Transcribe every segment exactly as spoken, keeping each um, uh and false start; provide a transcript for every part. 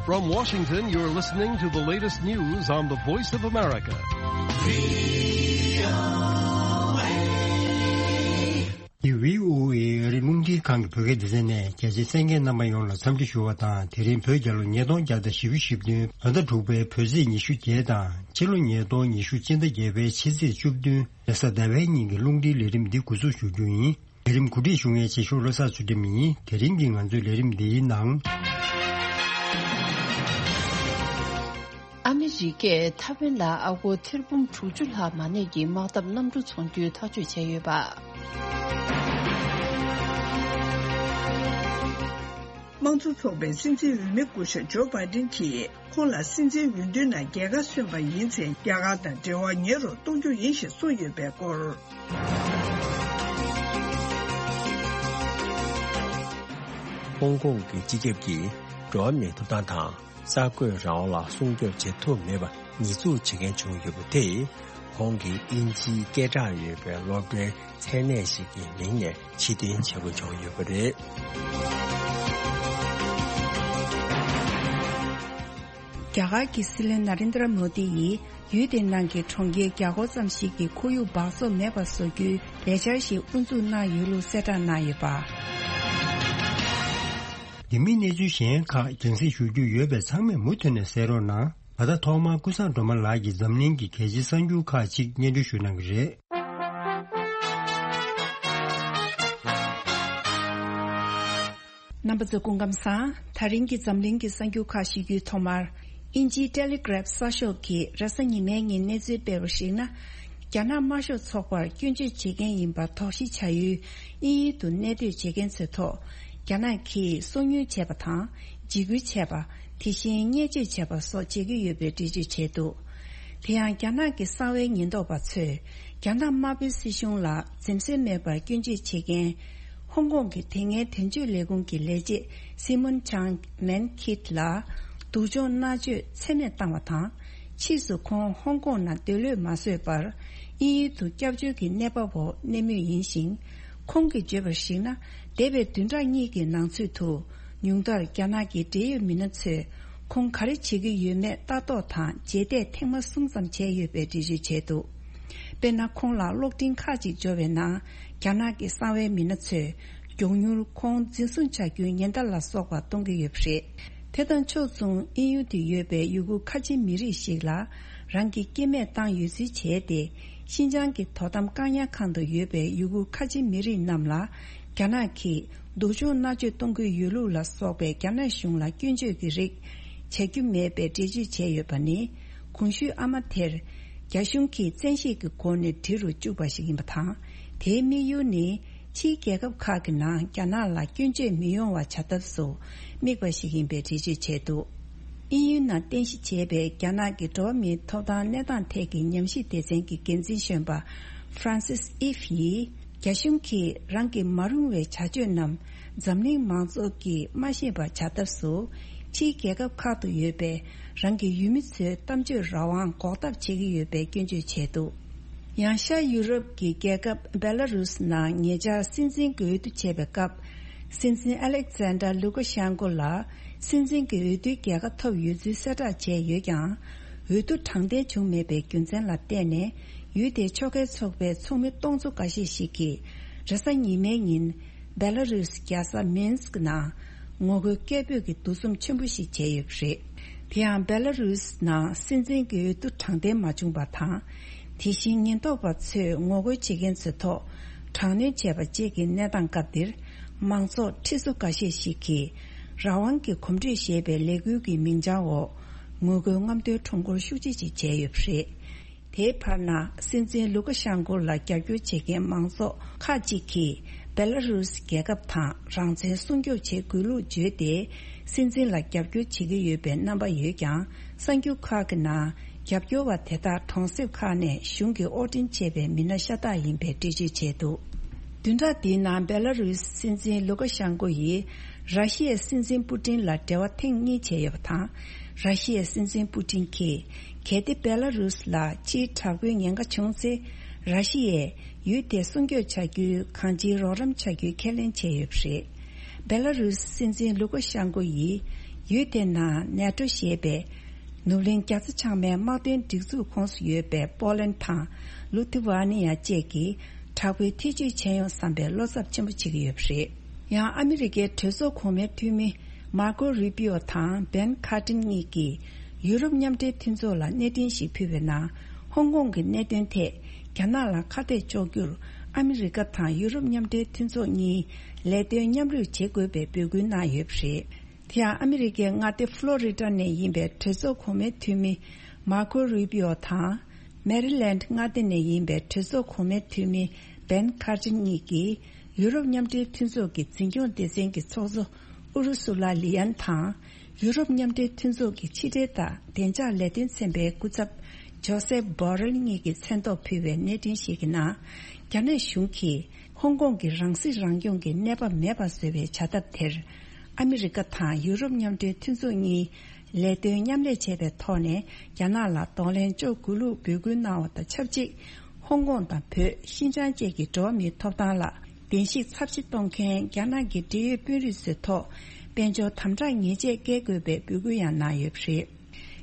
From Washington, you're listening to the latest news on the Voice of America. འདི་བྷི་ཨོ་ཨེ་ཨ་རིའི་རླུང་འཕྲིན་ཁང་གི་བོད་སྐད་སྡེ་ཚན་ནས། རྒྱ་ཆེའི་གསན་མཁན་རྣམ་པ་ཡོངས་ལ་འཚམས་འདྲི་ཞུ་བ་དང་། དེ་རིང་བོད་རྒྱལ་ལོ་ཉིས་སྟོང་བརྒྱ་དང་བཞི་བཅུ་ཞེ་བདུན། ཟླ་དྲུག་པའི་བོད་ཚེས་ཉི་ཤུ་བརྒྱད་དང་། ཕྱི་ལོ་ཉིས་སྟོང་ཉི་ཤུ་སྤྱི་ཟླ་བརྒྱད་པའི་ཕྱི་ཚེས་བཅུ་བདུན་རེས་གཟའ་ཟླ་བའི་ཉིན་གྱི་རླུང་འཕྲིན་ལས་རིམ་འདི་འགོ་འཛུགས་ཞུ་རྒྱུ་ཡིན། ལས་རིམ་གོ་སྒྲིག་ཞུ་མཁན་རྗེས་ཤོག་བློ་བཟང་ཚུལ་ཁྲིམས་ཡིན། དེ་རིང་གི་ང་ཚོའི་ལས་རིམ་འདིའི་ནང་། ཨ་མི་རི་ཀས་ཐའེ་ཝན་ལ་ཨ་སྒོར་ཐེར་འབུམ་དྲུག་ཅུ་ལྷག་མ་གནས་ཀྱི་དམག་འཐབ་གནམ་གྲུ་ཚོང་རྒྱུའི་ཐག་གཅོད་བྱས་ཡོད་པ། དམངས་གཙོ་ཚོགས་པའི་སྲིད་འཛིན་འོས་མི་སྐུ་ཞབས་ཇོ་བྷའི་ཌེན་གྱིས། ཁོང་ལ་སྲིད་འཛིན་འོས་བསྡུའི་ནང་རྒྱལ་ཁ་སོན་པ་ཡིན་ཚེ། རྒྱ་གར་དང་འབྲེལ་བ་ཉེ་རུ་གཏོང་རྒྱུ་ཡིན་ཞེས་གསུངས་ཡོད་པའི་སྐོར། ཧོང་ཀོང་གི་སྤྱི་ཁྱབ་ཀྱིས་འགྲོ་བ་མིའི་ཐོབ་ཐང་དང་། གསར་འགོད་རང་དབང་ལ་སྲུང་སྐྱོབ་བྱེད་ཐུབ་མེད་པ་ཉེས་འཛུགས་བྱེད་མཁན་བྱུང་ཡོད་པ་དེས། ཁོང་གིས་དབྱིན་ཇིའི་སྐད་གྲགས་ཡོད་པའི་སློབ་གྲྭའི་མཚན་གནས་ཤིག་གི་མིང་ནས་ཕྱིར་འཐེན་བྱེད་དགོས་བྱུང་ཡོད་པ་རེད། རྒྱ་གར་གྱི་སྲིད་བློན་ན་རེན་དྲ་མོ་དི་ཡིས་ཡུལ་དེའི་ནང་གི་གྲོང་ཁྱེར་བརྒྱ་སྐོར་ཙམ་ཞིག་གི་ཁོར་ཡུག་འབག་བཙོག་མེད་པ་བཟོ་རྒྱུའི་ལས་འཆར་ཞིག་དབུ་འཛུགས་གནང་ཡོད་ལུགས་གསལ་བསྒྲགས་གནང་ཡོད་པ། འདི་མིན་གནས་ཚུལ་གཞན་ཁག་རྒྱང་སྲིང་ཞུ་རྒྱུ་ཡོད་པས། ཚང་མས་མུ་མཐུད་ནས་གསན་རོགས་གནང་། ད་ལྟ་ཐོག་མར་ཀུན་བཟང་སྒྲོལ་མ་ལགས་ཀྱིས་འཛམ་གླིང་གི་གལ་ཆེའི་གསར་འགྱུར་ཁག་ཅིག་སྙན་སྒྲོན་ཞུ་གནང་གི་རེད། རྣམ་པ་ཚོ་སྐུ་ཁམས་བཟང་། ད་རིང་གི་འཛམ་གླིང་གི་གསར་འགྱུར་ཁག་ཞུ་རྒྱུའི་ཐོག་མར། དབྱིན་ཇིའི་ཊེ་ལི་གྷ་རབ་གསར་ཤོག་གིས་རེས་གཟའ་ཉི་མའི་ཉིན་གནས་ཚུལ་སྤེལ་བར་གཞིགས་ན། རྒྱ་ནག་དམར་ཤོག་ཚོགས་པར་སྐྱོན་བརྗོད་བྱེད་མཁན་ཡིན་པར་དོགས་གཞི་བྱ་ཡུལ་དབྱིན་ཡུལ་དུ་གནས་སྡོད་བྱེད་མཁན་ཚོའི་ཐོག་རྒྱ་ནག་གིས་སོ་ཉུལ་བྱས་པ་དང་། འཇིགས་སྐུལ་བྱས་པ། དེ་བཞིན་བརྙས་བཅོས་བྱས་པ་སོགས་བྱེད་ཀྱི་ཡོད་པའི་འགྲེལ་བརྗོད་བྱས་འདུག་དེ་ཡང་རྒྱ་ནག་གི་གསང་བའི་ཉེན་རྟོག་པ་ཚོས་རྒྱ་ནག་དམར་པོའི་སྲིད་གཞུང་ལ་འཛེམ་ཟོན་མེད་པར་སྐྱོན་བརྗོད་བྱེད་མཁན། ཧོང་ཀོང་གི་དེ་སྔའི་དོན་གཅོད་ལས་ཁུངས་ཀྱི་ལས་བྱེད་སི་མོན་ཆང་མན་ཁིད་ལ་སྡུག་སྦྱོང་མནར་གཅོད་ཚད་མེད་བཏང་བ་དང་། ཕྱིས་སུ་ཁོང་ཧོང་ཀོང་ནང་སྡོད་ལོས་མ་བཟོད་པར་དབྱིན་ཡུལ་དུ་སྐྱབས་བཅོལ་གྱི་གནས་བབ་འོག་གནས་མུས་ཡིན་ཞིང་། ཁོང་གིས་བརྗོད་པར་གཞིགས་ན། འདས་པའི་བདུན་ཕྲག་གཉིས་ཀྱི་ནང་ཚུད་དུ། ཉུང་མཐར་རྒྱ་ནག་གི་འབྲེལ་ཡོད་མི་སྣ་ཚོས་ཁོང་ག་རེ་བྱེད་ཀྱི་ཡོད་མེད་ལྟ་རྟོག་དང་རྗེས་འདེད་ཐེངས་མ་གསུམ་ཙམ་བྱས་ཡོད་པའི་འགྲེལ་བརྗོད་བྱས་འདུག་དཔེར་ན། ཁོང་ལ་གློག་འཕྲིན་ཁག་ཅིག་འབྱོར་བའི་ནང་། རྒྱ་ནག་གི་གསང་བའི་མི་སྣ་ཚོས་མགྱོགས་མྱུར་ཁོང་འཛིན་བཟུང་བྱ་རྒྱུའི་ཉེན་བརྡ་ལ་སོགས་པ་གཏོང་གི་ཡོད་པ་རེད། དེ་དང་ཕྱོགས་མཚུངས། དབྱིན་ཡུལ་དུ་ཡོད་པའི་ཡུ་གུར་ཁ་ཆེ་མི་རིགས་ཤིག་ལ་རང་གི་སྐྱེ་དམན་བཏང་ཡོད་ཚུལ་བྱས་ཏེ། ཤིན་ཅང་གི་དོ་དམ་བཀག་ཉར་ཁང་དུ་ཡོད་པའི་ཡུ་གུར་ཁ་ཆེ་མི་རིགས་རྣམས་ལ། རྒྱ་ནག་གིས་སྡུག་སྦྱོང་མནར་གཅོད་གཏོང་གི་ཡོད་ལུགས་ལ་སོགས་པའི་རྒྱ་ནག་གཞུང་ལ་སྐྱོན་བརྗོད་ཀྱི་རིགས་བྱ་རྒྱུ་མེད་པའི་འགྲེལ་བརྗོད་བྱས་ཡོད་པ་ནི། གོང་ཞུས་ཨ་མ་དེར་རྒྱ་གཞུང་གིས་བཙན་ཤེད་ཀྱི་སྒོ་ནས་འབྲི་རུ་བཅུག་པ་ཞིག་ཡིན་པ་དང་། དེའི་དམིགས་ཡུལ་ནི། ཕྱིའི་རྒྱལ་ཁབ་ཁག་གི་ནང་རྒྱ་ནག་ལ་སྐྱོན་བརྗོད་མི་ཡོང་བ་བྱ་ཐབས་སུ་དམིགས་པ་ཞིག་ཡིན་པའི་འགྲེལ་བརྗོད་བྱས་འདུག་དབྱིན་ཡུལ་ནང་རྟེན་གཞི་བྱས་པའི་རྒྱ་ནག་གི་འགྲོ་བ་མིའི་ཐོབ་ཐང་གནས་སྟངས་ཐད་ཀྱི་ཉམས་ཞིབ་སྡེ་ཚན་གྱི་འགན་འཛིན་གཞོན་པ་Francis Eve ཡིས། རྒྱ་གཞུང་གིས་རང་གི་མ་རུང་བའི་བྱ་སྤྱོད་རྣམས་འཛམ་གླིང་མང་ཚོགས་ཀྱིས་མ་ཤེས་པར་བྱ་ཐབས་སུ། ཕྱིའི་རྒྱལ་ཁབ་ཁག་ཏུ་ཡོད་པའི་རང་གི་ཡུལ་མི་ཚོའི་གཏམ་བརྗོད་རང་དབང་འགོག་ཐབས་བྱེད་ཀྱི་ཡོད་པའི་སྐྱོན་བརྗོད་བྱས་འདུག་ཡང་ཤར་ཡུ་རོབ་ཀྱི་རྒྱལ་ཁབ་བེ་ལ་རུས་ནང་ཉེ་ཆར་སྲིད་འཛིན་གྱི་འོས་བསྡུ་བྱས་པའི་སྐབས། སྲིད་འཛིན་ཨ་ལེག་ཛན་ཌར་ལུ་ཀ་ཤན་ཀོ་ལ་སྲིད་འཛིན་གྱི་འོས་བསྡུའི་རྒྱལ་ཁ་ཐོབ་ཡོད་ཚུལ་གསལ་བསྒྲགས་བྱས་ཡོད་ཀྱང་། འོས་བསྡུ་དྲང་བདེན་བྱུང་མེད་པའི་རྒྱུ་མཚན་ལ་བརྟེན་ནས། ཡུལ་དེའི་ཕྱོགས་འགལ་ཚོགས་པའི་ཚོགས་མི་སྟོང་ཚོ་འགའ་ཤས་ཤིག་གིས་རེས་གཟའ་ཉི་མའི་ཉིན། བེ་ལ་རུས་རྒྱལ་ས་མིན་སྐ་ནང་ངོ་རྒོལ་སྐད་འབོད་ཀྱི་འདུ་འཛོམས་ཆེན་པོ་ཞིག་བྱས་ཡོད་པ་རེད། དེ་ཡང་བེ་ལ་རུས་ནང་སྲིད་འཛིན་གྱི་འོས་བསྡུ་དྲང་བདེན་མ་བྱུང་པ་དང་། དེ་བཞིན་ཉེན་རྟོག་པ་ཚོས་ངོ་རྒོལ་བྱེད་མཁན་ཚོའི་ཐོག་དྲག་གནོན་བྱས་པ་བཅས་ཀྱི་གནས་སྟངས་སྐབས་འདིར། མང་ཚོགས་ཁྲི་ཚོ་འགའ་ཤས་ཤིག་གིས་རང་དབང་གི་གོམ་བགྲོད་ཞེས་པའི་ལས་འགུལ་གྱི་མིང་བྱང་འོག་ངོ་རྒོལ་རྔམ་སྟོན་ཁྲོམ་སྐོར་ཤུགས་ཆེ་ཞིག་བྱས་ཡོད་པ་རེད། དེའི་བར་ན། སྲིད་འཛིན་ལུ་ཀ་ཤན་ཀོ་ལ་རྒྱབ་སྐྱོར་བྱེད་མཁན་མང་ཚོགས་ཁག་ཅིག་གིས། བེ་ལ་རུས་རྒྱལ་ཁབ་དང་རང་བཙན་སྲུང་སྐྱོབ་བྱེད་དགོས་ལུགས་བརྗོད་དེ། སྲིད་འཛིན་ལ་རྒྱབ་སྐྱོར་བྱེད་ཀྱི་ཡོད་པའི་རྣམ་པ་ཡོད་ཀྱང་། གསར་འགྱུར་ཁག་གི་ནང་། རྒྱབ་སྐྱོར་བ་དེ་དག་གྲོང་གསེབ་ཁག་ནས་གཞུང་གིས་དབོར་འདྲེན་བྱས་པའི་མི་སྣ་ཤ་སྟག་ཡིན་པའི་འགྲེལ་བརྗོད་བྱས་འདུག་བདུན་ཕྲག་འདིའི་ནང་། བེ་ལ་རུས་སྲིད་འཛིན་ལུ་ཀ་ཤན་ཀོ་ཡིས། ར་ཤི་ཡའི་སྲིད་འཛིན་པུ་ཏིན་ལ་འབྲེལ་བ་ཐེངས་གཉིས་བྱས་ཡོད་པ་དང་། ར་ཤི་ཡའི་སྲིད་འཛིན་པུ་ཏིན་གྱིས། གལ་ཏེ་བེ་ལ་རུས་ལ་ཕྱིའི་དྲག་པོའི་ཉེན་ཁ་བྱུང་ཚེ། ར་ཤི་ཡས་ཡུལ་དེ་སྲུང་སྐྱོབ་བྱ་རྒྱུའི་གང་ཅིའི་རོགས་རམ་བྱ་རྒྱུའི་ཁས་ལེན་བྱས་ཡོད་པ་རེད། བེ་ལ་རུས་སྲིད་འཛིན་ལུ་ཀ་ཤན་ཀོ་ཡིས། ཡུལ་དེའི་ནང་ནེ་ཏྲོ་ཞེས་པའི་ནུབ་གླིང་རྒྱ་མཚོ་བྱང་མའི་དམག་དོན་སྒྲིག་འཛུགས་ཁོངས་སུ་ཡོད་པའི་པོ་ལན་དང་ལུ་ཐི་ཝ་ནི་ཡ་བཅས་ཀྱིས་དྲག་པོའི་ཐེ་བྱུས་བྱས་ཡོང་བསམ་པའི་བློ་འཚབ་ཆེན་པོ་བྱེད་ཀྱི་ཡོད་པ་རེད། ཡང་ཨ་མི་རི་ཀའི་གྲོས་ཚོགས་གོང་མའི་འཐུས་མི་མར་ཀོ་རུ་པི་ཨོ་དང་བན་ཁ་ཏྲིན་གཉིས་ཀྱིས་ཡུ་རོབ་མཉམ་འབྲེལ་མཐུན་ཚོགས་ལ་གནས་འཕྲིན་ཞིག་ཕུལ་བའི་ནང་། ཧོང་ཀོང་གི་གནད་དོན་ཐད་རྒྱ་ནག་ལ་ཁ་གཏད་གཅོག་རྒྱུར་ཨ་མི་རི་ཀ་དང་ཡུ་རོབ་མཉམ་འབྲེལ་མཐུན་ཚོགས་གཉིས་ལས་དོན་མཉམ་རུབ་བྱེད་དགོས་པའི་འབོད་སྐུལ་གནང་ཡོད་པ་རེད། དེ་ཡང་ཨ་མི་རི་ཀའི་མངའ་སྡེ་ཕློ་རི་ཌ་ནས་ཡིན་པའི་གྲོས་ཚོགས་གོང་མའི་འཐུས་མི་མར་ཀོ་རུ་པི་ཨོ་དང་། མེ་རི་ལེནཌ་མངའ་སྡེ་ནས་ཡིན་པའི་གྲོས་ཚོགས་གོང་མའི་འཐུས་མི་བན་ཁར་ཅིན་གཉིས་ཀྱིས་ཡུ་རོབ་མཉམ་འབྲེལ་མཐུན་ཚོགས་ཀྱི་འཛིན་སྐྱོང་སྡེ་ཚན་གྱི་ཚོགས་གཙོ་ཨུ་རུ་སུ་ལ་ལི་ཡན་དང་། ཡུ་རོབ་མཉམ་འབྲེལ་མཐུན་ཚོགས་ཀྱི་ཕྱི་འབྲེལ་དང་བདེ་འཇགས་ལས་དོན་ཚན་པའི་སྐུ་ཚབ་ཇོ་སེབ་བྷོ་རེལ་གཉིས་ཀྱིས་མཚན་ཐོག་ཕུལ་བའི་གནས་འཕྲིན་ཞིག་གི་ནང་། རྒྱ་ནག་གཞུང་གིས་ཧོང་ཀོང་གི་རང་སྲིད་རང་སྐྱོང་གི་གནས་བབ་མེད་པ་བཟོ་བའི་བྱ་ཐབས་དེར། ཨ་མི་རི་ཀ་དང་ཡུ་རོབ་མཉམ་འབྲེལ་མཐུན་ཚོགས་གཉིས་ལས་དོན་མཉམ་ལས་བྱས་པའི་ཐོག་ནས་རྒྱ་ནག་ལ་གདོང་ལེན་གཅོག་དགོས་ལུགས་འབོད་སྐུལ་གནང་བ་དང་ཆབས་ཅིག་ཧོང་ཀོང་དང་བོད། ཤིན་ཅང་བཅས་ཀྱི་འགྲོ་བ་མིའི་ཐོབ་ཐང་ལ་བརྡལ་བཤིག་ཚབས་ཆེ་གཏོང་མཁན་རྒྱ་ནག་གི་འབྲེལ་ཡོད་དཔོན་རིགས་ཚོའི་ཐོག་དཔལ་འབྱོར་དམ་དྲག་ཉེས་ཆད་བཀལ་དགོས་པའི་འབོད་སྐུལ་ཡང་གནང་ཡོད་པ་རེད།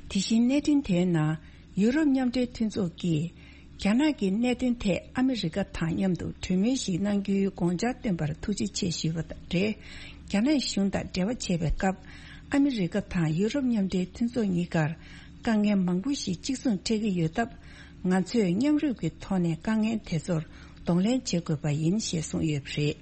དེ་བཞིན་གནས་འཕྲིན་དེའི་ནང་། ཡུ་རོབ་མཉམ་འབྲེལ་མཐུན་ཚོགས་ཀྱིས། རྒྱ་ནག་གི་གནད་དོན་ཐད་ཨ་མི་རི་ཀ་དང་མཉམ་དུ་གྲོས་མོལ་ཞིག་གནང་རྒྱུའི་དགོངས་འཆར་བཏོན་པར་ཐུགས་རྗེ་ཆེ་ཞུས་པ་དང་འབྲེལ། རྒྱ་ནག་གཞུང་དང་འབྲེལ་བ་བྱེད་པའི་སྐབས། ཨ་མི་རི་ཀ་དང་ཡུ་རོབ་མཉམ་འབྲེལ་མཐུན་ཚོགས་གཉིས་ཀར་དཀའ་ངལ་མང་པོ་ཞིག་གཅིག་མཚུངས་འཕྲད་ཀྱི་ཡོད་སྟབས། ང་ཚོས་མཉམ་རུབ་ཀྱི་ཐོག་ནས་དཀའ་ངལ་དེ་ཚོར་གདོང་ལེན་བྱེད་དགོས་པ་ཡིན་ཞེས་གསུངས་ཡོད་པ་རེད།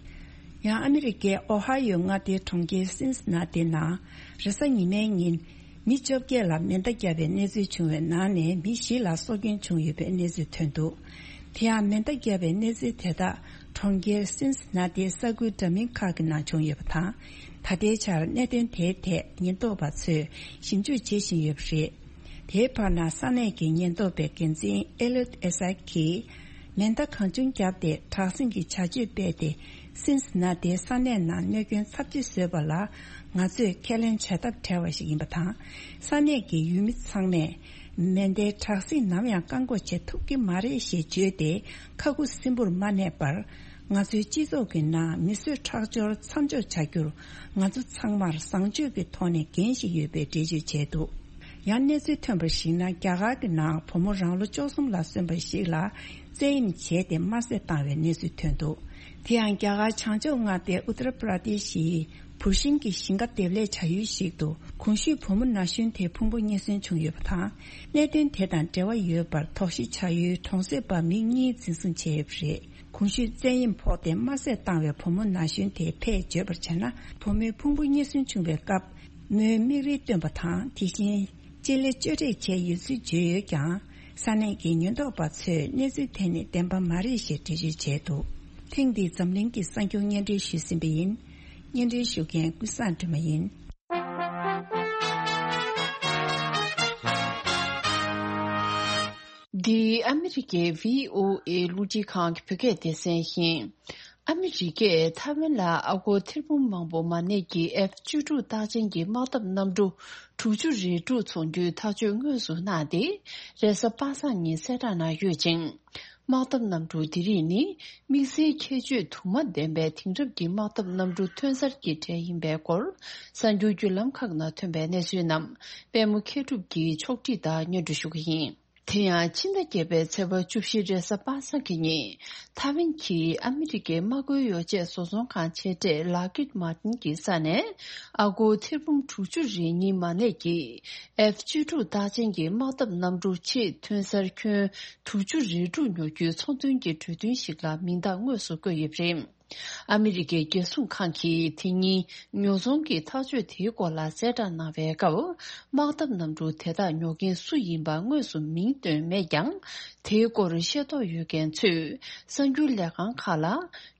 ཡང་ཨ་མི་རི་ཀའི་ཨོ་ཧ་ཡོ་མངའ་སྡེའི་གྲོང་ཁྱེར་སིན་སི་ན་ཏི་ནང་རེས་གཟའ་ཉི་མའི་ཉིན། མི་བཅོ་བརྒྱད་ལ་མེ་མདའ་བརྒྱབ་པའི་གནས་ཚུལ་བྱུང་བའི་ནང་ནས་མི་བཞི་ལ་སྲོག་སྐྱོན་བྱུང་ཡོད་པའི་གནས་ཚུལ་ཐོན་འདུག་དེ་ཡང་མེ་མདའ་བརྒྱབ་པའི་གནས་ཚུལ་དེ་དག་གྲོང་ཁྱེར་སིན་སི་ན་ཏིའི་ས་ཁུལ་འདྲ་མིན་ཁག་གི་ནང་བྱུང་ཡོད་པ་དང་། ད་ལྟའི་ཆར་གནད་དོན་དེའི་ཐད་ཉེན་རྟོག་པ་ཚོས་ཞིབ་འཇུག་བྱེད་བཞིན་ཡོད་པ་རེད། དེའི་བར་ན་ས་གནས་ཀྱི་ཉེན་རྟོག་པའི་འགན་འཛིན་ཨེ་ལོད་ཨེ་སཱ་གིས། མེ་མདའ་གང་བྱུང་བརྒྱབ་སྟེ་དྲག་ཟིང་གི་བྱ་སྤྱོད་སྤེལ་ཏེ། སིན་སི་ན་ཏིའི་ས་གནས་ནང་གནོད་སྐྱོན་ཚབས་ཆེ་བཟོས་པ་ལ། ང་ཚོས་ཁས་ལེན་བྱ་ཐབས་བྲལ་བ་ཞིག་ཡིན་པ་དང་། ས་གནས་ཀྱི་ཡུལ་མི་ཚང་མས། མེ་མདའི་དྲག་ཟིང་ནམ་ཡང་བཀག་འགོག་བྱེད་ཐུབ་ཀྱི་མ་རེད་ཞེས་བརྗོད་དེ། ཁ་ཁུ་སིམ་པོར་མ་གནས་པར། ང་ཚོའི་སྤྱི་ཚོགས་ཀྱི་ནང་མི་གསོད་ཁྲག་སྦྱོར་མཚམས་འཇོག་བྱ་རྒྱུར། ང་ཚོ་ཚང་མར་བཟང་སྤྱོད་ཀྱི་ཐོག་ནས་འགན་ཞིག་ཡོད་པའི་འགྲེལ་བརྗོད་བྱས་འདུག་ཡང་གནས་ཚུལ་ཐོན་པར་གཞིགས་ན། རྒྱ་གར་གྱི་ནང་བུ་མོ་རང་ལོ་བཅུ་གསུམ་ལ་སོན་པ་ཞིག་ལ་བཙན་གཡེམ་བྱས་ཏེ་དམར་བསད་བཏང་བའི་གནས་ཚུལ་ཐོན་འདུག་དེ་ཡང་རྒྱ་གར་བྱང་ཕྱོགས་མངའ་སྡེ་ཨུ་ཏར་པྲ་དེ་ཤིའི་བུར་ཤིང་གི་ཞིང་ཁ་འདེབས་ལས་བྱ་ཡུལ་ཞིག་ཏུ། གོང་ཞུས་བུ་མོ་ན་གཞོན་དེའི་ཕུང་པོ་རྙེད་སོན་བྱུང་ཡོད་པ་དང་། གནད་དོན་དེ་དང་འབྲེལ་བ་ཡོད་པར་དོགས་གཞི་བྱ་ཡུལ་གྲོང་གསེབ་པ་མི་གཉིས་འཛིན་བཟུང་བྱས་ཡོད་པ་རེད། གོང་ཞུས་བཙན་གཡེམ་ཕོག་སྟེ་དམར་བསད་བཏང་བའི་བུ་མོ་ན་གཞོན་དེ་ཕལ་བརྗོད་པར་བྱས་ན། བུ་མོའི་ཕུང་པོ་རྙེད་སོན་བྱུང་བའི་སྐབས། མོས་མིག་རིལ་བཏོན་པ་དང་། དེ་བཞིན་ལྕེ་ལེ་གཅོད་འབྲེག་བྱས་ཡོད་ཚུལ་བརྗོད་ཡོད་ཀྱང་། ས་གནས་ཀྱི་ཉེན་རྟོག་པ་ཚོས་གནས་ཚུལ་དེ་ནི་བདེན་པ་མ་རེད་ཞེས་འགྲེལ་བརྗོད་བྱས་འདུག་ཐེངས་འདིའི་འཛམ་གླིང་གི་གསར་འགྱུར་སྙན་སྒྲོན་ཞུས་ཟིན་པ་ཡིན། སྙན་སྒྲོན་ཞུ་མཁན་ཀུན་བཟང་སྒྲོལ་མ་ཡིན། འདི་ཨ་མི་རི་ཀའི་བྷི་ཨོ་ཨེ་རླུང་འཕྲིན་ཁང་གི་བོད་སྐད་སྡེ་ཚན་ཡིན། ཨ་མི་རི་ཀས་ཐའེ་ཝན་ལ་ཨ་སྒོར་ཐེར་འབུམ་མང་པོ་མ་གནས་ཀྱི་ཨེཕ་བཅུ་དྲུག་རྟགས་ཅན་གྱི་དམག་འཐབ་གནམ་གྲུ་དྲུག་ཅུ་རེ་དྲུག་འཚོང་རྒྱུའི་ཐག་གཅོད་དངོས་སུ་གནང་སྟེ། རེས་གཟའ་པ་སངས་ཉིན་གསལ་བསྒྲགས་གནང་ཡོད་ཅིང་། དམག་འཐབ་གནམ་གྲུ་དེ་རིགས་ནི་དམིགས་བསལ་ཁྱད་ཆོས་དུ་མ་ལྡན་པའི་དེང་རབས་ཀྱི་དམག་འཐབ་གནམ་གྲུ་ཐོན་གསར་གྱི་གྲས་ཡིན་པའི་སྐོར། གསར་འགྱུར་བརྒྱུད་ལམ་ཁག་ནང་ཐོན་པའི་གནས་ཚུལ་རྣམས་པད་མ་མཁས་གྲུབ་ཀྱིས་ཕྱོགས་སྒྲིག་དང་སྙན་སྒྲོན་ཞུ་གི་ཡིན། དེ་ཡང་ཕྱི་ཟླ་བརྒྱད་པའི་ཚེས་པ་བཅུ་བཞི་རེས་གཟའ་པ་སངས་ཀྱི་ཉིན། ཐའེ་ཝན་གྱིས་ཨ་མི་རི་ཀའི་དམག་བཀོལ་ཡོ་བྱད་བཟོ་ཚོང་ཁང་ཆེ་གྲས་ལག་ཀིད་མར་ཏིན་གྱི་ས་ནས། ཨ་སྒོར་ཐེར་འབུམ་དྲུག་ཅུ་རེ་གཉིས་མ་གནས་ཀྱི་ཨེཕ་བཅུ་དྲུག་རྟགས་ཅན་གྱི་དམག་འཐབ་གནམ་གྲུ་ཆེད་ཐོན་གསར་ཁྱོན་དྲུག་ཅུ་རེ་དྲུག་ཉོ་རྒྱུའི་ཚོང་དོན་གྱི་གྲོས་མཐུན་ཞིག་ལ་མིང་རྟགས་དངོས་སུ་བཀོད་ཡོད་པ་རེད། ཨ་མི་རི་ཀའི་རྒྱལ་སྲུང་ཁང་གིས་དེ་ཉིན་ཉོ་ཚོང་གི་ཐག་གཅོད་དེའི་སྐོར་ལ་གསལ་བསྒྲགས་གནང་བའི་སྐབས། དམག་འཐབ་གནམ་གྲུ་དེ་དག་ཉོ་མཁན་སུ་ཡིན་པ་དངོས་སུ་མིང་བཏོན་མེད་ཀྱང་། དེའི་སྐོར་ཤེས་རྟོགས་ཡོད་མཁན་ཚོས་གསར་འགྱུར་ལས་ཁང་ཁག་ལ།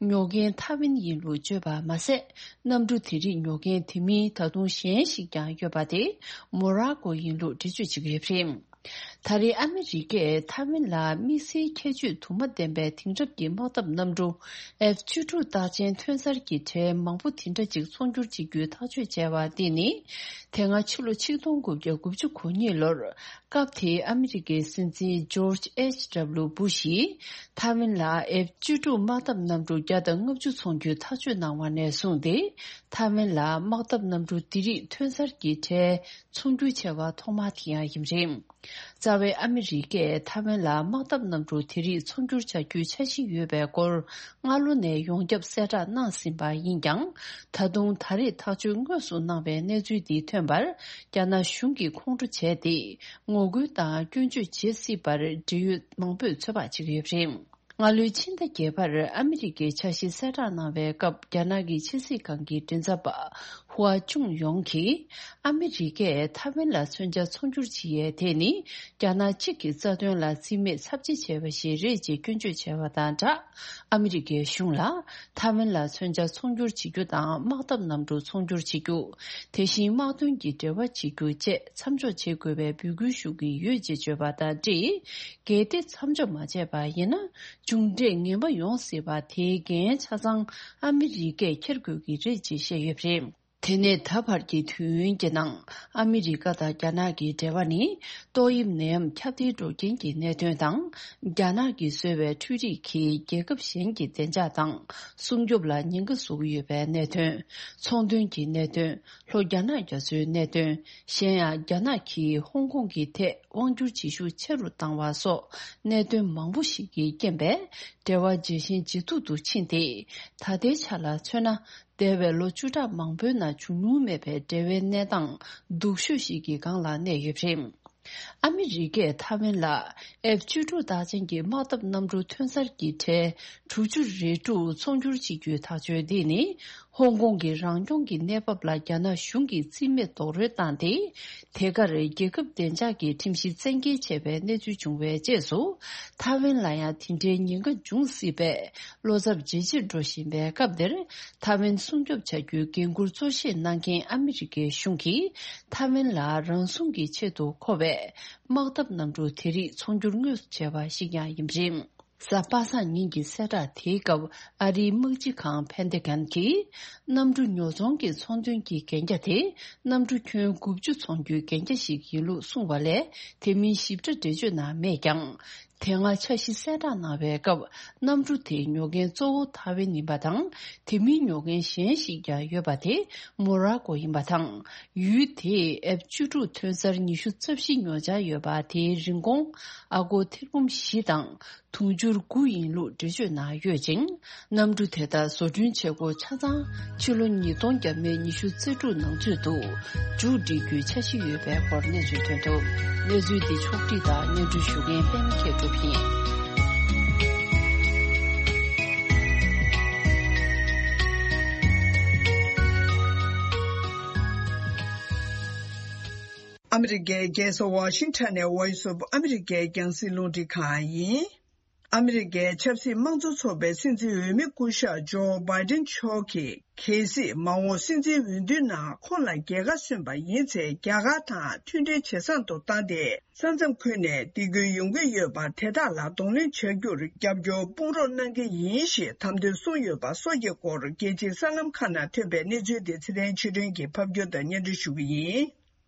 ཉོ་མཁན་ཐའེ་ཝན་ཡིན་ལུགས་བརྗོད་པ་མ་ཟད། གནམ་གྲུ་དེ་རིགས་ཉོ་མཁན་དེ་མིན་ད་དུང་གཞན་ཞིག་ཀྱང་ཡོད་པ་དེ་མོ་ར་ཀོ་ཡིན་ལུགས་འགྲེལ་བརྗོད་བྱེད་ཀྱི་ཡོད་པ་རེད། ད་རེས་ཨ་མི་རི་ཀས་ཐའེ་ཝན་ལ་དམིགས་བསལ་ཁྱད་ཆོས་དུ་མ་ལྡན་པའི་དེང་རབས་ཀྱི་དམག་འཐབ་གནམ་གྲུ་ཨེཕ་བཅུ་དྲུག་རྟགས་ཅན་ཐོན་གསར་གྱི་གྲས་མང་པོ་དེ་འདྲ་ཅིག་ཚོང་སྒྱུར་བྱེད་རྒྱུའི་ཐག་གཅོད་བྱས་པ་འདི་ནི། དེ་སྔ་ཕྱི་ལོ་ཆིག་སྟོང་དགུ་བརྒྱ་དགུ་བཅུ་གོ་གཉིས་ལོར་སྐབས་དེའི་ཨ་མི་རི་ཀའི་སྲིད་འཛིན་ཇོརྗ་ཨེཆ་ཌབ་ལུ་བུ་ཤིས་ཐའེ་ཝན་ལ་ཨེཕ་བཅུ་དྲུག་དམག་འཐབ་གནམ་གྲུ་བརྒྱ་དང་ལྔ་བཅུ་ཚོང་སྒྱུར་ཐག་གཅོད་གནང་བ་ནས་བཟུང་སྟེ། ཐའེ་ཝན་ལ་དམག་འཐབ་གནམ་གྲུ་འདི་རིགས་ཐོན་གསར་གྱི་གྲས་ཚོང་སྒྱུར་བྱས་པ་ཐོག་མ་དེ་ཡང་ཡིན་པ་རེད། རྩ་བའི་ཨ་མི་རི་ཀས་ཐའེ་ཝན་ལ་དམག་འཐབ་གནམ་གྲུ་དེ་རིགས་ཚོང་སྒྱུར་བྱ་རྒྱུའི་འཆར་གཞི་ཡོད་པའི་སྐོར་སྔ་ལོ་ནས་ཡོངས་ཁྱབ་གསལ་བསྒྲགས་གནང་ཟིན་པ་ཡིན་ཀྱང་། ད་དུང་ད་རེས་ཐག་གཅོད་དངོས་སུ་གནང་བའི་གནས་ཚུལ་འདི་ཐོན་པར། རྒྱ་ནག་གཞུང་གིས་ཁོང་ཁྲོ་བྱས་ཏེ། ངོ་རྒོལ་དང་སྐྱོན་བརྗོད་བྱེད་སྲིད་པར་འབྲེལ་ཡོད་མང་པོས་ཚོད་དཔག་བྱེད་ཀྱི་ཡོད་པ་རེད། སྔ་ལོའི་ཕྱི་ཟླ་བརྒྱད་པར་ཨ་མི་རི་ཀའི་འཆར་གཞི་གསལ་བསྒྲགས་གནང་བའི་སྐབས། རྒྱ་ནག་གི་ཕྱི་སྲིད་ཁང་གི་མགྲིན་ཚབ་པ་ཧུའ་ཅུང་ཡོང་གིས། ཨ་མི་རི་ཀས་ཐའེ་ཝན་ལ་མཚོན་ཆ་ཚོང་སྒྱུར་བྱེད་ཡས་དེ་ནི། རྒྱ་ནག་གཅིག་གི་རྩ་དོན་ལ་རྩིས་མེད་ཚབས་ཆེ་བྱས་པ་ཞིག་རེད་ཅེས་སྐྱོན་བརྗོད་བྱས་པ་དང་སྦྲགས། ཨ་མི་རི་ཀའི་གཞུང་ལ། ཐའེ་ཝན་ལ་མཚོན་ཆ་ཚོང་སྒྱུར་བྱེད་རྒྱུ་དང་། དམག་འཐབ་གནམ་གྲུ་ཚོང་སྒྱུར་བྱེད་རྒྱུ། དེ་བཞིན་དམག་དོན་གྱི་འབྲེལ་བ་བྱེད་རྒྱུ་བཅས་མཚམས་འཇོག་བྱེད་དགོས་པའི་འབོད་སྐུལ་ཞུ་གི་ཡོད་ཅེས་བརྗོད་པ་དང་འབྲེལ། གལ་ཏེ་མཚམས་འཇོག་མ་བྱས་པ་ཡིན་ན། མཇུག་འབྲས་ངན་པ་ཡོང་སྲིད་པ་དེའི་འགན་ཆ་ཚང་ཨ་མི་རི་ཀས་འཁྱེར་དགོས་ཀྱི་རེད་ཅེས་བཤད་ཡོད་པ་རེད། དེ་ནས་ད་བར་གྱི་དུས་ཡུན་གྱི་ནང་ཨ་མི་རི་ཀ་དང་རྒྱ་ནག་གི་འབྲེལ་བ་ནི། ཏོག་དབྱིབས་ནད་ཡམས་ཁྱབ་གདལ་འགྲོ་རྐྱེན་གྱི་གནད་དོན་དང་། རྒྱ་ནག་གིས་བཟོས་པའི་འཕྲུལ་རིག་གིས་རྒྱལ་ཁབ་གཞན་གྱི་བདེ་འཇགས་དང་སྲུང་སྐྱོབ་ལ་ཉེན་ཁ་བཟོ་གི་ཡོད་པའི་གནད་དོན། ཚོང་དོན་གྱི་གནད་དོན། ལྷོ་རྒྱ་ནག་རྒྱ་མཚོའི་གནད་དོན། གཞན་ཡང་རྒྱ་ནག་གིས་ཧོང་ཀོང་གི་ཐད་དབང་སྒྱུར་བྱེད་ཤུགས་ཆེ་རུ་བཏང་བ་སོགས་གནད་དོན་མང་པོ་ཞིག་གི་རྐྱེན་པས། འབྲེལ་བ་ཇེ་ཞན་ཇེ་སྡུག་ཏུ་ཕྱིན་ཏེ། ད་ལྟའི་ཆ་ལ་མཚོན་ན། འདས་པའི་ལོ་བཅུ་ཕྲག་མང་པོའི་ནང་བྱུང་མྱོང་མེད་པའི་འབྲེལ་བའི་གནས་སྟངས་སྡུག་ཤོས་ཤིག་གི་སྒང་ལ་གནས་ཡོད་པ་རེད། ཨ་མི་རི་ཀས་ཐའེ་ཝན་ལ་ཨེཕ་བཅུ་དྲུག་རྟགས་ཅན་གྱི་དམག་འཐབ་གནམ་གྲུ་ཐོན་གསར་གྱི་གྲས་དྲུག་ཅུ་རེ་དྲུག་ཚོང་སྒྱུར་བྱེད་རྒྱུའི་ཐག་གཅོད་འདི་ནི། ཧོང་ཀོང་གི་རང་སྐྱོང་གི་གནས་བབ་ལ་རྒྱ་ནག་གཞུང་གིས་རྩིས་མེད་རྡོག་རོལ་བཏང་སྟེ། དེ་གར་རྒྱལ་ཁབ་བདེ་འཇགས་ཀྱི་ཁྲིམས་གཞི་བཙན་འགེལ་བྱས་པའི་གནས་ཚུལ་བྱུང་བའི་རྗེས་སུ། ཐའེ་ཝན་ལ་ཡང་དེ་འདྲའི་ཉེན་ཁ་འབྱུང་སྲིད་པའི་བློ་འཚབ་ཇེ་ཆེར་འགྲོ་བཞིན་པའི་སྐབས་འདིར། ཐའེ་ཝན་སྲུང་སྐྱོབ་བྱ་རྒྱུའི་འགན་འཁུར་གཙོ་བཞེས་གནང་མཁན་ཨ་མི་རི་ཀའི་གཞུང་གིས། ཐའེ་ཝན་ལ་རང་སྲུང་གི་ཆེད་དུ་མཁོ་བའི་དམག་འཐབ་གནམ་གྲུ་དེ་རིགས་ཚོང་སྒྱུར་དངོས་སུ་བྱས་པ་ཞིག་ཀྱང་ཡིན་པ་རེད། གཟའ་པ་སངས་ཉིན་གྱི་གསལ་བསྒྲགས་དེའི་སྐབས། ཨ་རིའི་དམག་སྤྱི་ཁང་ཕན་ཏེ་གན་གྱིས། གནམ་གྲུ་ཉོ་ཚོང་གི་ཚོང་དོན་གྱི་གན་རྒྱ་དེ། གནམ་གྲུ་ཁྱོན་དགུ་བཅུ་ཚོང་རྒྱུའི་གན་རྒྱ་ཞིག་ཡིན་ལུགས་གསུངས་པ་ལས། དེ་མིན་ཞིབ་ཕྲ་འགྲེལ་བརྗོད་གནང་མེད་ཀྱང་། དེ་སྔ་འཆར་གཞི་གསལ་བསྒྲགས་གནང་བའི་སྐབས། གནམ་གྲུ་དེ་ཉོ་མཁན་གཙོ་བོ་ཐའེ་ཝན་ཡིན་པ་དང་། དེ་མིན་ཉོ་མཁན་གཞན་ཞིག་ཀྱང་ཡོད་པ་དེ་མོ་ར་ཀོ་ཡིན་པ་དང་། ཡུལ་དེས་ཨེཕ་བཅུ་དྲུག་ཐོན་གསར་ཉི་ཤུ་རྩ་བཞི་ཉོ་འཆར་ཡོད་པ་དེའི་རིན་གོང་ཨ་སྒོར་ཐེར་འབུམ་བཞི་དང་དུང་ཕྱུར་དགུ་ཡིན་ལུགས་འགྲེལ་བརྗོད་གནང་ཡོད་ཅིང་། གནམ་གྲུ་དེ་དག་བཟོ་སྐྲུན་བྱེད་སྒོ་ཆ་ཚང་ཕྱི་ལོ་ཉིས་སྟོང་བརྒྱ་མེད་ཉི་ཤུ་རྩ་དྲུག་ནང་ཚུད་དུ་མཇུག་སྒྲིལ་རྒྱུའི་འཆར་གཞི་ཡོད་པའི་སྐོར་གནས་ཚུལ་ཐོན་འདུག་གནས་ཚུལ་འདི་ཕྱོགས་བསྒྲིགས་དང་སྙན་སྒྲོན་ཞུ་མཁན་པད་མ་མཁས་གྲུབ་ཡིན། ཨ་མི་རི་ཀའི་རྒྱལ་ས་ཝ་ཤིང་ཊོན་ནས་Voice of America་རྒྱང་སྲིང་རླུང་འཕྲིན་ཁང་ཡིན། ཨ་མི་རི་ཀའི་ཆབ་སྲིད་དམངས་གཙོ་ཚོགས་པའི་སྲིད་འཛིན་འོས་མི་སྐུ་ཞབས་ཇོ་བྷའི་ཏིན་མཆོག་གིས། གལ་སྲིད་མ་འོངས་སྲིད་འཛིན་འོས་བསྡུའི་ནང་ཁོང་ལ་རྒྱལ་ཁ་སོན་པ་ཡིན་ཚེ། རྒྱ་གར་དང་མཐུན་འབྲེལ་ཇེ་བཟང་དུ་བཏང་སྟེ། ས་མཚམས་ཁུལ་ནས་སྡིགས་སྐུལ་ཡོང་གི་ཡོད་པ་དེ་དག་ལ་གདོང་ལེན་བྱ་རྒྱུར་རྒྱབ་སྐྱོར་དཔུང་རོགས་གནང་གི་ཡིན་ཞེས་དམ་དོན་གསུངས་ཡོད་པ་སོགས་ཀྱི་སྐོར། རྒྱལ་སྤྱིའི་གསར་ལམ་ཁག་ནང་ཐོན་པའི་གནས་ཚུལ་དེ་ཚེ་བརྟན་ཆོས་སྒྲོན་གྱིས་ཕབ་སྒྱུར་དང་སྙན་སྒྲོན་ཞུ་གི་ཡིན།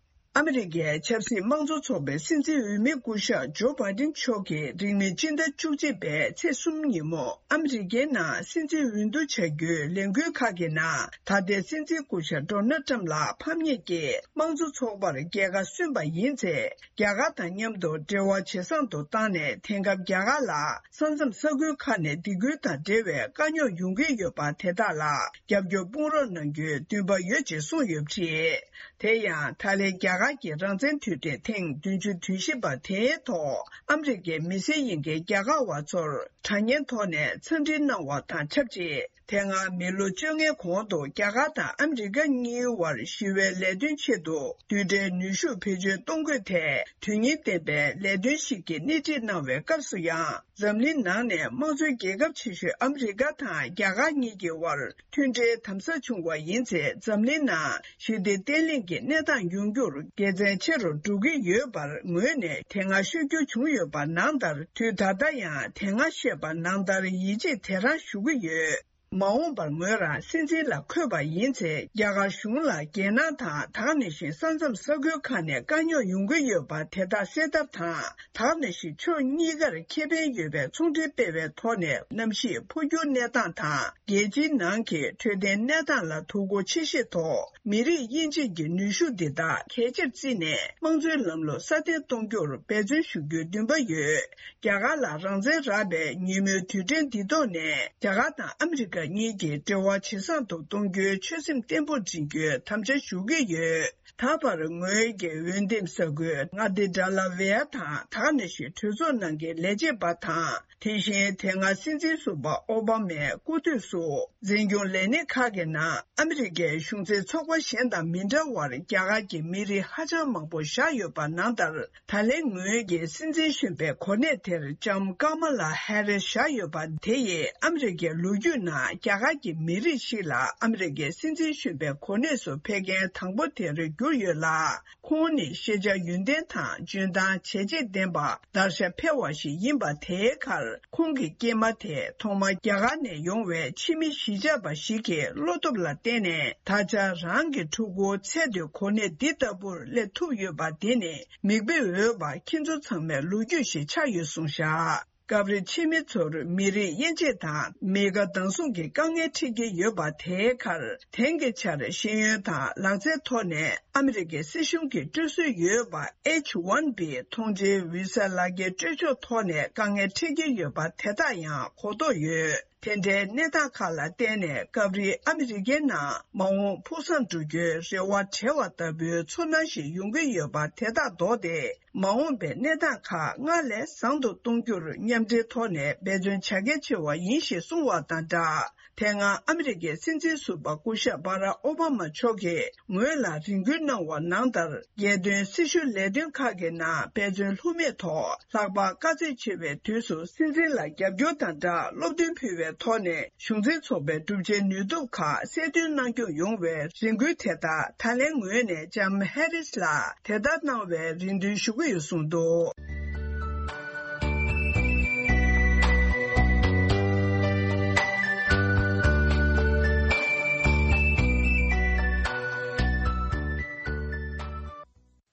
ཨ་མི་རི་ཀའི་ཆབ་སྲིད་དམངས་གཙོ་ཚོགས་པའི་སྲིད་འཛིན་འོས་མི་སྐུ་ཞབས་ཇོ་བྷའི་ཏིན་མཆོག་གིས་རིང་མིན་སྤྱི་ཟླ་བཅུ་གཅིག་པའི་ཚེས་གསུམ་ཉིན་མོ་ཨ་མི་རི་ཀའི་ནང་སྲིད་འཛིན་འོས་བསྡུ་བྱ་རྒྱུའི་ལས་འགུལ་ཁག་གི་ནང་། ད་ལྟའི་སྲིད་འཛིན་སྐུ་ཞབས་ཌོ་ནལ་ཊམ་ལ་ཕམ་ཉེས་ཀྱིས་དམངས་གཙོ་ཚོགས་པར་རྒྱལ་ཁ་སོན་པ་ཡིན་ཚེ། རྒྱ་གར་དང་མཉམ་དུ་འབྲེལ་བ་ཇེ་བཟང་དུ་བཏང་ནས། དེང་སྐབས་རྒྱ་གར་ལ་ས་མཚམས་ས་ཁུལ་ཁག་ནས་སྡིགས་སྐུལ་དང་འབྲེལ་བའི་དཀའ་རྙོག་ཡོང་གི་ཡོད་པ་དེ་དག་ལ་རྒྱབ་སྐྱོར་དཔུང་རོགས་གནང་རྒྱུའི་འདུན་པ་ཡོད་ཅེས་གསུངས་ཡོད་པ་རེད། དེ་ཡང་། ད་ལན་རྒྱ་གར་གྱི་རང་བཙན་དུས་དྲན་ཐེངས་བདུན་ཅུ་དོན་བཞི་པ་དེའི་ཐོག་ཨ་མི་རི་ཀའི་མི་སེར་ཡིན་མཁན་རྒྱ་གར་བ་ཚོར་དྲ་བརྙན་ཐོག་ནས་འཚམས་འདྲི་གནང་བ་དང་ཆབས་ཅིག་དེ་སྔ་མི་ལོ་བཅོ་ལྔའི་གོང་དུ་རྒྱ་གར་དང་ཨ་མི་རི་ཀ་གཉིས་བར་ཞི་བའི་ལས་དོན་ཆེད་དུ་རྡུལ་ཕྲན་ནུས་ཤུགས་བེད་སྤྱོད་གཏོང་དགོས་ཐད་དོན་སྙིང་ལྡན་པའི་ལས་དོན་ཞིག་གི་སྣེ་ཁྲིད་གནང་བའི་སྐབས་སུ་ཡང་། འཛམ་གླིང་ནང་ནས་དམངས་གཙོའི་རྒྱལ་ཁབ་ཆེ་ཤོས་ཨ་མི་རི་ཀ་དང་རྒྱ་གར་གཉིས་ཀྱི་དབར་མཐུན་འབྲེལ་དམ་ཟབ་བྱུང་བ་ཡིན་ཚེ། འཛམ་གླིང་ནང་ཞི་བདེ་བརྟན་ལྷིང་གི་གནས་སྟངས་ཡོང་རྒྱུར་ དགེ་མཚན་ཆེ་རུ་འགྲོ་གི་ཡོད་པར་ངོས་ནས་དེ་སྔ་ཤོད་རྒྱུ་བྱུང་ཡོད་པ་ནང་ལྟར། དུས་ད་ལྟ་ཡང་དེ་སྔ་བཤད་པ་ནང་ལྟར་ཡིད་ཆེས་དེ་རང་ཞུ་གི་ཡོད། མ་འོངས་པར་ངོས་རང་སྲིད་འཛིན་ལ་འཁོད་པ་ཡིན་ཚེ། རྒྱ་གར་གཞུང་ལ་རྒྱལ་ནང་དང་། ད་ག་ནང་བཞིན་ས་མཚམས་ས་ཁུལ་ཁག་ནས་དཀའ་རྙོག་ཡོང་གི་ཡོད་པ་དེ་དག་སེལ་ཐབས་དང་། ད་ག་ནང་བཞིན་ཕྱོགས་གཉིས་ཀར་ཁེ་ཕན་ཡོད་པའི་ཚོང་འབྲེལ་སྤེལ་བའི་ཐོག་ནས་གནམ་གཤིས་འཕོ་འགྱུར་གནས་སྟངས་དང་། རྒྱལ་སྤྱིའི་ནང་གི་འཕྲོད་བསྟེན་གནས་སྟངས་ལ་དོ་ཁུར་ཆེ་བཞེས་ཐོག་མི་རིགས་དབྱེ་འབྱེད་ཀྱི་ནུས་ཤུགས་འདི་དག་གལ་ཆེར་བརྩིས་ནས། དམངས་གཙོའི་ལམ་ལུགས་སྲ་བརྟན་གཏོང་རྒྱུར་འབད་བརྩོན་ཞུ་རྒྱུའི་འདུན་པ་ཡོད། རྒྱ་གར་ལ་རང་བཙན་རག་པའི་ཉིན་མོའི་དུས་དྲན་འདི་ཐོག་ནས། རྒྱ་གར་དང་ཨ་མི་རི་ཀ་གཉིས་ཀྱི་འབྲེལ་བ་ཇེ་བཟང་དུ་གཏོང་རྒྱུའི་ཆོད་སེམས་བརྟན་པོ་འཛིན་རྒྱུའི་དམ་བཅའ་ཞུ་གི་ཡོད། ད་བར་ངོས་ཀྱི་འོས་འདེམས་ས་ཁུལ་མངའ་སྡེ་ཌལ་ཝེ་ཡ་དང་། ད་ག་ནང་བཞིན་གྲོས་ཚོགས་ནང་གི་ལས་བྱེད་པ་དང་། དེ་བཞིན་དེ་སྔ་སྲིད་འཛིན་ཟུར་པ་ཨོ་བྷ་མའི་སྐུ་དུས་སུ་འཛིན་སྐྱོང་ལས་སྣེ་ཁག་གི་ནང་ཨ་མི་རི་ཀའི་གཞུང་འཛིན་ཚོགས་པ་གཞན་དང་མི་འདྲ་བར། རྒྱ་གར་གྱི་མི་རིགས་ཧ་ཅང་མང་པོ་བཞག་ཡོད་པ་ནང་ལྟར། ད་ལན་ངོས་ཀྱི་སྲིད་འཛིན་གཞོན་པའི་གོ་གནས་དེར་ལྕམ་ཀ་མ་ལ་ཧེ་རི་སི་བཞག་ཡོད་པ་དེ་ཡིས་ཨ་མི་རི་ཀའི་ལོ་རྒྱུས་ནང་རྒྱ་གར་གྱི་མི་རིགས་ཤིག་ལ་ཨ་མི་རི་ཀའི་སྲིད་འཛིན་གཞོན་པའི་གོ་གནས་སུ་ཕེབས་མཁན་དང་པོ་དེར་གྱུར་ཡོད་ལ། ཁོང་ནི་ཤེས་བྱ་ཡོན་ཏན་དང་འཇོན་ཐང་བྱས་རྗེས་ལྡན་པ། བརྡར་ཤ་འཕེལ་བ་ཞིག་ཡིན་པ་དེའི་ཁར། ཁོང་གི་སྐྱེས་མ་དེ་ཐོག་མར་རྒྱ་གར་ནས་ཡོང་བའི་ཕྱི་མི་གཞིས་ཆགས་པ་ཞིག་གི་བློ་སྟོབས་ལ་བརྟེན་ནས། ད་ཆ་རང་གི་ཕྲུ་གུ་ཚེ་འདིར་གོ་གནས་འདི་ལྟ་བུར་སླེབས་ཐུབ་ཡོད་པ་དེ་ནི། མིག་དཔེ་འོས་པ་ཁྱེད་ཚོ་ཚང་མའི་ལོ་རྒྱུས་ཤིག་ཆགས་ཡོད་གསུངས་བཞག་སྐབས་རེ་ཕྱི་མི་ཚོར་མི་རིགས་དབྱེ་འབྱེད་དང་མི་དགའ་སྡང་ཟུང་གི་དཀའ་ངལ་འཕྲད་ཀྱི་ཡོད་པ་དེའི་ཁར། དེང་གི་ཆར་ཤེས་ཡོན་དང་ལག་རྩལ་ཐོག་ནས་ཨ་མི་རི་ཀའི་སྲིད་གཞུང་གིས་སྤྲོད་སྲོལ་ཡོད་པ། ཨེཆ་ཝན་བི་མཐོང་ཆེན་བི་ས་ལག་འཁྱེར་སྤྲོད་ཕྱོགས་ཐོག་ནས་དཀའ་ངལ་འཕྲད་ཀྱི་ཡོད་པ་དེ་དག་ཡང་གོ་རྟོགས་ཡོད། དེ་འདྲའི་གནས་སྟངས་ཁག་ལ་བརྟེན་ནས། སྐབས་རེ་ཨ་མི་རི་ཀའི་ནང་མ་འོངས་ཕུགས་བསམ་འགྲུབ་རྒྱུའི་རེ་བ་བྲལ་བ་ལྟ་བུའི་ཚོར་སྣང་ཞིག་ཡོང་གི་ཡོད་པ་དེ་དག་ལྡོག་སྟེ། མ་འོངས་པའི་གནས་སྟངས་ཁག་སྔར་ལས་བཟང་དུ་གཏོང་རྒྱུར་མཉམ་འབྲེལ་ཐོག་ནས་འབད་བརྩོན་བྱ་གལ་ཆེ་བ་ཡིན་ཞེས་གསུངས་པ་དང་སྦྲགས། དེ་སྔ་ཨ་མི་རི་ཀའི་སྲིད་འཛིན་ཟུར་པ་སྐུ་ཞབས་བྷ་རག་ཨོ་བྷ་མ་མཆོག་གིས་ངོས་ལ་རེ་སྐུལ་གནང་བ་ནང་ལྟར། རྒྱལ་དོན་སྲི་ཞུ་ལས་དོན་ཁག་གི་ནང་འབད་བརྩོན་ལྷུག་མེད་ཐོག་ལྷག་པར་དཀའ་ཚེགས་ཆེ་བའི་དུས་སུ་སྲིད་འཛིན་ལ་རྒྱབ་སྐྱོར་དང་སྦྲགས། སློབ་སྟོན་ཕུལ་བའི་ཐོག་ནས། གཞུང་འཛིན་ཚོགས་པའི་གྲུབ་ཆའི་ནུས་སྟོབས་ཁག་གསལ་སྟོན་གནང་སྐྱོང་ཡོང་བའི་རེ་སྐུལ་དེ་དག་ད་ལན་ངོས་ནས་ལྕམ་ཧེ་རིས་ལ་དེ་ལྟར་གནང་བའི་རེ་འདུན་ཞུ་གི་ཡོད་གསུངས་འདུག་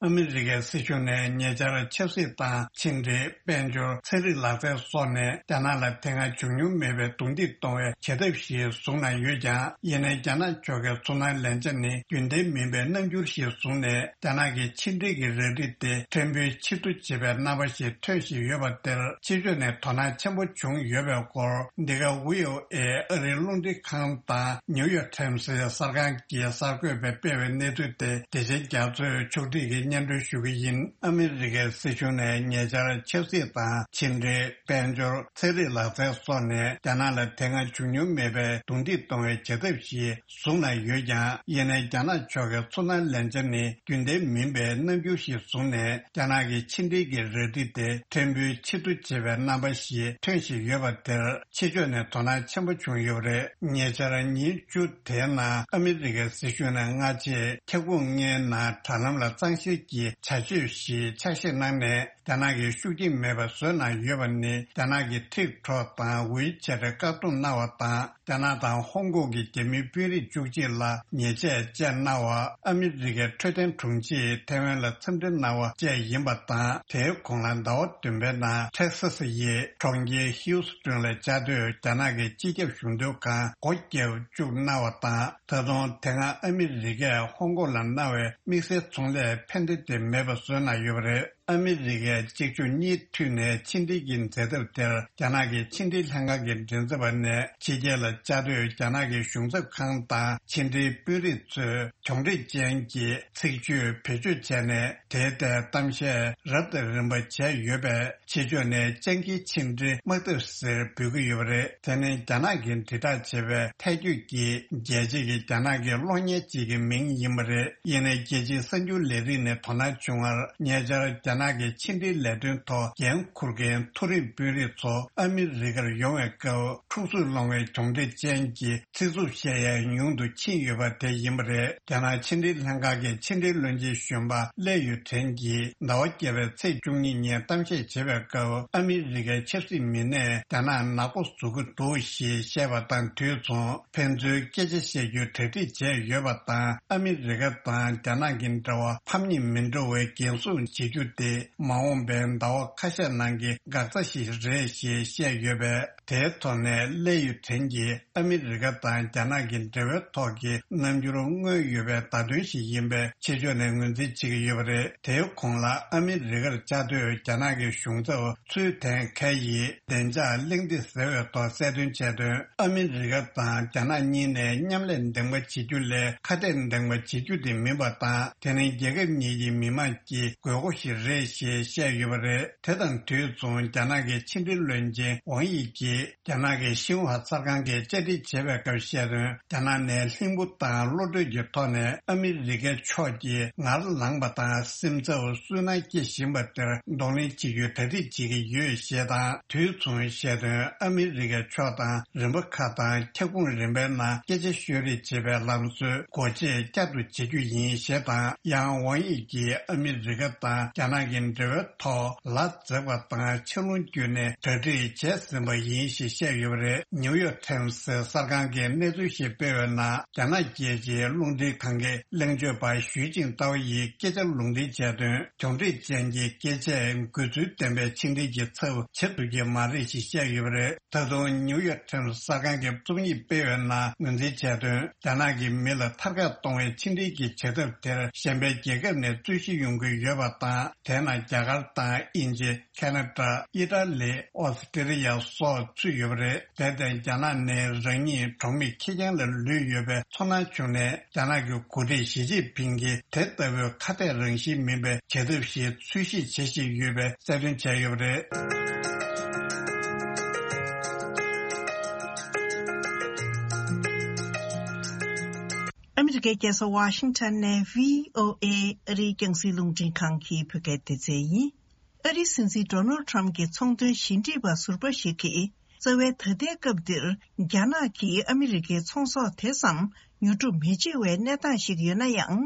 ཨ་མི་རི་ཀའི་སྲིད་གཞུང་ནས་ཉེ་ཆར་ཆབ་སྲིད་དང་ཕྱི་འབྲེལ། དཔལ་འབྱོར། ཚན་རིག་ལག་རྩལ་སོགས་ནས་རྒྱ་ནག་ལ་དེ་སྔ་བྱུང་མྱོང་མེད་པའི་རྡུང་རྡེག་གཏོང་བའི་བྱེད་ཐབས་ཤིག་བཟུང་གནང་ཡོད་ཀྱང་། ཡིན་ནའི་རྒྱ་ནག་ཕྱོགས་ཀྱི་ཚོར་སྣང་ལེན་བྱ་ནི་རྒྱུན་ལྡན་མིན་པའི་རྣམ་འགྱུར་ཞིག་བཟུང་ནས། རྒྱ་ནག་གི་ཕྱི་འབྲེལ་གྱི་ར་རིས་དེ་ཕྲན་བུ་ཕྱིར་བསྡུ་བྱེད་པའི་རྣམ་པ་ཞིག་ཐོན་བཞིན་ཡོད་པ་དེར། ཕྱི་ཕྱོགས་ནས་དོ་སྣང་ཆེན་པོ་བྱུང་ཡོད་པའི་སྐོར། འདི་ག་བྷི་ཨོ་ཨེ་ཨ་རིའི་རླུང་འཕྲིན་ཁང་དང་ནིའུ་ཡོག་ཊའིམ་སི་གསར་ཁང་གིས་གསར་འགོད་པས་སྤེལ་བའི་གནས་ཚུལ་དེ། བདེ་ཆེན་རྒྱ་མཚོས་ཕྱོགས་སྒྲིག་གིས་སྙན་སྒྲོན་ཞུ་གི་ཡིན། ཨ་མི་རི་ཀའི་སྲིད་གཞུང་ནས་ཉེ་ཆར་ཆབ་སྲིད་དང་ཕྱི་འབྲེལ། དཔལ་འབྱོར། ཚན་རིག་ལག་རྩལ་སོགས་ནས་རྒྱ་ནག་ལ་དེ་སྔ་བྱུང་མྱོང་མེད་པའི་རྡུང་རྡེག་གཏོང་བའི་བྱེད་ཐབས་ཤིག་བཟུང་གནང་ཡོད་ཀྱང་། ཡིན་ནའི་རྒྱ་ནག་ཕྱོགས་ཀྱི་ཚོར་སྣང་ལེན་བྱ་ནི་རྒྱུན་ལྡན་མིན་པའི་རྣམ་འགྱུར་ཞིག་བཟུང་ནས། རྒྱ་ནག་གི་ཕྱི་འབྲེལ་གྱི་ར་རིས་དེ་ཕྲན་བུ་ཕྱིར་བསྡུ་བྱེད་པའི་རྣམ་པ་ཞིག་ཐོན་བཞིན་ཡོད་པ་དེར། ཕྱི་ཕྱོགས་ནས་དོ་སྣང་ཆེན་པོ་བྱུང་ཡོད་པ་རེད། ཉེ་ཆར་ཉིན་བཅུ་དེའི་ནང་ཨ་མི་རི་ཀའི་སྲིད་གཞུང་ནས་སྔ་རྗེས་ཁྱབ་ཁོངས་ལྔའི་ནང་དྲ་ལམ་ལ་གཙང་བཤེར་གྱི་བྱ་སྤྱོད་ཞིག་ཆ་ཤས་གནང་ནས། རྒྱ་ནག་གིས་ཤུགས་རྐྱེན་མེད་པ་བཟོས་གནང་ཡོད་པ་ནི། རྒྱ་ནག་གི་ཊིག་ཊོག་དང་ཝི་ཆེ་ཊི་བཀག་སྡོམ་གནང་བ་དང་། རྒྱ་ནག་དང་ཧོང་ཀོང་གི་རྒྱ་མིའི་དཔོན་རིགས་བཅུ་གཅིག་ལ་ཉེས་ཆད་བཅད་གནང་བ། ཨ་མི་རི་ཀའི་འཕྲོད་བསྟེན་དྲུང་ཆེས་ཐེ་ཝན་ལ་འཚམས་འདྲི་གནང་བ་བཅས་ཡིན་པ་དང་། དེའི་གོང་ལ་ཟླ་བ་བདུན་པའི་ནང་ཐེག་ས་སི་ཡི་གྲོང་ཁྱེར་ཧིའུ་སི་ཀྲོན་ལ་བཅའ་སྡོད་རྒྱ་ནག་གི་སྤྱི་ཁྱབ་གཞུང་དོན་ཁང་སྒོ་བརྒྱབ་བཅུག་གནང་བ་དང་། ད་དུང་དེ་སྔ་ཨ་མི་རི་ཀས་ཧོང་ཀོང་ལ་གནང་བའི་དམིགས་བསལ་ཚོང་ལས་ཕན་བདེ་དེ་མེད་པ་བཟོས་གནང་ཡོད་པ་རེད། ཨ་མི་རི་ཀའི་གཅིག་མཇུག་གཉིས་མཐུད་ནས་ཕྱི་འབྲེལ་གྱི་མཛད་ཐབས་དེར། རྒྱ་ནག་གི་ཕྱི་འབྲེལ་ལྷན་ཁང་གི་མགྲིན་ཚབ་པ་ནས། ཕྱི་རྒྱལ་ལ་བཅའ་སྡོད་རྒྱ་ནག་གི་གཞུང་ཚབ་ཁང་དང་ཕྱི་འབྲེལ་དཔོན་རིགས་ཚོས་གྱོང་རིམ་ཅན་གྱི་ཚིག་བརྗོད་བེད་སྤྱོད་བྱས་ནས། དེའི་ཐད་གཏམ་བཤད་རབ་དང་རིམ་པ་བྱས་ཡོད་པས། ཕྱི་ཕྱོགས་ནས་སྤྱང་ཀིའི་ཕྱི་འབྲེལ་དམག་འཐབ་ཟེར་འབོད་ཀྱི་ཡོད་པ་རེད། དེ་ནི་རྒྱ་ནག་གིས་དྲིལ་བསྒྲགས་བྱས་པའི་ཐལ་སྐྱོད་ཀྱི་རྒྱལ་སྤྱི་གི་རྒྱ་ནག་གི་གློག་བརྙན་ཅིག་གི་མིང་ཡིན་པ་རེད། ཡིན་ནའི་རྒྱལ་སྤྱིའི་གསར་འགྱུར་ལས་རིགས་ནས་དོ་སྣང་བྱུང་བར། ཉེ་ཆར་རྒྱ་ནག་གི་ཕྱི་འབྲེལ་ལས་དོན་ཐོག་འགན་འཁུར་མཁན་མཐོ་རིམ་དཔོན་རིགས་ཚོ་ཨ་མི་རི་ཀར་ཡོང་བའི་སྐབས། འཁྲུག་རྩོད་སློང་བའི་གྱོང་འབྲེལ་ཅན་གྱི་ཚིག་རྩུབ་བཤད་ཡ་ཉུང་དུ་ཕྱིན་ཡོད་པ་དེ་ཡིན་པ་རེད། རྒྱ་ནག་ཕྱི་འབྲེལ་ལྷན་ཁང་གི་ཕྱི་འབྲེལ་བློན་ཆེན་གཞོན་པ་ལེ་ཡུ་ཁྲེན་གྱིས་ཟླ་བ་བརྒྱད་པའི་ཚེས་བཅུ་གཉིས་ཉིན་གཏམ་བཤད་བྱེད་པའི་སྐབས། ཨ་མི་རི་ཀའི་ཆབ་སྲིད་མི་སྣས་རྒྱ་ནག་ནག་པོ་བཟོ་གི་འདུག་ཞེས་བཤད་པ་དང་དུས་མཚུངས། ཕན་ཚུན་སྐད་ཆ་བཤད་རྒྱུའི་གྲ་སྒྲིག་བྱས་ཡོད་པ་དང་། ཨ་མི་རི་ཀ་དང་རྒྱ་ནག་གི་འབྲེལ་བ་ཕམ་ཉེས་མི་འགྲོ་བའི་འགན་སྲུང་བྱེད་རྒྱུ་དེ། མ་འོངས་པའི་ཟླ་བ་ཁ་ཤས་ནང་གི་འགག་རྩ་ཞིག་རེད་ཞེས་བཤད་ཡོད་པས། དེའི་ཐོག་ནས་ལེ་ཡུ་ཁྲེན་གྱིས། ཨ་མི་རི་ཀ་དང་རྒྱ་ནག་གི་འབྲེལ་བའི་ཐོག་གི་རྣམ་འགྱུར་མངོན་ཡོད་པའི་བརྡ་དོན་ཞིག་ཡིན་པས། ཕྱི་ཕྱོགས་ནས་ངོས་འཛིན་བྱེད་ཀྱི་ཡོད་པ་རེད། དེའི་གོང་ལ། ཨ་མི་རི་ཀར་བཅའ་སྡོད་རྒྱ་ནག་གི་གཞུང་ཚབ་ཚུའུ་ཐེན་ཁའེ་ཡིས་བདེ་འཇགས་གླེང་སྟེགས་ཟེར་བའི་ཐོག་གསལ་སྟོན་བྱས་དོན། ཨ་མི་རི་ཀ་དང་རྒྱ་ནག་གཉིས་ནས་མཉམ་ལས་འདེམས་ཀ་བྱེད་རྒྱུ་ལས་ཁ་གཏད་འདེམས་ཀ་བྱེད་རྒྱུ་དེ་མིན་པ་དང་། དེ་ནི་རྒྱལ་ཁབ་གཉིས་ཀྱི་མི་དམངས་ཀྱི་དགོས་མཁོ་ཞིག་རེད་ཞེས་བཤད་ཡོད་པ་རེད། དེ་དང་དུས་མཚུངས། རྒྱ་ནག་གི་ཕྱི་འབྲེལ་བློན་ཆེན་ཝང་དབྱི་གྱིས། རྒྱ་ནག་གི་ཤིན་ཧྭ་གསར་ཁང་གིས་བཅར་འདྲི་བྱས་པའི་སྐབས་བཤད་དོན། རྒྱ་ནག་ནས་ལྷིང་པོ་དང་བློ་གྲོས་ཀྱི་ཐོག་ནས་ཨ་མི་རི་ཀའི་ཕྱོགས་ཀྱིས་ངར་ལངས་པ་དང་སེམས་འཚབ་སུན་སྣང་སྐྱེ་བཞིན་པ་དེར་གདོང་ལེན་བྱེད་རྒྱུའི་གྲ་སྒྲིག་བྱེད་ཀྱི་ཡོད་ཞེས་དང་། དུས་མཚུངས་བཤད་དོན། ཨ་མི་རི་ཀའི་ཕྱོགས་དང་རིམ་པ་ཁག་དང་ཁྱབ་ཁོངས་རིམ་པའི་ནང་སྐད་ཆ་ཤོད་རེས་བྱེད་པའི་ལམ་སྲོལ་སྒོ་འབྱེད་བསྐྱར་དུ་བྱེད་རྒྱུ་ཡིན་ཞེས་དང་། ཡང་ཝང་དབྱི་གིས་ཨ་མི་རི་ཀ་དང་རྒྱ་ནག་གི་འབྲེལ་བའི་ཐོག་ལ་འཛེགས་པ་དང་ཆེ་རླུང་བརྒྱུད་ནས་གྲ་སྒྲིག་བྱས་ཟིན་པ་ཡིན་ཞེས་བཤད་ཡོད་པ་རེད། ནིའུ་ཡོག་ཊའིམ་སི་གསར་ཁང་གིས་གནས་ཚུལ་ཞིག་སྤེལ་བའི་ནང་། རྒྱ་ནག་རྒྱལ་སྤྱིའི་རླུང་འཕྲིན་ཁང་གི་གླེང་བརྗོད་པ་ཞུས་ཅིང་ཏའོ་ཡིས་སྐད་ཆ་ལུང་འདྲེན་བྱས་དོན། གྱོང་འབྲེལ་ཅན་གྱི་སྐད་ཆས་འགོས་ཚུལ་ལྡན་པའི་ཕྱི་འབྲེལ་གྱི་ཚབ་བྱེད་ཐུབ་ཀྱི་མ་རེད་ཅེས་བཤད་ཡོད་པ་རེད། ད་དུང་ནིའུ་ཡོག་ཊའིམ་སི་གསར་ཁང་གིས་རྩོམ་ཡིག་སྤེལ་བའི་ནང་ངོས་འཛིན་བྱས་དོན། རྒྱ་ནག་གིས་མི་ལ་ཐར་ཀ་གཏོང་བའི་ཕྱི་འབྲེལ་གྱི་བྱེད་ཐབས་དེར་གཞན་པའི་རྒྱལ་ཁབ་ནས་རྩོད་གཞི་ཡོང་གི་ཡོད་པ་དང་། དེ་ནང་རྒྱ་གར་དང་དབྱིན་ཇི། ཁ་ན་ཌ། ཨི་ཊ་ལི། ཨོ་སི་ཀྲི་ལི་ཡ་སོགས་ཚུད་ཡོད་པ་རེད། དེར་བརྟེན། རྒྱ་ནག་ནས་རང་ཉིད་གྲོགས་མེད་ཁེར་རྐྱང་ལ་ལུས་ཡོད་པའི་ཚོར་སྣང་བྱུང་ནས། རྒྱ་ནག་གི་འགོ་ཁྲིད་ཞི་ཅིན་ཕིང་གིས་དེ་ལྟ་བུའི་ཁ་གཏད་རང་བཞིན་མིན་པའི་བྱེད་ཐབས་ཤིག་འཚོལ་ཞིབ་བྱེད་བཞིན་ཡོད་པའི་གསལ་སྟོན་བྱས་ཡོད་པ་རེད། ཨ་མི་རི་ཀའི་རྒྱལ་ས་ཝ་ཤིང་ཊོན་ནས་བྷི་ཨོ་ཨེ་ཨ་རིའི་རྒྱང་སྲིང་རླུང་འཕྲིན་ཁང་གི་བོད་སྐད་སྡེ་ཚན་ཡིན། ཨ་རིའི་སྲིད་འཛིན་ཌོ་ནལ་ཊམ་གྱི་ཚོང་དོན་ཞི་འགྲིག་པ་ཟུར་པ་ཞིག་གིས། རྩ་བའི་ད་ལྟའི་སྐབས་འདིར་རྒྱ་ནག་གིས་ཨ་མི་རི་ཀའི་ཚོང་ཟོག་དེ་ཙམ་ཉོ་སྒྲུབ་མི་བྱེད་པའི་གནས་སྟངས་ཤིག་ཡོད་ན་ཡང་།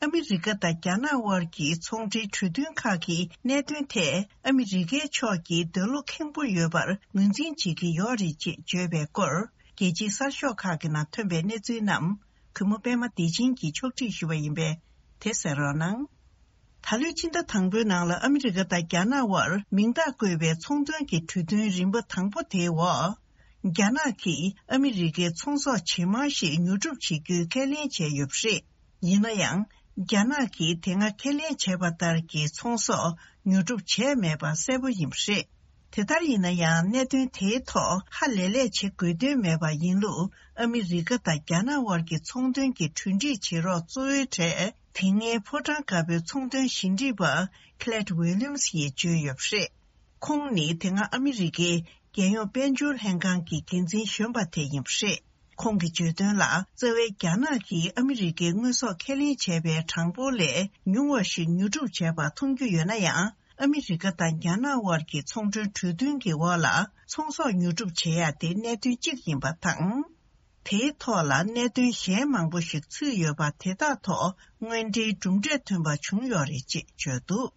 ཨ་མི་རི་ཀ་དང་རྒྱ་ནག་དབར་གྱི་ཚོང་འབྲེལ་གྲོས་མཐུན་ཁག་གི་གནད་དོན་ཐད་ཨ་མི་རི་ཀའི་ཕྱོགས་ཀྱིས་འདོད་བློ་ཁེངས་པོ་ཡོད་པར་ངོས་འཛིན་བྱེད་ཀྱི་ཡོད་རེད་ཅེས་བརྗོད་པའི་སྐོར། རྒྱལ་སྤྱིའི་གསར་ཤོག་ཁག་གི་ནང་ཐོན་པའི་གནས་ཚུལ་རྣམས། གུས་མོ་པད་མ་བདེ་ཆེན་གྱིས་ཕྱོགས་སྒྲིག་ཞུས་པ་ཡིན་པས། དེ་གསན་རོགས་གནང་། ད་ལོའི་སྤྱི་ཟླ་དང་པོའི་ནང་ལ་ཨ་མི་རི་ཀ་དང་རྒྱ་ནག་དབར་མིང་རྟགས་བཀོད་པའི་ཚོང་དོན་གྱི་གྲོས་མཐུན་རིམ་པ་དང་པོ་དེའི་འོག་རྒྱ་ནག་གིས་ཨ་མི་རི་ཀའི་ཚོང་ཟོག་ཇེ་མང་ཞིག་ཉོ་སྒྲུབ་བྱེད་རྒྱུའི་ཁས་ལེན་བྱས་ཡོད་པ་རེད། ཡིན་ན་ཡང་། རྒྱ་ནག་གིས་དེ་སྔ་ཁས་ལེན་བྱས་པ་ལྟར་གྱི་ཚོང་ཟོག་ཉོ་སྒྲུབ་བྱས་མེད་པ་གསལ་པོ་ཡིན་པ་རེད། དེ་ལྟར་ཡིན་ན་ཡང་། གནད་དོན་དེའི་ཐོག་ཧ་ལས་ལས་བྱེད་དགོས་དོན་མེད་པ་ཡིན་ལུགས། ཨ་མི་རི་ཀ་དང་རྒྱ་ནག་དབར་གྱི་ཚོང་དོན་གྱི་གྲོས་འགྲིག་བྱེད་རོགས་གཙོ་བོའི་གྲས་དེ་སྔའི་ཕོ་བྲང་དཀར་པོའི་ཚོང་དོན་ཞི་འགྲིག་པ་Clyde Williams་ཡིས་བརྗོད་ཡོད་པ་རེད། ཁོང་ནི་དེ་སྔ་ཨ་མི་རི་ཀའི་རྒྱལ་ཡོངས་དཔལ་འབྱོར་ལྷན་ཁང་གི་འགན་འཛིན་གཞོན་པ་དེ་ཡིན་པ་རེད། ཁོང་གིས་བརྗོད་དོན་ལ། རྩ་བའི་རྒྱ་ནག་གིས་ཨ་མི་རི་ཀའི་དངོས་ཟོག་ཁས་ལེན་བྱས་པའི་གྲངས་འབོར་ལས་ཉུང་བ་ཞིག་ཉོ་སྒྲུབ་བྱས་པ་མཐོང་རྒྱུ་ཡོད་ན་ཡང་། ཨ་མི་རི་ཀ་དང་རྒྱ་ནག་དབར་གྱི་ཚོང་འབྲེལ་གྲོས་མཐུན་གྱི་འོག་ལ་ཚོང་ཟོག་ཉོ་སྒྲུབ་བྱེད་ཡ་དེ་གནད་དོན་གཅིག་ཡིན་པ་དང་། དེའི་ཐོག་ལ་གནད་དོན་གཞན་མང་པོ་ཞིག་ཚུད་ཡོད་པ་དེ་དག་ཐོག་དངོས་འབྲེལ་གྲུབ་འབྲས་ཐོན་པ་བྱུང་ཡོད་རེད་ཅེས་བརྗོད་འདུག་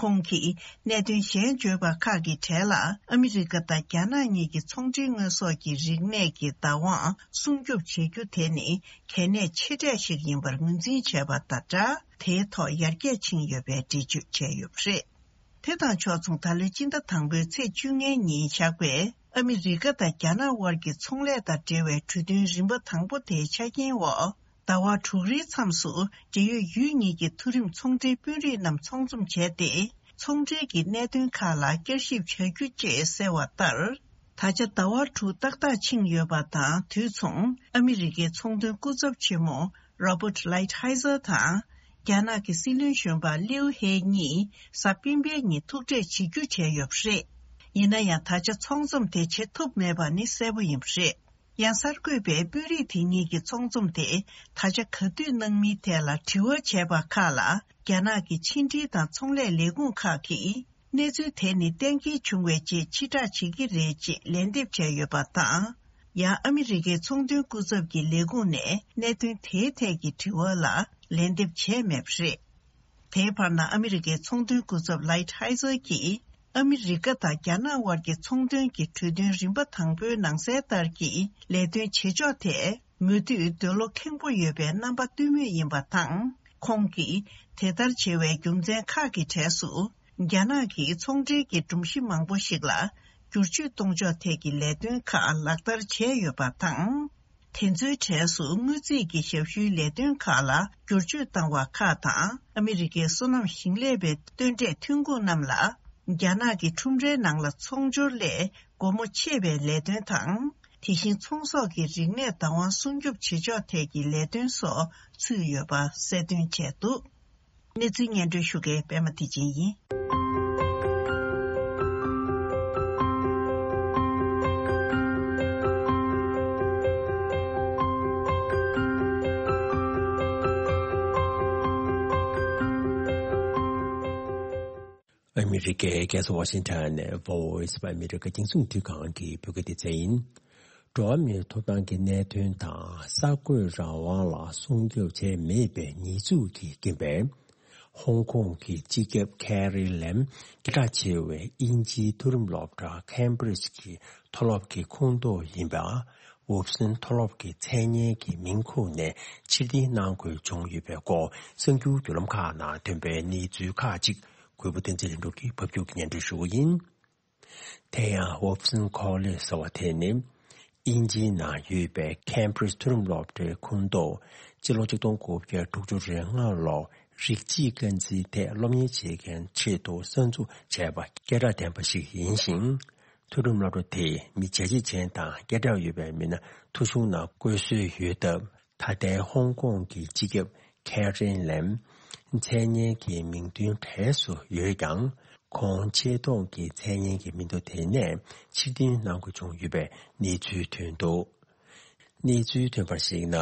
ཁོང་གིས་གནད་དོན་གཞན་བརྗོད་པ་ཁག་གི་གྲས་ལ། ཨ་མི་རི་ཀ་དང་རྒྱ་ནག་གཉིས་ཀྱི་ཚོང་འབྲེལ་དངོས་ཟོག་གི་རིག་གནས་ཀྱི་བདག་དབང་སྲུང་སྐྱོབ་བྱེད་རྒྱུ་དེ་ནི་གལ་གནད་ཆེ་གྲས་ཤིག་ཡིན་པར་ངོས་འཛིན་བྱས་པ་དང་སྦྲགས། དེའི་ཐོག་ཡར་རྒྱས་ཕྱིན་ཡོད་པའི་འགྲེལ་བརྗོད་བྱས་ཡོད་པ་རེད། དེ་དང་ཕྱོགས་མཚུངས། ད་ལོའི་སྤྱི་ཟླ་དང་པོའི་ཚེས་བཅོ་ལྔའི་ཉིན་བཞག་པའི་ཨ་མི་རི་ཀ་དང་རྒྱ་ནག་དབར་གྱི་ཚོང་ལས་དང་འབྲེལ་བའི་གྲོས་མཐུན་རིམ་པ་དང་པོ་དེའི་ཆ་རྐྱེན་འོག་ཟླ་བ་དྲུག་རེའི་མཚམས་སུ་འབྲེལ་ཡོད་ཡུལ་གཉིས་ཀྱི་མཐོ་རིམ་ཚོང་འབྲེལ་དཔོན་རིགས་རྣམས་ཚོགས་འཛོམས་བྱས་ཏེ། ཚོང་འབྲེལ་གྱི་གནད་དོན་ཁག་ལ་བསྐྱར་ཞིབ་བྱ་རྒྱུ་བཅས་གསལ་བ་ལྟར། ད་ཆ་ཟླ་བ་དྲུག་ཏག་ཏག་ཕྱིན་ཡོད་པ་དང་། དུས་མཚུངས། ཨ་མི་རི་ཀའི་ཚོང་དོན་སྐུ་ཚབ་ཆེན་མོ་Robert Lighthizer་དང་། རྒྱ་ནག་གི་སྲིད་བློན་གཞོན་པ་ལིའུ་ཧེ་གཉིས་གཟའ་སྤེན་པའི་ཉིན་ཐུག་འཕྲད་བྱེད་རྒྱུ་བྱས་ཡོད་པ་རེད། ཡིན་ན་ཡང་ད་ཆ་ཚོགས་འཛོམས་དེ་བྱེད་ཐུབ་མེད་པ་ནི་གསལ་པོ་ཡིན་པ་རེད། ཡང་གསར་འགོད་པས་དཔོན་རིགས་དེ་གཉིས་ཀྱི་ཚོགས་འཛོམས་དེ་ད་ཆ་ག་དུས་གནང་མིན་ཐད་ལ་དྲི་བ་བྱས་པ་ཁག་ལ། རྒྱ་ནག་གི་ཕྱི་འབྲེལ་དང་ཚོང་ལས་ལས་ཁུངས་ཁག་གིས། གནས་ཚུལ་དེ་ནི་གཏན་འཁེལ་བྱུང་བའི་རྗེས་ཕྱིར་བསྒྲགས་བྱེད་ཀྱི་རེད་ཅེས་ལན་འདེབས་བྱས་ཡོད་པ་དང་། ཡང་ཨ་མི་རི་ཀའི་ཚོང་དོན་སྐུ་ཚབ་ཀྱི་ལས་ཁུངས་ནས་གནད་དོན་དེའི་ཐད་ཀྱི་དྲི་བ་ལ་ལན་འདེབས་བྱས་མེད་པ་རེད། དེའི་བར་ན་ཨ་མི་རི་ཀའི་ཚོང་དོན་སྐུ་ཚབ་ལའིཊ་ཧའི་ཛར་གྱིས། ཨ་མི་རི་ཀ་དང་རྒྱ་ནག་དབར་གྱི་ཚོང་དོན་གྱི་གྲོས་མཐུན་རིམ་པ་དང་པོའི་ནང་གསལ་ལྟར་གྱི་ལས་དོན་བྱེད་ཕྱོགས་ཐད། མུ་མཐུད་འདོད་བློ་ཁེངས་པོ་ཡོད་པའི་རྣམ་པ་སྟོན་མུས་ཡིན་པ་དང་། ཁོང་གིས་དེ་ལྟར་བྱེད་པའི་རྒྱུ་མཚན་ཁག་གི་གྲས་སུ། རྒྱ་ནག་གིས་ཚོང་འབྲེལ་གྱི་སྒྲོམ་གཞི་མང་པོ་ཞིག་ལ་བསྒྱུར་བཅོས་གཏོང་ཕྱོགས་ཐད་ཀྱི་ལས་དོན་ཁག་ལག་བསྟར་བྱས་ཡོད་པ་དང་། དེ་ཚོའི་གྲས་སུ་དངུལ་རྩིས་ཀྱི་ཞབས་ཞུའི་ལས་དོན་ཁག་ལ་བསྒྱུར་བཅོས་བཏང་བ་ཁག་དང་། ཨ་མི་རི་ཀའི་སོ་ནམ་ཞིང་ལས་པའི་སྟོན་འབྲས་ཐོན་ཁུངས་རྣམས་ལ་རྒྱ་ནག་གི་ཁྲོམ་རའི་ནང་ལ་ཚོང་སྦྱོར་སླད། སྒོ་མོ་ཕྱེ་བའི་ལས་དོན་དང་། དེ་བཞིན་ཚོང་ཟོག་གི་རིག་གནས་བདག་དབང་སྲུང་སྐྱོབ་བྱེད་ཕྱོགས་ཐད་ཀྱི་ལས་དོན་སོགས་ཚུད་ཡོད་པ་གསལ་སྟོན་བྱས་འདུག་གནས་ཚུལ་སྙན་སྒྲོན་ཞུ་མཁན་པད་མ་བདེ་ཆེན་ཡིན། ཨ་མི་རི་ཀའི་རྒྱལ་ས་ཝ་ཤིང་ཊོན་ནས་Voice of America་རྒྱང་སྲིང་རླུང་འཕྲིན་ཁང་གི་བོད་སྐད་སྡེ་ཚན་ཡིན། འགྲོ་བ་མིའི་ཐོབ་ཐང་གི་གནད་དོན་དང་གསར་འགོད་རང་དབང་ལ་སྲུང་སྐྱོབ་བྱས་མེད་པའི་ཉེས་འཛུགས་ཀྱི་རྐྱེན་པས། ཧོང་ཀོང་གི་སྤྱི་ཁྱབ་ཁེ་རི་ལེམ་སྐད་གྲགས་ཆེ་བའི་དབྱིན་ཇིའི་མཐོ་རིམ་སློབ་གྲྭ་ཁེམ་བྷྲིཇ་གྱི་མཐོ་སློབ་ཀྱི་ཁོངས་གཏོགས་ཡིན་པ། ཝུབ་སན་མཐོ་སློབ་ཀྱི་མཚན་སྙན་གྱི་མིང་ཁུངས་ནས་ཕྱིར་འཐེན་གནང་དགོས་བྱུང་ཡོད་པའི་སྐོར་གསར་འགྱུར་བརྒྱུད་ལམ་ཁག་ནང་ཐོན་པའི་གནས་ཚུལ་ཁག་ཅིག་གུས་པ་བསྟན་འཛིན་ལྷུན་གྲུབ་ཀྱིས་ཕབ་སྒྱུར་གྱིས་སྙན་སྒྲོན་ཞུ་གི་ཡིན། དེ་ཡང་ཝུབ་སན་ཁོ་ལེཇ་ཟེར་བ་དེ་ནི། དབྱིན་ཇིའི་ནང་ཡོད་པའི་ཁེམ་བྷྲིཇ་མཐོ་རིམ་སློབ་གྲྭའི་ཁོངས་གཏོགས། སྤྱི་ལོ་ཆིག་སྟོང་དགུ་བརྒྱ་དྲུག་ཅུ་རེ་ལྔ་ལོར་རིགས་གཅིག་རྐང་འཛིན་ཐད་སློབ་གཉེར་བྱེད་མཁན་ཆེད་དུ་གསར་འཛུགས་བྱས་པ་སྐད་གྲགས་ལྡན་པ་ཞིག་ཡིན་ཞིང་། མཐོ་རིམ་སློབ་གྲྭ་དེས་མི་བྱས་རྗེས་ཅན་དང་སྐད་གྲགས་ཡོད་པའི་མི་སྣ་ཐོ་གཞུང་ནང་བཀོད་སྲོལ་ཡོད་སྟབས། ད་ལྟའི་ཧོང་ཀོང་གི་སྤྱི་ཁྱབ་ཁེ་རིན་ལེམ་མཚན་སྙན་གྱི་མིང་ཐོའི་གྲས་སུ་ཡོད་ཀྱང་། ཁོང་ཆེ་མཐོང་གི་མཚན་སྙན་གྱི་མིང་ཐོ་དེ་ནས་ཕྱིར་འཐེན་གནང་དགོས་བྱུང་ཡོད་པའི་གནས་ཚུལ་ཐོན་འདུག་གནས་ཚུལ་ཐོན་པར་གཞིགས་ན།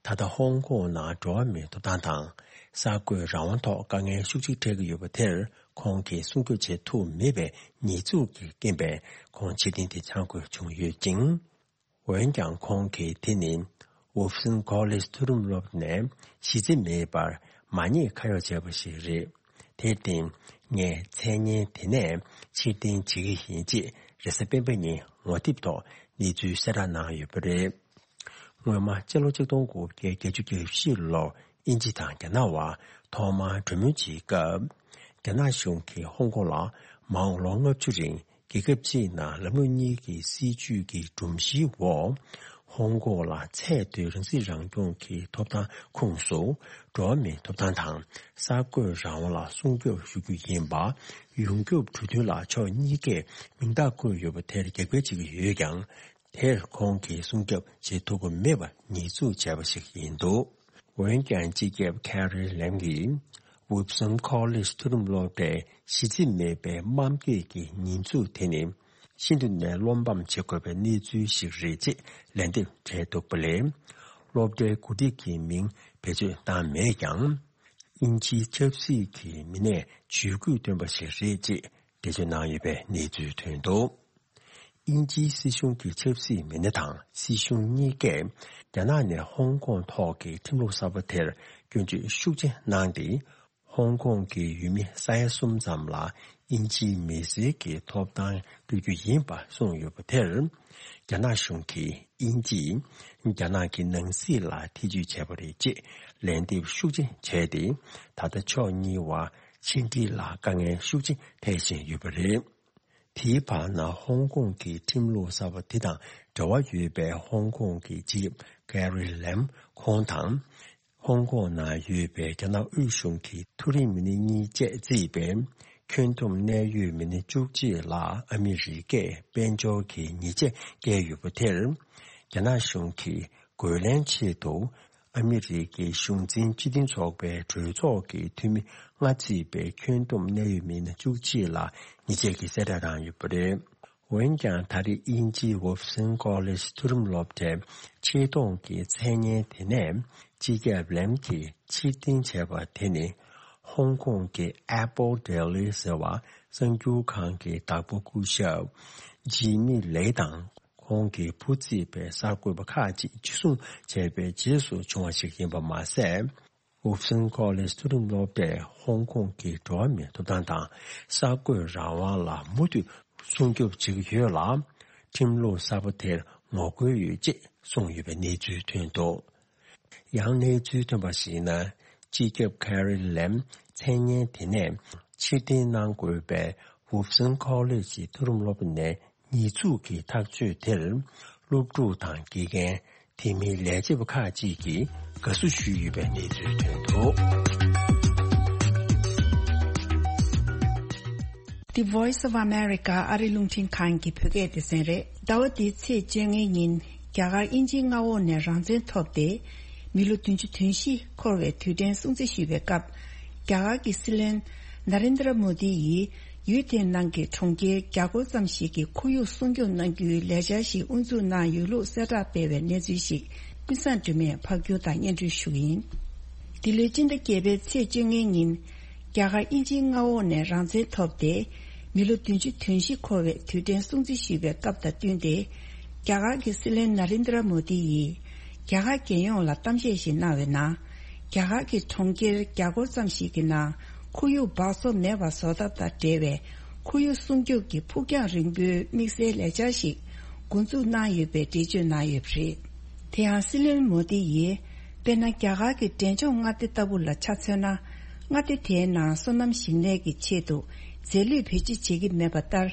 ད་ལྟ་ཧོང་ཀོང་ནང་འགྲོ་བ་མིའི་ཐོབ་ཐང་དང་། གསར་འགོད་རང་དབང་ཐོག་དཀའ་ངལ་ཤུགས་ཆེ་འཕྲད་ཀྱི་ཡོད་པ་དེར། ཁོང་གིས་སྲུང་སྐྱོབ་བྱེད་ཐུབ་མེད་པའི་ཉེས་འཛུགས་ཀྱི་རྐྱེན་པས། ཁོང་ཕྱིར་འཐེན་དེ་འཆང་དགོས་བྱུང་ཡོད་ཅིང་། འོན་ཀྱང་ཁོང་གིས་དེ་ནི་ཝུབ་སན་ཁོ་ལེཇ་མཐོ་རིམ་སློབ་ནས་གཞི་རྩ་མེད་པར་མ་ཉེས་ཁ་གཡོགས་བྱས་པ་ཞིག་རེད། དེར་བརྟེན། ངས་མཚན་སྙན་དེ་ནས་ཕྱིར་འཐེན་བྱེད་ཀྱི་ཡིན་ཅེས་རེས་གཟའ་སྤེན་པ་ཉིན་ངོ་དེབ་ཐོག་གནས་ཚུལ་གསལ་བསྒྲགས་གནང་ཡོད་པ་རེད། སྔོན་མ་སྤྱི་ལོ་ཆིག་སྟོང་དགུ་བརྒྱ་བརྒྱད་ཅུ་གྱ་བཞི་ལོར་དབྱིན་ཇི་དང་རྒྱ་ནག་དབར་ཐོག་མར་གྲོས་མོལ་བྱེད་སྐབས། རྒྱ་ནག་གཞུང་གིས་ཧོང་ཀོང་ལ་མང་ལོ་ལྔ་བཅུ་རིང་རྒྱལ་ཁབ་གཅིག་ནང་ལམ་ལུགས་གཉིས་ཀྱི་སྲིད་བྱུས་ཀྱི་སྒྲོམ་གཞིའི་འོག་ཧོང་ཀོང་ལ་ཚད་མཐོའི་རང་སྲིད་རང་སྐྱོང་གི་ཐོབ་ཐང་ཁོངས་སུ། འགྲོ་བ་མིའི་ཐོབ་ཐང་དང་གསར་འགོད་རང་དབང་ལ་སྲུང་སྐྱོབ་ཞུ་རྒྱུ་ཡིན་པ། ཡོངས་ཁྱབ་གྲོས་མཐུན་ལ་ཕྱོགས་གཉིས་ཀས་མིང་རྟགས་བཀོད་ཡོད་པ་དེར་རྒྱབ་འགལ་བྱེད་ཀྱི་ཡོད་ཀྱང་། དེར་ཁོང་གིས་སྲུང་སྐྱོབ་བྱེད་ཐུབ་པ་མེད་པར་ཉེས་འཛུགས་བྱས་པ་ཞིག་ཡིན་འདུག་འོན་ཀྱང་སྤྱི་ཁྱབ་ཁེ་རི་ལེམ་གྱིས་ཝུབ་སན་ཁོ་ལེཇ་མཐོ་རིམ་སློབ་གྲྭའི་གཞི་རྩ་མེད་པའི་དམའ་འབེབས་ཀྱི་ཉེས་འཛུགས་དེ་ནི་ཤིན་ཏུ་ནས་བློ་ཕམ་བྱེད་དགོས་པའི་གནས་ཚུལ་ཞིག་རེད་ཅེས་ལན་འདེབས་བྱས་འདུག་པ་ལས། སློབ་གྲྭའི་འགོ་ཁྲིད་ཀྱི་མིང་བེད་སྤྱོད་བཏང་མེད་ཀྱང་། དབྱིན་ཇིའི་ཆབ་སྲིད་ཀྱི་མི་སྣས་ཇུས་འགོད་བཏོན་པ་ཞིག་རེད་ཅེས་འགྲེལ་བརྗོད་གནང་ཡོད་པའི་གནས་ཚུལ་ཐོན་འདུག་དབྱིན་ཇིའི་སྲིད་གཞུང་གི་ཆབ་སྲིད་མི་སྣ་དང་སྲིད་གཞུང་གཉིས་ཀས་རྒྱ་ནག་ནས་ཧོང་ཀོང་ཐོག་གི་ཁྲིམས་ལུགས་གསར་པ་དེར་སྐྱོན་བརྗོད་ཤུགས་ཆེ་གནང་སྟེ། ཧོང་ཀོང་གི་ཡུལ་མི་ས་ཡ་གསུམ་ཙམ་ལ་དབྱིན་ཇིའི་མི་སེར་གྱི་ཐོབ་ཐང་སྤྲོད་རྒྱུ་ཡིན་པ་གསུངས་ཡོད་པ་དེར། རྒྱ་ནག་གཞུང་གིས་དབྱིན་ཇིས་རྒྱ་ནག་གི་ནང་སྲིད་ལ་ཐེ་བྱུས་བྱས་པ་རེད་ཅེས་ལན་འདེབས་ཤུགས་ཆེ་བྱས་ཏེ། ད་ལྟ་ཕྱོགས་གཉིས་བར་ཕྱི་འབྲེལ་ལ་དཀའ་ངལ་ཤུགས་ཆེ་འཕྲད་བཞིན་ཡོད་པ་རེད། དེའི་བར་ན་ཧོང་ཀོང་གི་ཁྲིམས་ལུགས་གསར་པ་དེ་དང་འབྲེལ་བ་ཡོད་པའི་ཧོང་ཀོང་གི་སྤྱི་ཁྱབ་ཀེ་རི་ལེམ་ཁོང་དང་། ཧོང་ཀོང་ནང་ཡོད་པའི་རྒྱ་ནག་དབུས་གཞུང་གི་མཐོ་རིམ་མི་སྣ་གཉིས་བཅས་གཙོས་པའི་ཁྱོན་བསྡོམས་གནད་ཡོད་མི་སྣ་བཅུ་གཅིག་ལ་ཨ་མི་རི་ཀས་དཔལ་འབྱོར་གྱི་ཉེས་ཆད་བཀལ་ཡོད་པ་དེར། རྒྱ་ནག་གཞུང་གིས་རྒོལ་ལན་ཆེད་དུ། ཨ་མི་རི་ཀའི་གཞུང་འཛིན་སྤྱི་མཐུན་ཚོགས་པའི་གྲོས་ཚོགས་ཀྱི་འཐུས་མི་ལྔ་བརྩིས་པའི་ཁྱོན་བསྡོམས་གནད་ཡོད་མི་སྣ་བཅུ་གཅིག་ལ་ཉེས་ཆད་ཀྱི་གསལ་བསྒྲགས་བཏང་ཡོད་པ་རེད། འོན་ཀྱང་ད་རེས་དབྱིན་ཇིའི་ཝུབ་སན་ཀོ་ལེཇ་མཐོ་རིམ་སློབ་གྲྭའི་ཆེ་མཐོང་གི་མཚན་སྙན་དེ་ནས་སྤྱི་ཁྱབ་ལེམ་གྱིས་ཕྱིར་འཐེན་བྱས་པ་དེ་ནི་ཧོང་ཀོང་གི་ཨེ་པོ་ལྡེ་ལི་ཟེར་བ་གསར་འགྱུར་ཁང་གི་བདག་པོ་སྐུ་ཞབས་ཇི་མི་ལེ་དང་ཁོང་གི་བུ་བརྩིས་པའི་གསར་འགོད་པ་ཁག་ཅིག་འཇུ་བཟུང་བྱས་པའི་རྗེས་སུ་བྱུང་བ་ཞིག་ཡིན་པ་མ་ཟད། ཝུབ་སན་ཀོ་ལེཇ་མཐོ་རིམ་སློབ་གྲྭས་ཧོང་ཀོང་གི་འགྲོ་བ་མིའི་ཐོབ་ཐང་དང་གསར་འགོད་རང་དབང་ལ་མུ་མཐུད་སྲུང་སྐྱོབ་བྱེད་ཀྱི་ཡོད་ལ། ཁྲིམས་ལུགས་གསར་པ་དེར་ངོ་རྒོལ་ཡོད་ཅེས་གསུངས་ཡོད་པའི་གནས་ཚུལ་ཐོན་འདུག་ཡང་གནས་ཚུལ་ཐོན་པར་གཞིགས་ན། སྤྱི་ཁྱབ་ཁེ་རི་ལེམ་མཚན་སྙན་དེ་ནས་ཕྱིར་འཐེན་གནང་དགོས་པའི་ཝུབ་སན་ཀོ་ལེཇ་མཐོ་རིམ་སློབ་གྲྭ་ནས་ཉེས་འཛུགས་ཀྱི་ཐག་གཅོད་དེར། སློབ་ཕྲུག་དང་དགེ་རྒན། དེ་མིན་ལས་བྱེད་པ་ཁག་ཅིག་གིས་དགའ་བསུ་ཞུས་ཡོད་པའི་གནས་ཚུལ་ཐོན་འདུག The Voice of America ཨ་རི་རླུང་འཕྲིན་ཁང་གི་བོད་སྐད་སྡེ་ཚན་རེད། ཟླ་བ་འདིའི་ཚེས་བཅོ་ལྔའི་ཉིན། རྒྱ་གར་དབྱིན་ཇིའི་མངའ་འོག་ནས་རང་བཙན་ཐོབ་སྟེ། མི་ལོ་བདུན་ཅུ་དོན་བཞི་འཁོར་བའི་དུས་དྲན་སྲུང་བརྩི་ཞུས་པའི་སྐབས། རྒྱ་གར་གྱི་སྲིད་བློན་ན་རེན་དྲ་མོ་དི་ཡིས། ཡུལ་དེའི་ནང་གི་གྲོང་ཁྱེར་བརྒྱ་སྐོར་ཙམ་ཞིག་གི་ཁོར་ཡུག་སྲུང་སྐྱོབ་གནང་རྒྱུའི་ལས་འཆར་ཞིག་དབུ་འཛུགས་གནང་ཡོད་ལུགས་གསལ་བསྒྲགས་སྤེལ་བའི་གནས་ཚུལ་ཞིག་ཀུན་བཟང་སྒྲོལ་མས་ཕབ་སྒྱུར་དང་སྙན་སྒྲོན་ཞུ་གི་ཡིན། འདི་ལོའི་སྤྱི་ཟླ་བརྒྱད་པའི་ཚེས་བཅོ་ལྔའི་ཉིན། རྒྱ་གར་དབྱིན་ཇིའི་མངའ་འོག་ནས་རང་བཙན་ཐོབ་སྟེ། མི་ལོ་བདུན་ཅུ་དོན་བཞི་འཁོར་བའི་དུས་དྲན་སྲུང་བརྩི་ཞུས་པའི་སྐབས་དང་བསྟུན་ཏེ། རྒྱ་གར་གྱི་སྲིད་བློན་ན་རེན་དྲ་མོ་དི་ཡིས། རྒྱ་གར་རྒྱལ་ཡོངས་ལ་གཏམ་བཤད་ཞིག་གནང་བའི་ནང་། རྒྱ་གར་གྱི་གྲོང་ཁྱེར་བརྒྱ་སྐོར་ཙམ་ཞིག་གི་ནང་ཁོར་ཡུག་འབག་བཙོག་མེད་པ་བཟོ་ཐབས་དང་འབྲེལ་བའི་ཁོར་ཡུག་སྲུང་སྐྱོབ་ཀྱི་ཕུགས་རྒྱང་རིང་པོའི་དམིགས་བསལ་ལས་འཆར་ཞིག་འགོ་འཛུགས་གནང་ཡོད་པའི་འགྲེལ་བརྗོད་གནང་ཡོད་པ་རེད། དེ་ཡང་སྲིད་བློན་མོ་དི་ཡིས། དཔེར་ན། རྒྱ་གར་གྱི་འབྲས་ལྗོངས་མངའ་སྡེ་ལྟ་བུ་ལ་ཆ་མཚོན་ན། མངའ་སྡེ་དེའི་ནང་སོ་ནམ་ཞིང་ལས་ཀྱི་ཆེད་དུ་རྫས་ལུད་བེད་སྤྱོད་བྱེད་ཀྱི་མེད་པ་ལྟར།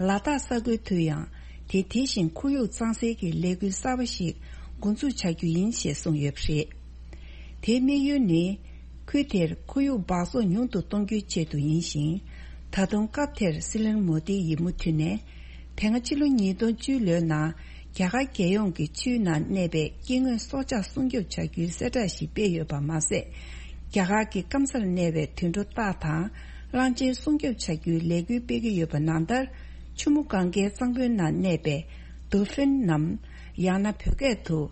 ལ་དྭགས་ས་ཁུལ་དུ་ཡང་དེ་དེ་བཞིན་ཁོར་ཡུག་གཙང་སེལ་གྱི་ལས་འགུལ་གསར་པ་ཞིག་འགོ་འཛུགས་བྱ་རྒྱུ་ཡིན་ཞེས་གསུངས་ཡོད་པ་རེད། དེའི་དམིགས་ཡུལ་ནི། ཁུལ་དེར་ཁོར་ཡུག་འབག་བཙོག་ཉུང་དུ་གཏོང་རྒྱུའི་ཆེད་དུ་ཡིན་ཞིང་། ད་དུང་སྐབས་དེར་སྲིད་བློན་མོ་དི་ཡིས་མུ་མཐུད་ནས། དེ་སྔ་ཕྱི་ལོ་ཉིས་སྟོང་བཅུ་ལོའི་ནང་རྒྱ་གར་རྒྱལ་ཡོངས་ཀྱི་ཆུའི་ནང་གནས་པའི་སྐྱེ་དངོས་སྲོག་ཆགས་སྲུང་སྐྱོབ་བྱ་རྒྱུའི་གསལ་བསྒྲགས་ཤིག་སྤེལ་ཡོད་པ་མ་ཟད། རྒྱ་གར་གྱི་སྐམ་སར་གནས་པའི་དུད་འགྲོ་སྟག་དང་གླང་ཆེན་སྲུང་སྐྱོབ་བྱ་རྒྱུའི་ལས་འགུལ་སྤེལ་གྱི་ཡོད་པ་ནང་ལྟར། ཆུ་མོ་གངྒཱའི་གཙང་པོའི་ནང་གནས་པའི་ཏུ་ཧྥིན་ནམ། ཡང་ན་བོད་སྐད་དུ།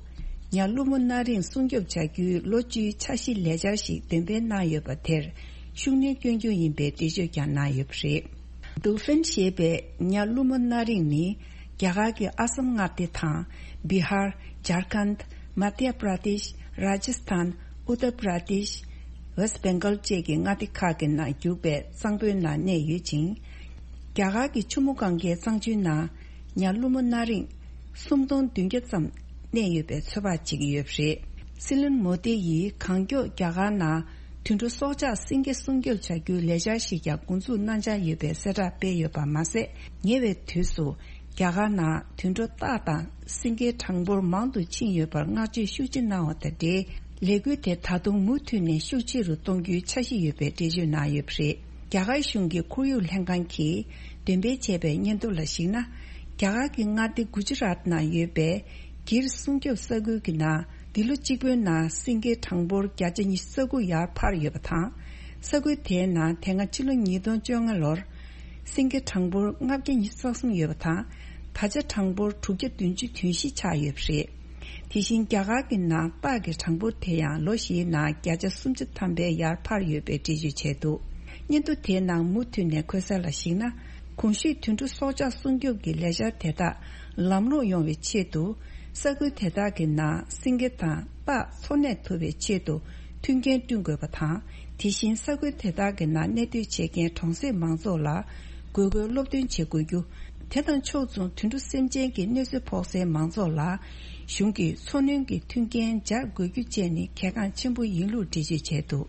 ཉ་ཀླུ་མོ་སྣ་རིང་སྲུང་སྐྱོབ་བྱ་རྒྱུའི་ལོ་བཅུའི་འཆར་གཞི་ལས་འཆར་ཞིག་འདོན་སྤེལ་གནང་ཡོད་པ་དེར་ཤུགས་སྣོན་སྐྱོན་རྒྱུ་ཡིན་པའི་འགྲེལ་བརྗོད་ཀྱང་གནང་ཡོད་པ་རེད། ཏུ་ཧྥིན་ཞེས་པའི་ཉ་ཀླུ་མོ་སྣ་རིང་ནི། རྒྱ་གར་གྱི་ཨ་སམ་མངའ་སྡེ་དང་། བི་ཧར། ཇར་ཁན། མ་དྷྱ་པྲ་དེཤ། ར་ཇ་སི་ཐན། ཨུ་ཏར་པྲ་དེཤ། ཝེ་སི་བེང་གལ་བཅས་ཀྱི་མངའ་སྡེ་ཁག་གི་ནང་རྒྱུག་པའི་གཙང་པོའི་ནང་གནས་ཡོད་ཅིང་། རྒྱ་གར་གྱི་ཆུ་མོ་གངྒཱའི་གཙང་ཆུའི་ནང་། ཉ་ཀླུ་མོ་སྣ་རིང་། སུམ་སྟོང་བདུན་བརྒྱ་ཙམ་གནས་ཡོད་པའི་ཚོད་དཔག་བྱེད་ཀྱི་ཡོད་པ་རེད། སྲིད་བློན་མོ་དི་ཡིས་གང་མགྱོགས་རྒྱ་གར་ནང་དུད་འགྲོ་སྲོག་ཆགས་སེང་གེ་སྲུང་སྐྱོབ་བྱ་རྒྱུའི་ལས་འཆར་ཞིག་ཀྱང་འགོ་འཛུགས་གནང་འཆར་ཡོད་པའི་གསལ་བསྒྲགས་སྤེལ་ཡོད་པ་མ་ཟད། ཉེ་བའི་དུས་སུ་རྒྱ་གར་ནང་དུད་འགྲོ་སྟག་དང་སེང་གེའི་གྲངས་འབོར་མང་དུ་ཕྱིན་ཡོད་པར་བསྔགས་བརྗོད་ཤུགས་ཆེ་གནང་བ་དང་འབྲེལ། ལས་འགུལ་དེ་ད་དུང་མུ་མཐུད་ནས་ཤུགས་ཆེ་རུ་གཏོང་རྒྱུའི་འཆར་གཞི་ཡོད་པའི་འགྲེལ་བརྗོད་གནང་ཡོད་པ་རེད། རྒྱ་གར་གཞུང་གི་ཁོར་ཡུག་ལྷན་ཁང་གིས་འདོན་སྤེལ་བྱས་པའི་སྙན་ཐོ་ལ་གཞིགས་ན། རྒྱ་གར་གྱི་མངའ་སྡེ་གུ་ཇི་རཱཏ་ནང་ཡོད་པའི་གྱིར་སྲུང་སྐྱོབ་ས་ཁུལ་གྱི་ནང་། འདི་ལོ་གཅིག་པོའི་ནང་སེང་གེའི་གྲངས་འབོར་བརྒྱ་ཆ་ཉི་ཤུ་རྩ་དགུ་ཡར་འཕར་ཡོད་པ་དང་། ས་ཁུལ་དེའི་ནང་དེ་སྔ་ཕྱི་ལོ་ཉིས་སྟོང་བཅོ་ལྔ་ལོར། སེང་གེ་གྲངས་འབོར་ལྔ་བརྒྱ་ཉི་ཤུ་རྩ་གསུམ་ཡོད་པ་དང་། ད་ཆ་གྲངས་འབོར་དྲུག་བརྒྱ་བདུན་ཅུ་དོན་བཞི་ཆགས་ཡོད་པ་རེད། དེ་བཞིན་རྒྱ་གར་གྱི་ནང་སྟག་གི་གྲངས་འབོར་དེ་ཡང་ལོ་བཞིའི་ནང་བརྒྱ་ཆ་སུམ་ཅུ་ཐམ་པའི་ཡར་འཕར་ཡོད་པའི་འགྲེལ་བརྗོད་བྱས་འདུག་སྙན་ཐོ་དེའི་ནང་མུ་མཐུད་ནས་འཁོད་གསལ་ལ་གཞིགས་ན། གོང་ཞུས་དུད་འགྲོ་སྲོག་ཆགས་སྲུང་སྐྱོབ་ཀྱི་ལས་འཆར་དེ་དག་ལམ་ལྷོང་ཡོང་བའི་ཆེད་དུ། ས་ཁུལ་དེ་དག་གི་ནང་སེང་གེ་དང་སྟག་འཚོ་གནས་ཐུབ་པའི་ཆེད་དུ་མཐུན་རྐྱེན་བསྐྲུན་དགོས་པ་དང་། དེ་བཞིན་ས་ཁུལ་དེ་དག་གི་ནང་གནས་སྡོད་བྱེད་མཁན་གྲོང་གསེབ་མང་ཚོགས་ལ་དགོས་མཁོའི་སློབ་སྟོན་བྱེད་དགོས་རྒྱུ། དེ་དང་ཕྱོགས་མཚུངས་དུད་འགྲོ་སེམས་ཅན་གྱི་གནོད་འཚེ་ཕོག་སའི་མང་ཚོགས་ལ་གཞུང་གིས་འཚོ་སྣོན་གྱི་མཐུན་རྐྱེན་སྦྱར་དགོས་རྒྱུ་བཅས་ནི་གལ་འགངས་ཆེན་པོ་ཡིན་ལུགས་འགྲེལ་བརྗོད་བྱས་འདུག་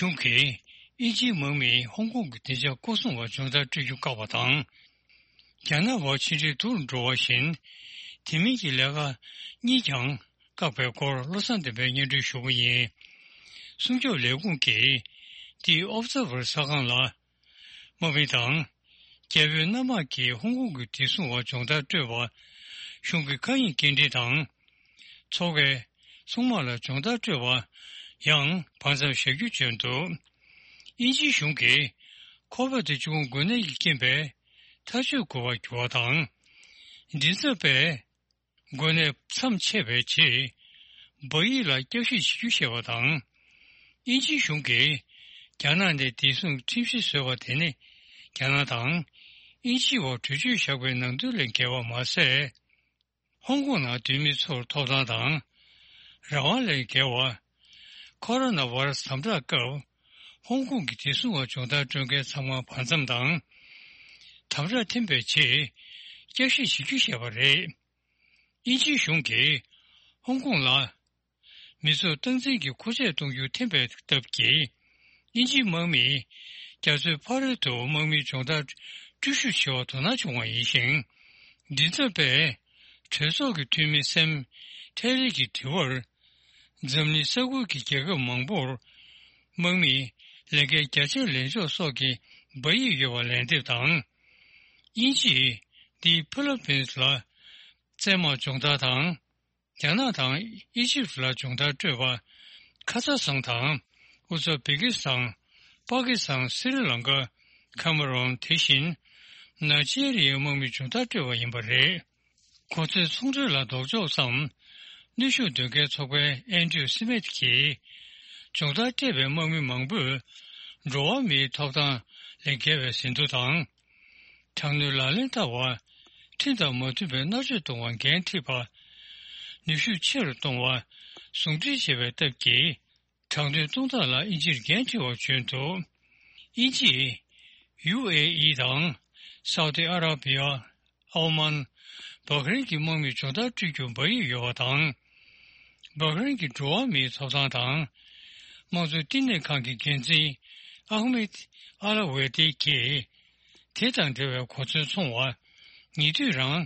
གཞུང་གིས་དབྱིན་ཇིའི་དམག་མིས་ཧོང་ཀོང་གི་བདེ་འཇགས་སྐོར་སྲུང་བ་སྦྱོང་བརྡར་སྤྲོད་རྒྱུ་བཀག་པ་དང་། རྒྱ་ནག་བར་ཕྱི་འབྲེལ་སྡུག་རུ་འགྲོ་བ་བཞིན། དེ་མིན་གྱི་ལས་ཀ་གཉིས་ཀྱང་ བཀག་པའི་སྐོར་བློ་བཟང་བསྟན་འཕེལ་སྙན་སྒྲོན་ཞུ་གི་ཡིན། སྲུང་སྐྱོབ་ལས་ཁུངས་ཀྱིས་The Observer གསར་ཁང་ལ། དམག་མི་དང་། རྒྱ་བོད་གནམ་དམག་གིས་ཧོང་ཀོང་གི་བདེ་སྲུང་བ་སྦྱོང་བརྡར་སྤྲོད་པ། གཞུང་གི་མཁའ་དབྱིངས་སྐྱེལ་འདྲེན་དང་། མཚོ་ཁའི་སྲུང་དམག་ལ་སྦྱོང་བརྡར་སྤྲོད་པ་ཡང་བར་མཚམས་བཞག་རྒྱུ་བརྗོད་འདུག། དབྱིན་ཇིའི་གཞུང་གིས་ཁོ་བོད་དུ་བཅུག་འགོས་ནད་ཀྱི་རྐྱེན་པས་ཐག་གཅོད་དགོས་པར་གྱུར་བ་དང་། མགྲིན་ཚབ་པས། འགོས་ནད་མཚམས་ཆད་པའི་རྗེས། འབའ་ཡིག་ལ་བསྐྱར་ཞིབ་བྱེད་རྒྱུ་ཞེས་པ་དང་། དབྱིན་ཇིའི་གཞུང་གིས་རྒྱ་ནག་ནས་བདེ་སྲུང་ཁྲིམས་གཞི་བཟོས་པ་དེ་ནི། རྒྱ་ནག་དང་དབྱིན་ཇིའི་བར་གྲོས་ཆོད་བཞག་པའི་ནང་དོན་ལས་འགལ་བ་མ་ཟད། ཧོང་ཀོང་ནང་སྡོད་མི་ཚོར་ཐོབ་ཐང་དང་། རང་དབང་ལས་འགལ་བ། ཁོ་རོ་ན་བྷ་ར་སི་དམ་དྲག་སྐབས། ཧོང་ཀོང་གི་བདེ་སྲུང་བ་སྦྱོང་བརྡར་སྤྲོད་མཁན་ཚང་མ་བར་མཚམས་དང་། དམ་དྲག་ཐིམ་པའི་རྗེས། བསྐྱར་ཞིབ་བྱེད་རྒྱུ་ཞེས་པ་རེད། དབྱིན་ཇིའི་གཞུང་གིས་ཧོང་ཀོང་ལ་མི་ཚོར་སྟངས་འཛིན་གྱི་མཁོ་ཆས་གཏོང་རྒྱུ་འཐེན་པའི་སྟབས་ཀྱིས། དབྱིན་ཇིའི་དམག་མིས་རྒྱ་མཚོའི་ཕ་རོལ་དུ་དམག་མིའི་སྦྱོང་བརྡར་འགྲུལ་བཞུད་བྱེད་པར་དོ་སྣང་བྱུང་བ་ཡིན་ཞིང་། མགྲིན་ཚབ་པས་གྲོས་ཚོགས་ཀྱི་འཐུས་མི་སེམ་ཐེ་རི་གྱི་དྲི་བར། འཛམ་གླིང་ས་ཁུལ་གྱི་རྒྱལ་ཁབ་མང་པོར་དམག་མིས་ལས་འགན་རྒྱ་ཆེར་ལེན་ཕྱོགས་སོགས་ཀྱི་འབའ་ཡིག་ཡོད་པ་ལན་འདེབས་དང་། དབྱིན་ཇིས་འདི་ཕི་ལི་པིན་ལ་བཙན་དམག་སྦྱོང་བརྡར་དང་། རྒྱ་ནག་དང་ཨི་ཇིབ་ལ་སྦྱོང་བརྡར་སྤྲོད་པ། ཁ་ཛ་སྟན་དང་། ཨུ་ཛ་བེ་ཀི་སི་ཐན། པ་ཀི་སི་ཐན། སི་རི་ལང་ཀ། ཁ་མ་རོན། དེ་བཞིན་ནཱི་ཇི་རི་ཡའི་དམག་མིས་སྦྱོང་བརྡར་སྤྲོད་པ་ཡིན་པ་རེད། གོ་མཚོན་ཚོང་འབྲེལ་ལ་ལྡོག་ཕྱོགས་སམ། གནོན་ཤུགས་འདོན་མཁན་ཚོགས་པའི་ཨན་ཌྲིའུ་སི་མིད་ཀྱིས། སྦྱོང་བརྡར་སྤྲད་པའི་དམག་མི་མང་པོས་འགྲོ་བ་མིའི་ཐོབ་ཐང་ལས་འགལ་བའི་ཟིན་ཐོ་དང་། དྲག་གནོན་ལག་ལེན་བསྟར་བ། ཁྲིམས་དང་མ་མཐུན་པའི་མནར་གཅོད་གཏོང་བར་འགན་འཁྲི་བ། ནུས་ཤུགས་ཆེ་རུ་གཏོང་བ། ཟུང་འབྲེལ་བྱེད་པའི་སྟབས་ཀྱིས། དྲག་གནོན་གཏོང་སྟངས་ལ་དབྱིན་ཇིར་འགན་འཁྲི་བར་བརྗོད་འདུག། དབྱིན་ཇིས་ཡུ་ཨེ་ཨི་དང་སའུ་ཏི་ཨ་ར་བི་ཡ། ཨའོ་མན། བྷ་ཧ་རིན་གྱི་དམག་མིས་སྦྱོང་བརྡར་སྤྲོད་རྒྱུར་འབའ་ཡིག་ཡོད་པ་དང་། བྷ་ཧ་རིན་གྱི་འགྲོ་བ་མིའི་ཐོབ་ཐང་དང་། དམངས་གཙོ་བསྟི་གནས་ཁང་གི་འགན་འཛིན་ཨ་ཧུ་མེད་ཨ་ལ་ཝེ་ཏི་གིས། དེ་དང་འབྲེལ་བའི་གོ་མཚོན་འཚོང་བ། ཉེ་དུས་རང་།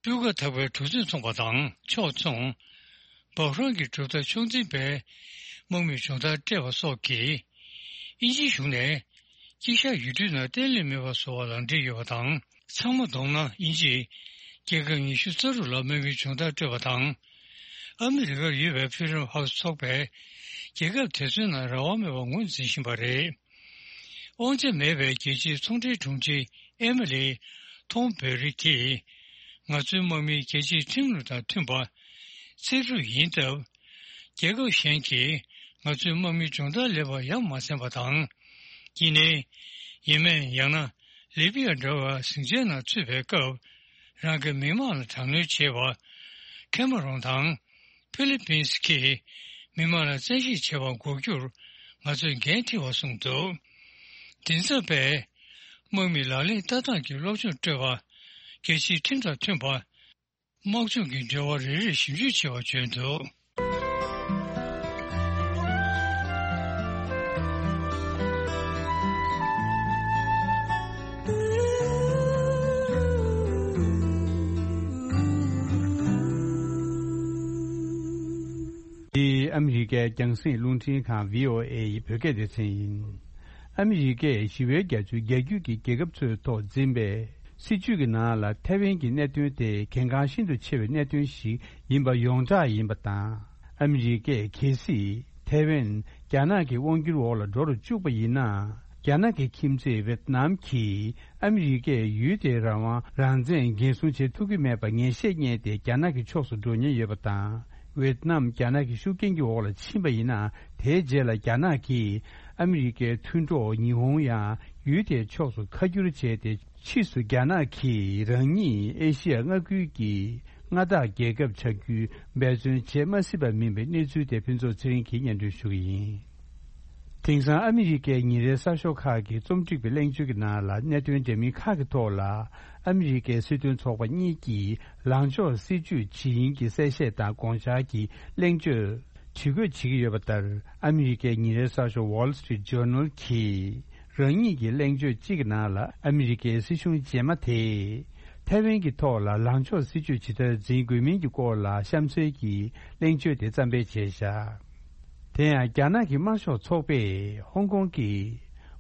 སྤུས་ཀ་དག་པའི་གྲུ་གཟིངས་འཚོང་པ་དང་ཕྱོགས་མཚུངས། བྷ་ཧ་རན་གྱི་གྲུབ་མཐའ་ཕྱོགས་འཛིན་པས་དམག་མིའི་སྦྱོང་བརྡར་སྤྲད་པ་སོགས་ཀྱིས། དབྱིན་ཇིའི་གཞུང་ནས་དཀྱིལ་ཤར་ཡུལ་གྲུའི་ནང་བརྟན་ལྷིང་མེད་པ་བཟོ་བར་ལག་འབྲེལ་ཡོད་པ་དང་། ཚང་མ་བསྡོམས་ན་དབྱིན་ཇིས་རྒྱལ་ཁབ་ཉི་ཤུ་རྩ་དྲུག་ལ་དམག་མིའི་སྦྱོང་བརྡར་སྤྲད་པ་དང་། ཨ་མི་རི་ཀར་ཡོད་པའི་Freedom House ཚོགས་པས་རྒྱལ་ཁབ་དེ་ཚོའི་ནང་རང་དབང་མེད་པར་ངོས་འཛིན་བཞིན་པ་རེད། དབང་ཆ་མེད་པའི་རྒྱལ་སྤྱིའི་ཚོང་འབྲེལ་དྲུང་ཆེ་ཨེ་མི་ལི་ཐོང་བེ་རི་གིས། ང་ཚོའི་དམག་མིས་རྒྱལ་སྤྱིའི་ཁྲིམས་ལུགས་དང་མཐུན་པ། བརྩི་སྲུང་ཡིན་སྟབས། རྒྱལ་ཁབ་གཞན་གྱིས་ང་ཚོའི་དམག་མིའི་སྦྱོང་བརྡར་ལེགས་པར་ཡ་མ་བཟུང་བ་དང་། དེ་ནས་ཡེ་མེན། ཡང་ན་ལི་བི་ཡ་འདྲ་བའི་ཟིང་ཆའི་ནང་ཚུད་པའི་སྐབས། རང་གི་མི་དམངས་ལ་དྲག་གནོན་བྱེད་པ། ཁེ་མ་རོན་དང་། ཕི་ལི་པིན་སི་གིས་མི་མང་ལ་བཙན་ཤེད་བྱེད་པར་འགོག་རྒྱུར་ང་ཚོས་འགན་འཁྲི་བར་གསུངས་འདུག། མགྲིན་ཚབ་པས་དམག་མིས་ལག་ལེན་བསྟར་སྟངས་ཀྱི་སློབ་སྦྱོང་སྤྲོད་པ། རྒྱལ་སྤྱིའི་ཁྲིམས་དང་མཐུན་པ། དམག་སྦྱོང་གི་འབྲེལ་བ་རེ་རེར་ཞིབ་འཇུག་བྱེད་པར་བརྗོད་འདུག། འདི་ཨ་མི་རི་ཀའི་རྒྱང་སྲིང་རླུང་འཕྲིན་ཁང་བྷི་ཨོ་ཨེ་ཡི་བོད་སྐད་སྡེ་ཚན་ཡིན། ཨ་མི་རི་ཀས་ཞི་བའི་རྒྱ་མཚོའི་རྒྱ་རྒྱུད་ཀྱི་རྒྱལ་ཁབ་ཚོའི་ཐོག་འཛིན་པའི་སྲིད་ཇུས་ཀྱི་ནང་ལ་ཐའེ་ཝན་གྱི་གནད་དོན་དེ་གལ་འགངས་ཤིན་ཏུ་ཆེ་བའི་གནད་དོན་ཞིག་ཡིན་པ་ཡོངས་གྲགས་ཡིན་པ་དང་། ཨ་མི་རི་ཀས་གལ་སྲིད་ཐའེ་ཝན་རྒྱ་ནག་གི་དབང་སྒྱུར་འོག་ལ་འགྲོ་རུ་བཅུག་པ་ཡིན་ན། རྒྱ་ནག་གི་ཁྱིམ་མཚེས་ཝེད་ནམ་གྱིས་ཨ་མི་རི་ཀས་ཡུལ་དེའི་རང་དབང་རང་བཙན་འགན་སྲུང་བྱེད་ཐུབ་ཀྱི་མེད་པ་ངེས་ཤེས་རྙེད་དེ་རྒྱ་ནག་གི་ཕྱོགས་སུ་འགྲོ་ཉེན་ཡོད་པ་དང་། ཝེད་ནམ་རྒྱ་ནག་གི་ཤུགས་རྐྱེན་གྱི་འོག་ལ་ཕྱིན་པ་ཡིན་ན། དེའི་རྗེས་ལ་རྒྱ་ནག་གིས་ཨ་མི་རི་ཀའི་མཐུན་གྲོགས་ཉི་ཧོང་ཡང་ཡུལ་དེའི་ཕྱོགས་སུ་ཁ་བསྒྱུར་བྱས་ཏེ། ཕྱིས་སུ་རྒྱ་ནག་གིས་རང་ཉིད་ཨེ་ཤི་ཡ་མངའ་ཁུལ་གྱི་མངའ་བདག་རྒྱལ་ཁབ་ཆགས་རྒྱུའི་འབད་བརྩོན་བྱེད་མ་སྲིད་པ་མིན་པའི་གནས་ཚུལ་དེ་ཕུན་ཚོགས་ཚེ་རིང་གིས་སྙན་སྒྲོན་ཞུ་གི་ཡིན། དེང་སང་ཨ་མི་རི་ཀའི་ཉིན་རེའི་གསར་ཤོག་ཁག་གི་རྩོམ་སྒྲིག་པའི་གླེང་བརྗོད་ཀྱི་ནང་ལ། གནད་དོན་འདྲ་མིན་ཁག་གི་ཐོག་ལ་ཨ་མི་རི་ཀའི་སྲིད་དོན་ཚོགས་པ་གཉིས་ཀྱིས་ལངས་ཕྱོགས་སྲིད་ཇུས་ཇི་ཡིན་གྱི་གསལ་བཤད་དང་དགོངས་འཆར་གྱི་གླེང་བརྗོད་བྲིས་འགོད་བྱེད་ཀྱི་ཡོད་པ་ལྟར། ཨ་མི་རི་ཀའི་ཉིན་རེའི་གསར་ཤོག་Wall Street Journal གིས་རང་ཉིད་ཀྱི་གླེང་བརྗོད་གཅིག་གི་ནང་ལ། ཨ་མི་རི་ཀའི་སྲིད་གཞུང་རྗེས་མ་དེས་ ཐའེ་ཝན་གྱི་ཐོག་ལ་ལངས་ཕྱོགས་སྲིད་ཇུས་ཇི་ལྟར་འཛིན་དགོས་མིན་གྱི་སྐོར་ལ་གཤམ་གསལ་གྱི་གླེང་བརྗོད་དེ་བརྩམས་སྤེལ་བྱས་བཞག་དེ་ཡང་རྒྱ་ནག་གི་དམར་ཤོག་ཚོགས་པས་ཧོང་ཀོང་གི་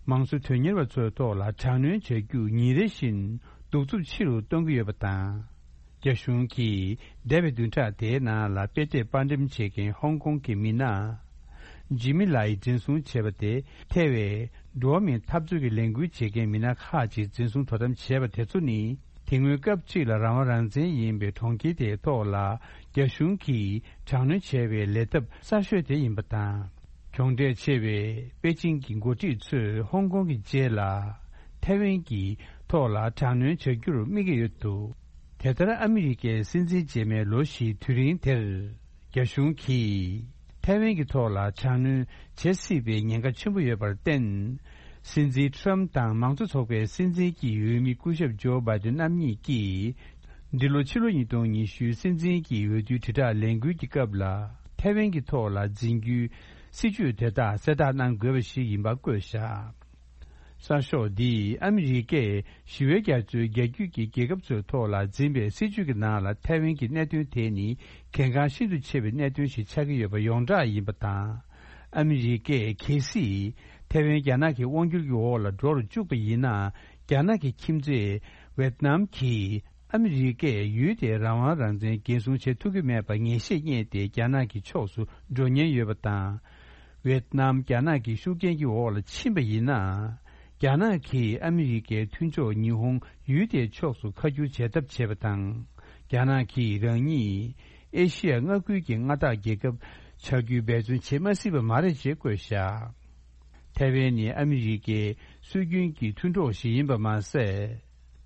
མང་གཙོ་དོན་གཉེར་བ་ཚོའི་ཐོག་ལ་དྲག་གནོན་བྱ་རྒྱུ་ཉིན་རེ་བཞིན་གདུག་རྩུབ་ཆེ་རུ་གཏོང་གི་ཡོད་པ་དང་། རྒྱ་གཞུང་གིས་འདས་པའི་བདུན་ཕྲག་དེའི་ནང་ལ་དཔེ་དེབ་དཔར་འགྲེམས་བྱེད་མཁན་ཧོང་ཀོང་གི་མི་སྣ་ཇི་མི་ལའི་འཛིན་བཟུང་བྱས་པ་དེ། ཐའེ་ཝན་འགྲོ་བ་མིའི་འཐབ་རྩོད་ཀྱི་ལས་འགུལ་བྱེད་མཁན་མི་སྣ་ཁག་ཅིག་འཛིན་བཟུང་དོ་དམ་བྱས་པ་དེ་ཚོ་ནི། དེ་སྔོན་སྐབས་གཅིག་ལ་རང་དབང་རང་བཙན་ཡིན་པའི་གྲོང་ཁྱེར་དེའི་ཐོག་ལ་རྒྱ་གཞུང་གིས་དྲག་གནོན་བྱས་པའི་ལས་ཐབས་གསར་ཤོས་དེ་ཡིན་པ་དང་། གྱོང་འབྲས་ཆེ་བའི་པེ་ཅིང་གི་འགོ་ཁྲིད་ཚོས་ཧོང་ཀོང་གི་རྗེས་ལ་ཐའེ་ཝན་གྱི་ཐོག་ལ་དྲག་གནོན་བྱ་རྒྱུར་དམིགས་ཀྱི་ཡོད་འདུག་དེ་ལྟར་ཨ་མི་རི་ཀའི་སྲིད་འཛིན་རྗེས་མའི་ལོ་བཞིའི་དུས་རིང་དེར། རྒྱ་གཞུང་གིས་ཐའེ་ཝན་གྱི་ཐོག་ལ་དྲག་གནོན་བྱེད་སྲིད་པའི་ཉེན་ཁ་ཆེན་པོ་ཡོད་པར་བརྟེན། སྲིད་འཛིན་ཁྲམ་དང་མང་གཙོ་ཚོགས་པའི་སྲིད་འཛིན་གྱི་འོས་མི་སྐུ་ཞབས་ཇོ་བྷའི་ཏིན་རྣམ་གཉིས་ཀྱིས། འདི་ལོ་ཕྱི་ལོ་ཉིས་སྟོང་ཉི་ཤུའི་སྲིད་འཛིན་གྱི་འོས་བསྡུའི་དྲིལ་བསྒྲགས་ལས་འགུལ་གྱི་སྐབས་ལ། ཐའེ་ཝན་གྱི་ཐོག་ལ་འཛིན་རྒྱུའི་སྲིད་ཇུས་དེ་དག་གསལ་བསྒྲགས་གནང་དགོས་པ་ཞིག་ཡིན་པ་བཀོད་བཞག་གསར་ཤོག་འདིས་ཨ་མི་རི་ཀས་ཞི་བའི་རྒྱ་མཚོའི་རྒྱ་རྒྱུད་ཀྱི་རྒྱལ་ཁབ་ཚོའི་ཐོག་ལ་འཛིན་པའི་སྲིད་ཇུས་ཀྱི་ནང་ལ་ཐའེ་ཝན་གྱི་གནད་དོན་དེ་ནི་གལ་འགངས་ཤིན་ཏུ་ཆེ་བའི་གནད་དོན་ཞིག་ཆགས་ཀྱི་ཡོད་པ་ཡོངས་གྲགས་ཡིན་པ་དང་། ཨ་མི་རི་ཀས་གལ་སྲིད་ཐའེ་ཝན་རྒྱ་ནག་གི་དབང་སྒྱུར་གྱི་འོག་ལ་འགྲོ་རུ་བཅུག་པ་ཡིན་ན། རྒྱ་ནག་གི་ཁྱིམ་མཚེས་ཝེད་ནམ་གྱིས། ཨ་མི་རི་ཀས་ཡུལ་དེའི་རང་དབང་རང་བཙན་འགན་སྲུང་བྱེད་ཐུབ་ཀྱི་མེད་པ་ངེས་ཤེས་རྙེད་དེ་རྒྱ་ནག་གི་ཕྱོགས་སུ་འགྲོ་ཉེན་ཡོད་པ་དང་། ཝེད་ནམ་རྒྱ་ནག་གི་ཤུགས་རྐྱེན་གྱི་འོག་ལ་ཕྱིན་པ་ཡིན་ན། རྒྱ་ནག་གིས་ཨ་མི་རི་ཀའི་མཐུན་ཕྱོགས་ཉི་ཧོང་ཡུལ་དེའི་ཕྱོགས་སུ་ཁ་བསྒྱུར་བྱེད་ཐབས་བྱས་པ་དང་། རྒྱ་ནག་གིས་རང་ཉིད་ཨེ་ཤི་ཡ་མངའ་ཁུལ་གྱི་མངའ་བདག་རྒྱལ་ཁབ་ཆགས་རྒྱུའི་འབད་བརྩོན་བྱེད་མ་སྲིད་པ་མ་རེད་ཅེས་བཀོད་བཞག་ཐའེ་ཝན་ནི་ཨ་མི་རི་ཀའི་སྲོལ་རྒྱུན་གྱི་མཐུན་གྲོགས་ཤིག་ཡིན་པ་མ་ཟད།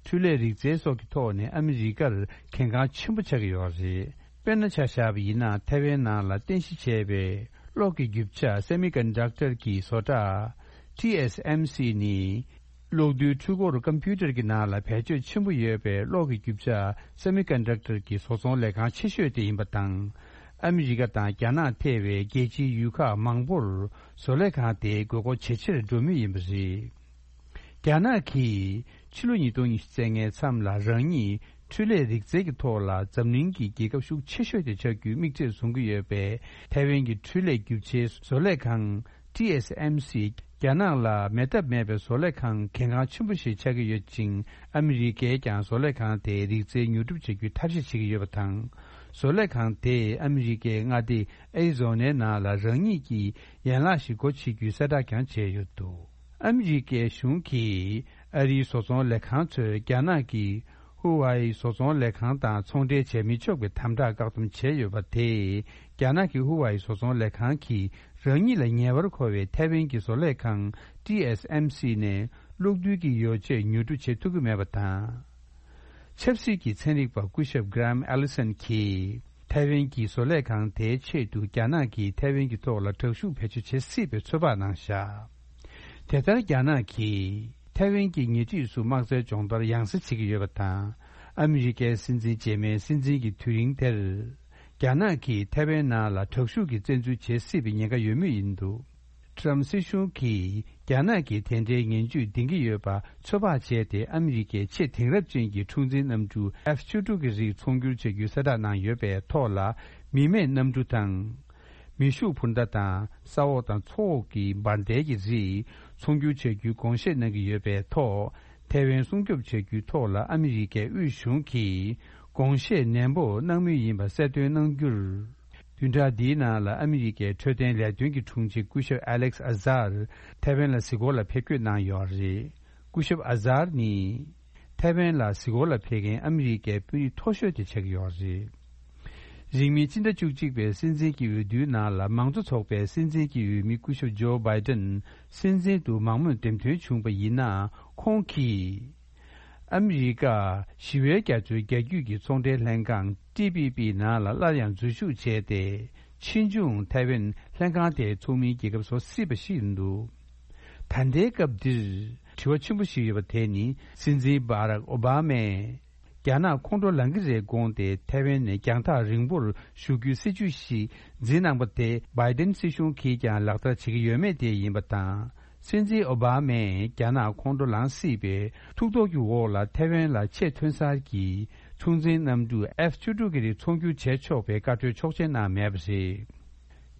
འཕྲུལ་ལས་རིག་རྩལ་སོགས་ཀྱི་ཐོག་ནས་ཨ་མི་རི་ཀར་གལ་འགངས་ཆེན་པོ་ཆགས་ཀྱི་ཡོད་རེད། དཔེར་ན་ཆ་བཞག་པ་ཡིན་ན་ཐའེ་ཝན་ནང་ལ་རྟེན་གཞི་བྱས་པའི་གློག་གི་རྒྱུ་ཆ་སེ་མི་ཀོན་ཌག་ཊར་གྱི་བཟོ་གྲྭ་ཊི་ཨེས་ཨེམ་སི་ནི། གློག་རྡུལ་འཕྲུལ་འཁོར་ཀམ་པུ་ཊར་གྱི་ནང་ལ་བེད་སྤྱོད་ཆེན་པོ་ཡོད་པའི་གློག་གི་རྒྱུ་ཆ་སེ་མི་ཀོན་ཌག་ཊར་གྱི་བཟོ་ཚོང་ལས་ཁང་ཆེ་ཤོས་དེ་ཡིན་པ་དང་། ཨ་མི་རི་ཀ་དང་རྒྱ་ནག་ཐེ་བའི་རྒྱལ་སྤྱིའི་ཡུལ་ཁག་མང་པོར་བཟོ་ལས་ཁང་དེའི་དགོས་མཁོ་ཇེ་ཆེར་འགྲོ་མུས་ཡིན་པ་རེད། རྒྱ་ནག་གིས་ཕྱི་ལོ་ཉིས་སྟོང་ཉི་ཤུ་རྩ་ལྔའི་མཚམས་ལ་རང་ཉིད་འཕྲུལ་ལས་རིག་རྩལ་གྱི་ཐོག་ལ་འཛམ་གླིང་གི་རྒྱལ་ཁབ་ཤུགས་ཆེ་ཤོས་དེ་ཆགས་རྒྱུའི་དམིགས་ཚད་བཟུང་གི་ཡོད་པའི་ཐའེ་ཝན་གྱི་འཕྲུལ་ལས་རྒྱུ་ཆའི་བཟོ་ལས་ཁང་ཊི་ཨེས་ཨེམ་སི་རྒྱ་ནག་ལ་མེད་ཐབས་མེད་པའི་བཟོ་ལས་ཁང་གལ་འགངས་ཆེན་པོ་ཞིག་ཆགས་ཀྱི་ཡོད་ཅིང་། ཨ་མི་རི་ཀས་ཀྱང་བཟོ་ལས་ཁང་དེའི་རིག་རྩལ་ཉོ་སྒྲུབ་བྱ་རྒྱུའི་ཐབས་ཤེས་བྱེད་ཀྱི་ཡོད་པ་དང་། བཟོ་ལས་ཁང་དེས་ཨ་མི་རི་ཀའི་མངའ་སྡེ་ཨེ་རི་ཛོ་ནའི་ནང་ལ་རང་ཉིད་ཀྱི་ཡན་ལག་ཞིག་སྒོ་ཕྱེ་རྒྱུའི་གསལ་བསྒྲགས་ཀྱང་བྱས་ཡོད་འདུག་ཨ་མི་རི་ཀའི་གཞུང་གིས་ཨ་རིའི་བཟོ་ཚོང་ལས་ཁང་ཚོས་རྒྱ་ནག་གི་ཧུ་ཝའེ་བཟོ་ཚོང་ལས་ཁང་དང་ཚོང་འབྲེལ་བྱས་མི་ཆོག་པའི་དམ་དྲག་བཀག་སྡོམ་བྱས་ཡོད་པ་དེས། རྒྱ་ནག་གི་ཧུ་ཝའེ་བཟོ་ཚོང་ལས་ཁང་གིས་རང་ཉིད་ལ་ཉེ་བར་མཁོ་བའི་ཐའེ་ཝན་གྱི་བཟོ་ལས་ཁང་ཊི་ཨེས་ཨེམ་སི་ནས་གློག་རྡུལ་གྱི་ཡོ་བྱད་ཉོ་སྒྲུབ་བྱེད་ཐུབ་ཀྱི་མེད་པ་དང་། ཆབ་སྲིད་ཀྱི་ཚན་རིག་པ་སྐུ་ཞབས་Graham Allison་གྱིས་ཐའེ་ཝན་གྱི་བཟོ་ལས་ཁང་དེའི་ཆེད་དུ་རྒྱ་ནག་གིས་ཐའེ་ཝན་གྱི་ཐོག་ལ་དྲག་ཤུགས་བེད་སྤྱོད་བྱེད་སྲིད་པའི་ཚོད་དཔག་གནང་བཞག་དེ་ལྟར་རྒྱ་ནག་གིས་ཐའེ་ཝན་གྱི་ཉེ་འཁྲིས་སུ་དམག་རྩལ་སྦྱོང་བརྡར་ཡང་སེ་བྱེད་ཀྱི་ཡོད་པ་དང་། ཨ་མི་རི་ཀའི་སྲིད་འཛིན་རྗེས་མའི་སྲིད་འཛིན་གྱི་དུས་རིང་དེར། རྒྱ་ནག་གིས་ཐའེ་ཝན་ནང་ལ་དྲག་ཤུགས་ཀྱིས་བཙན་འཛུལ་བྱེད་སྲིད་པའི་ཉེན་ཁ་ཡོད་མུས་ཡིན་འདུག་ཊམ་སྲིད་གཞུང་གིས་རྒྱ་ནག་གིས་དེ་འདྲའི་ངན་ཇུས་འདིང་གི་ཡོད་པ་ཚོད་དཔག་བྱས་ཏེ། ཨ་མི་རི་ཀའི་ཆེས་དེང་རབས་ཅན་གྱི་འཁྲུག་འཛིང་གནམ་གྲུ་ཨེཕ་བཅུ་དྲུག་གི་རིགས་ཚོང་སྒྱུར་བྱ་རྒྱུའི་གསལ་བསྒྲགས་གནང་ཡོད་པའི་ཐོག་ལ། མི་མེད་གནམ་གྲུ་དང་། མེ་ཤུགས་འཕུར་མདའ་དང་ས་འོག་དང་མཚོ་འོག་གི་འབར་མདེལ་གྱི་རིགས་ཚོང་སྒྱུར་བྱ་རྒྱུའི་དགོངས་བཞེས་གནང་གི་ཡོད་པའི་ཐོག་ཐའེ་ཝན་སྲུང་སྐྱོབ་བྱ་རྒྱུའི་ཐོག་ལ་ཨ་མི་རི་ཀའི་དབུས་གཞུང་གིས་དགོངས་བཞེས་ནན་པོ་གནང་མུས་ཡིན་པ་གསལ་སྟོན་གནང་རྒྱུར། བདུན་ཕྲག་འདིའི་ནང་ལ་ཨ་མི་རི་ཀའི་འཕྲོད་བསྟེན་ལས་དོན་གྱི་དྲུང་ཆེ་སྐུ་ཞབས་ཨ་ལེག་ཨ་ཟར་ཐའེ་ཝན་ལ་གཟིགས་སྐོར་ལ་ཕེབས་སྐྱོད་གནང་ཡོད་རེད། སྐུ་ཞབས་ཨ་ཟར་ནི། ཐའེ་ཝན་ལ་གཟིགས་སྐོར་ལ་ཕེབས་མཁན་ཨ་མི་རི་ཀའི་དཔོན་རིགས་མཐོ་ཤོས་དེ་ཆགས་ཀྱི་ཡོད་རེད། རིང་མིན་སྤྱི་ཟླ་བཅུ་གཅིག་པའི་སྲིད་འཛིན་གྱི་འོས་བསྡུའི་ནང་ལ་མང་གཙོ་ཚོགས་པའི་སྲིད་འཛིན་གྱི་འོས་མི་སྐུ་ཞབས་ཇོ་བྷའི་ཏན་སྲིད་འཛིན་དུ་མང་མོས་འདེམས་ཐོན་བྱུང་བ་ཡིན་ན། ཁོང་གིས་ཨ་མི་རི་ཀ་ཞི་བའི་རྒྱ་མཚོའི་རྒྱ་རྒྱུད་ཀྱི་ཚོང་འབྲེལ་ལྷན་ཁང་ཊི་པི་པི་ནང་ལ་སླར་ཡང་འཛུལ་ཞུགས་བྱས་ཏེ། ཕྱིས་འབྱུང་ཐའེ་ཝན་ལྷན་ཁང་དེའི་ཚོགས་མིའི་རྒྱལ་ཁབ་བཟོ་སྲིད་པ་ཞིག་ཡིན་འདུག་ད་ལྟའི་སྐབས་འདིར་དྲི་བ་ཆེན་པོ་ཞིག་ཡོད་པ་དེ་ནི། སྲིད་འཛིན་བྷ་རག་ཨོ་བྷ་མས་རྒྱ་ནག་ཁོང་ཁྲོ་ལངས་ཀྱི་རེད་དགོངས་ཏེ། ཐའེ་ཝན་ནས་རྒྱང་ཐག་རིང་པོར་བཞུགས་རྒྱུའི་སྲིད་ཇུས་ཤིག་འཛིན་གནང་པ་དེ། བྷའི་ཏན་སྲིད་གཞུང་གིས་ཀྱང་ལག་བསྟར་བྱེད་ཀྱི་ཡོད་མེད་དེ་ཡིན་པ་དང་། སྲིད་འཛིན་ཨོ་བྷ་མས་རྒྱ་ནག་ཁོང་ཁྲོ་ལངས་སྲིད་པའི་ཐུགས་དོགས་ཀྱི་འོག་ལ་ཐའེ་ཝན་ལ་ཆེས་ཐོན་གསར་གྱི་མཚོན་ཆའི་གནམ་གྲུ་ཨེཕ་བཅུ་དྲུག་གི་རིགས་ཚོང་སྒྱུར་བྱས་ཆོག་པའི་བཀའ་འཁྲོལ་ཆོག་མཆན་གནང་མེད་པ་རེད།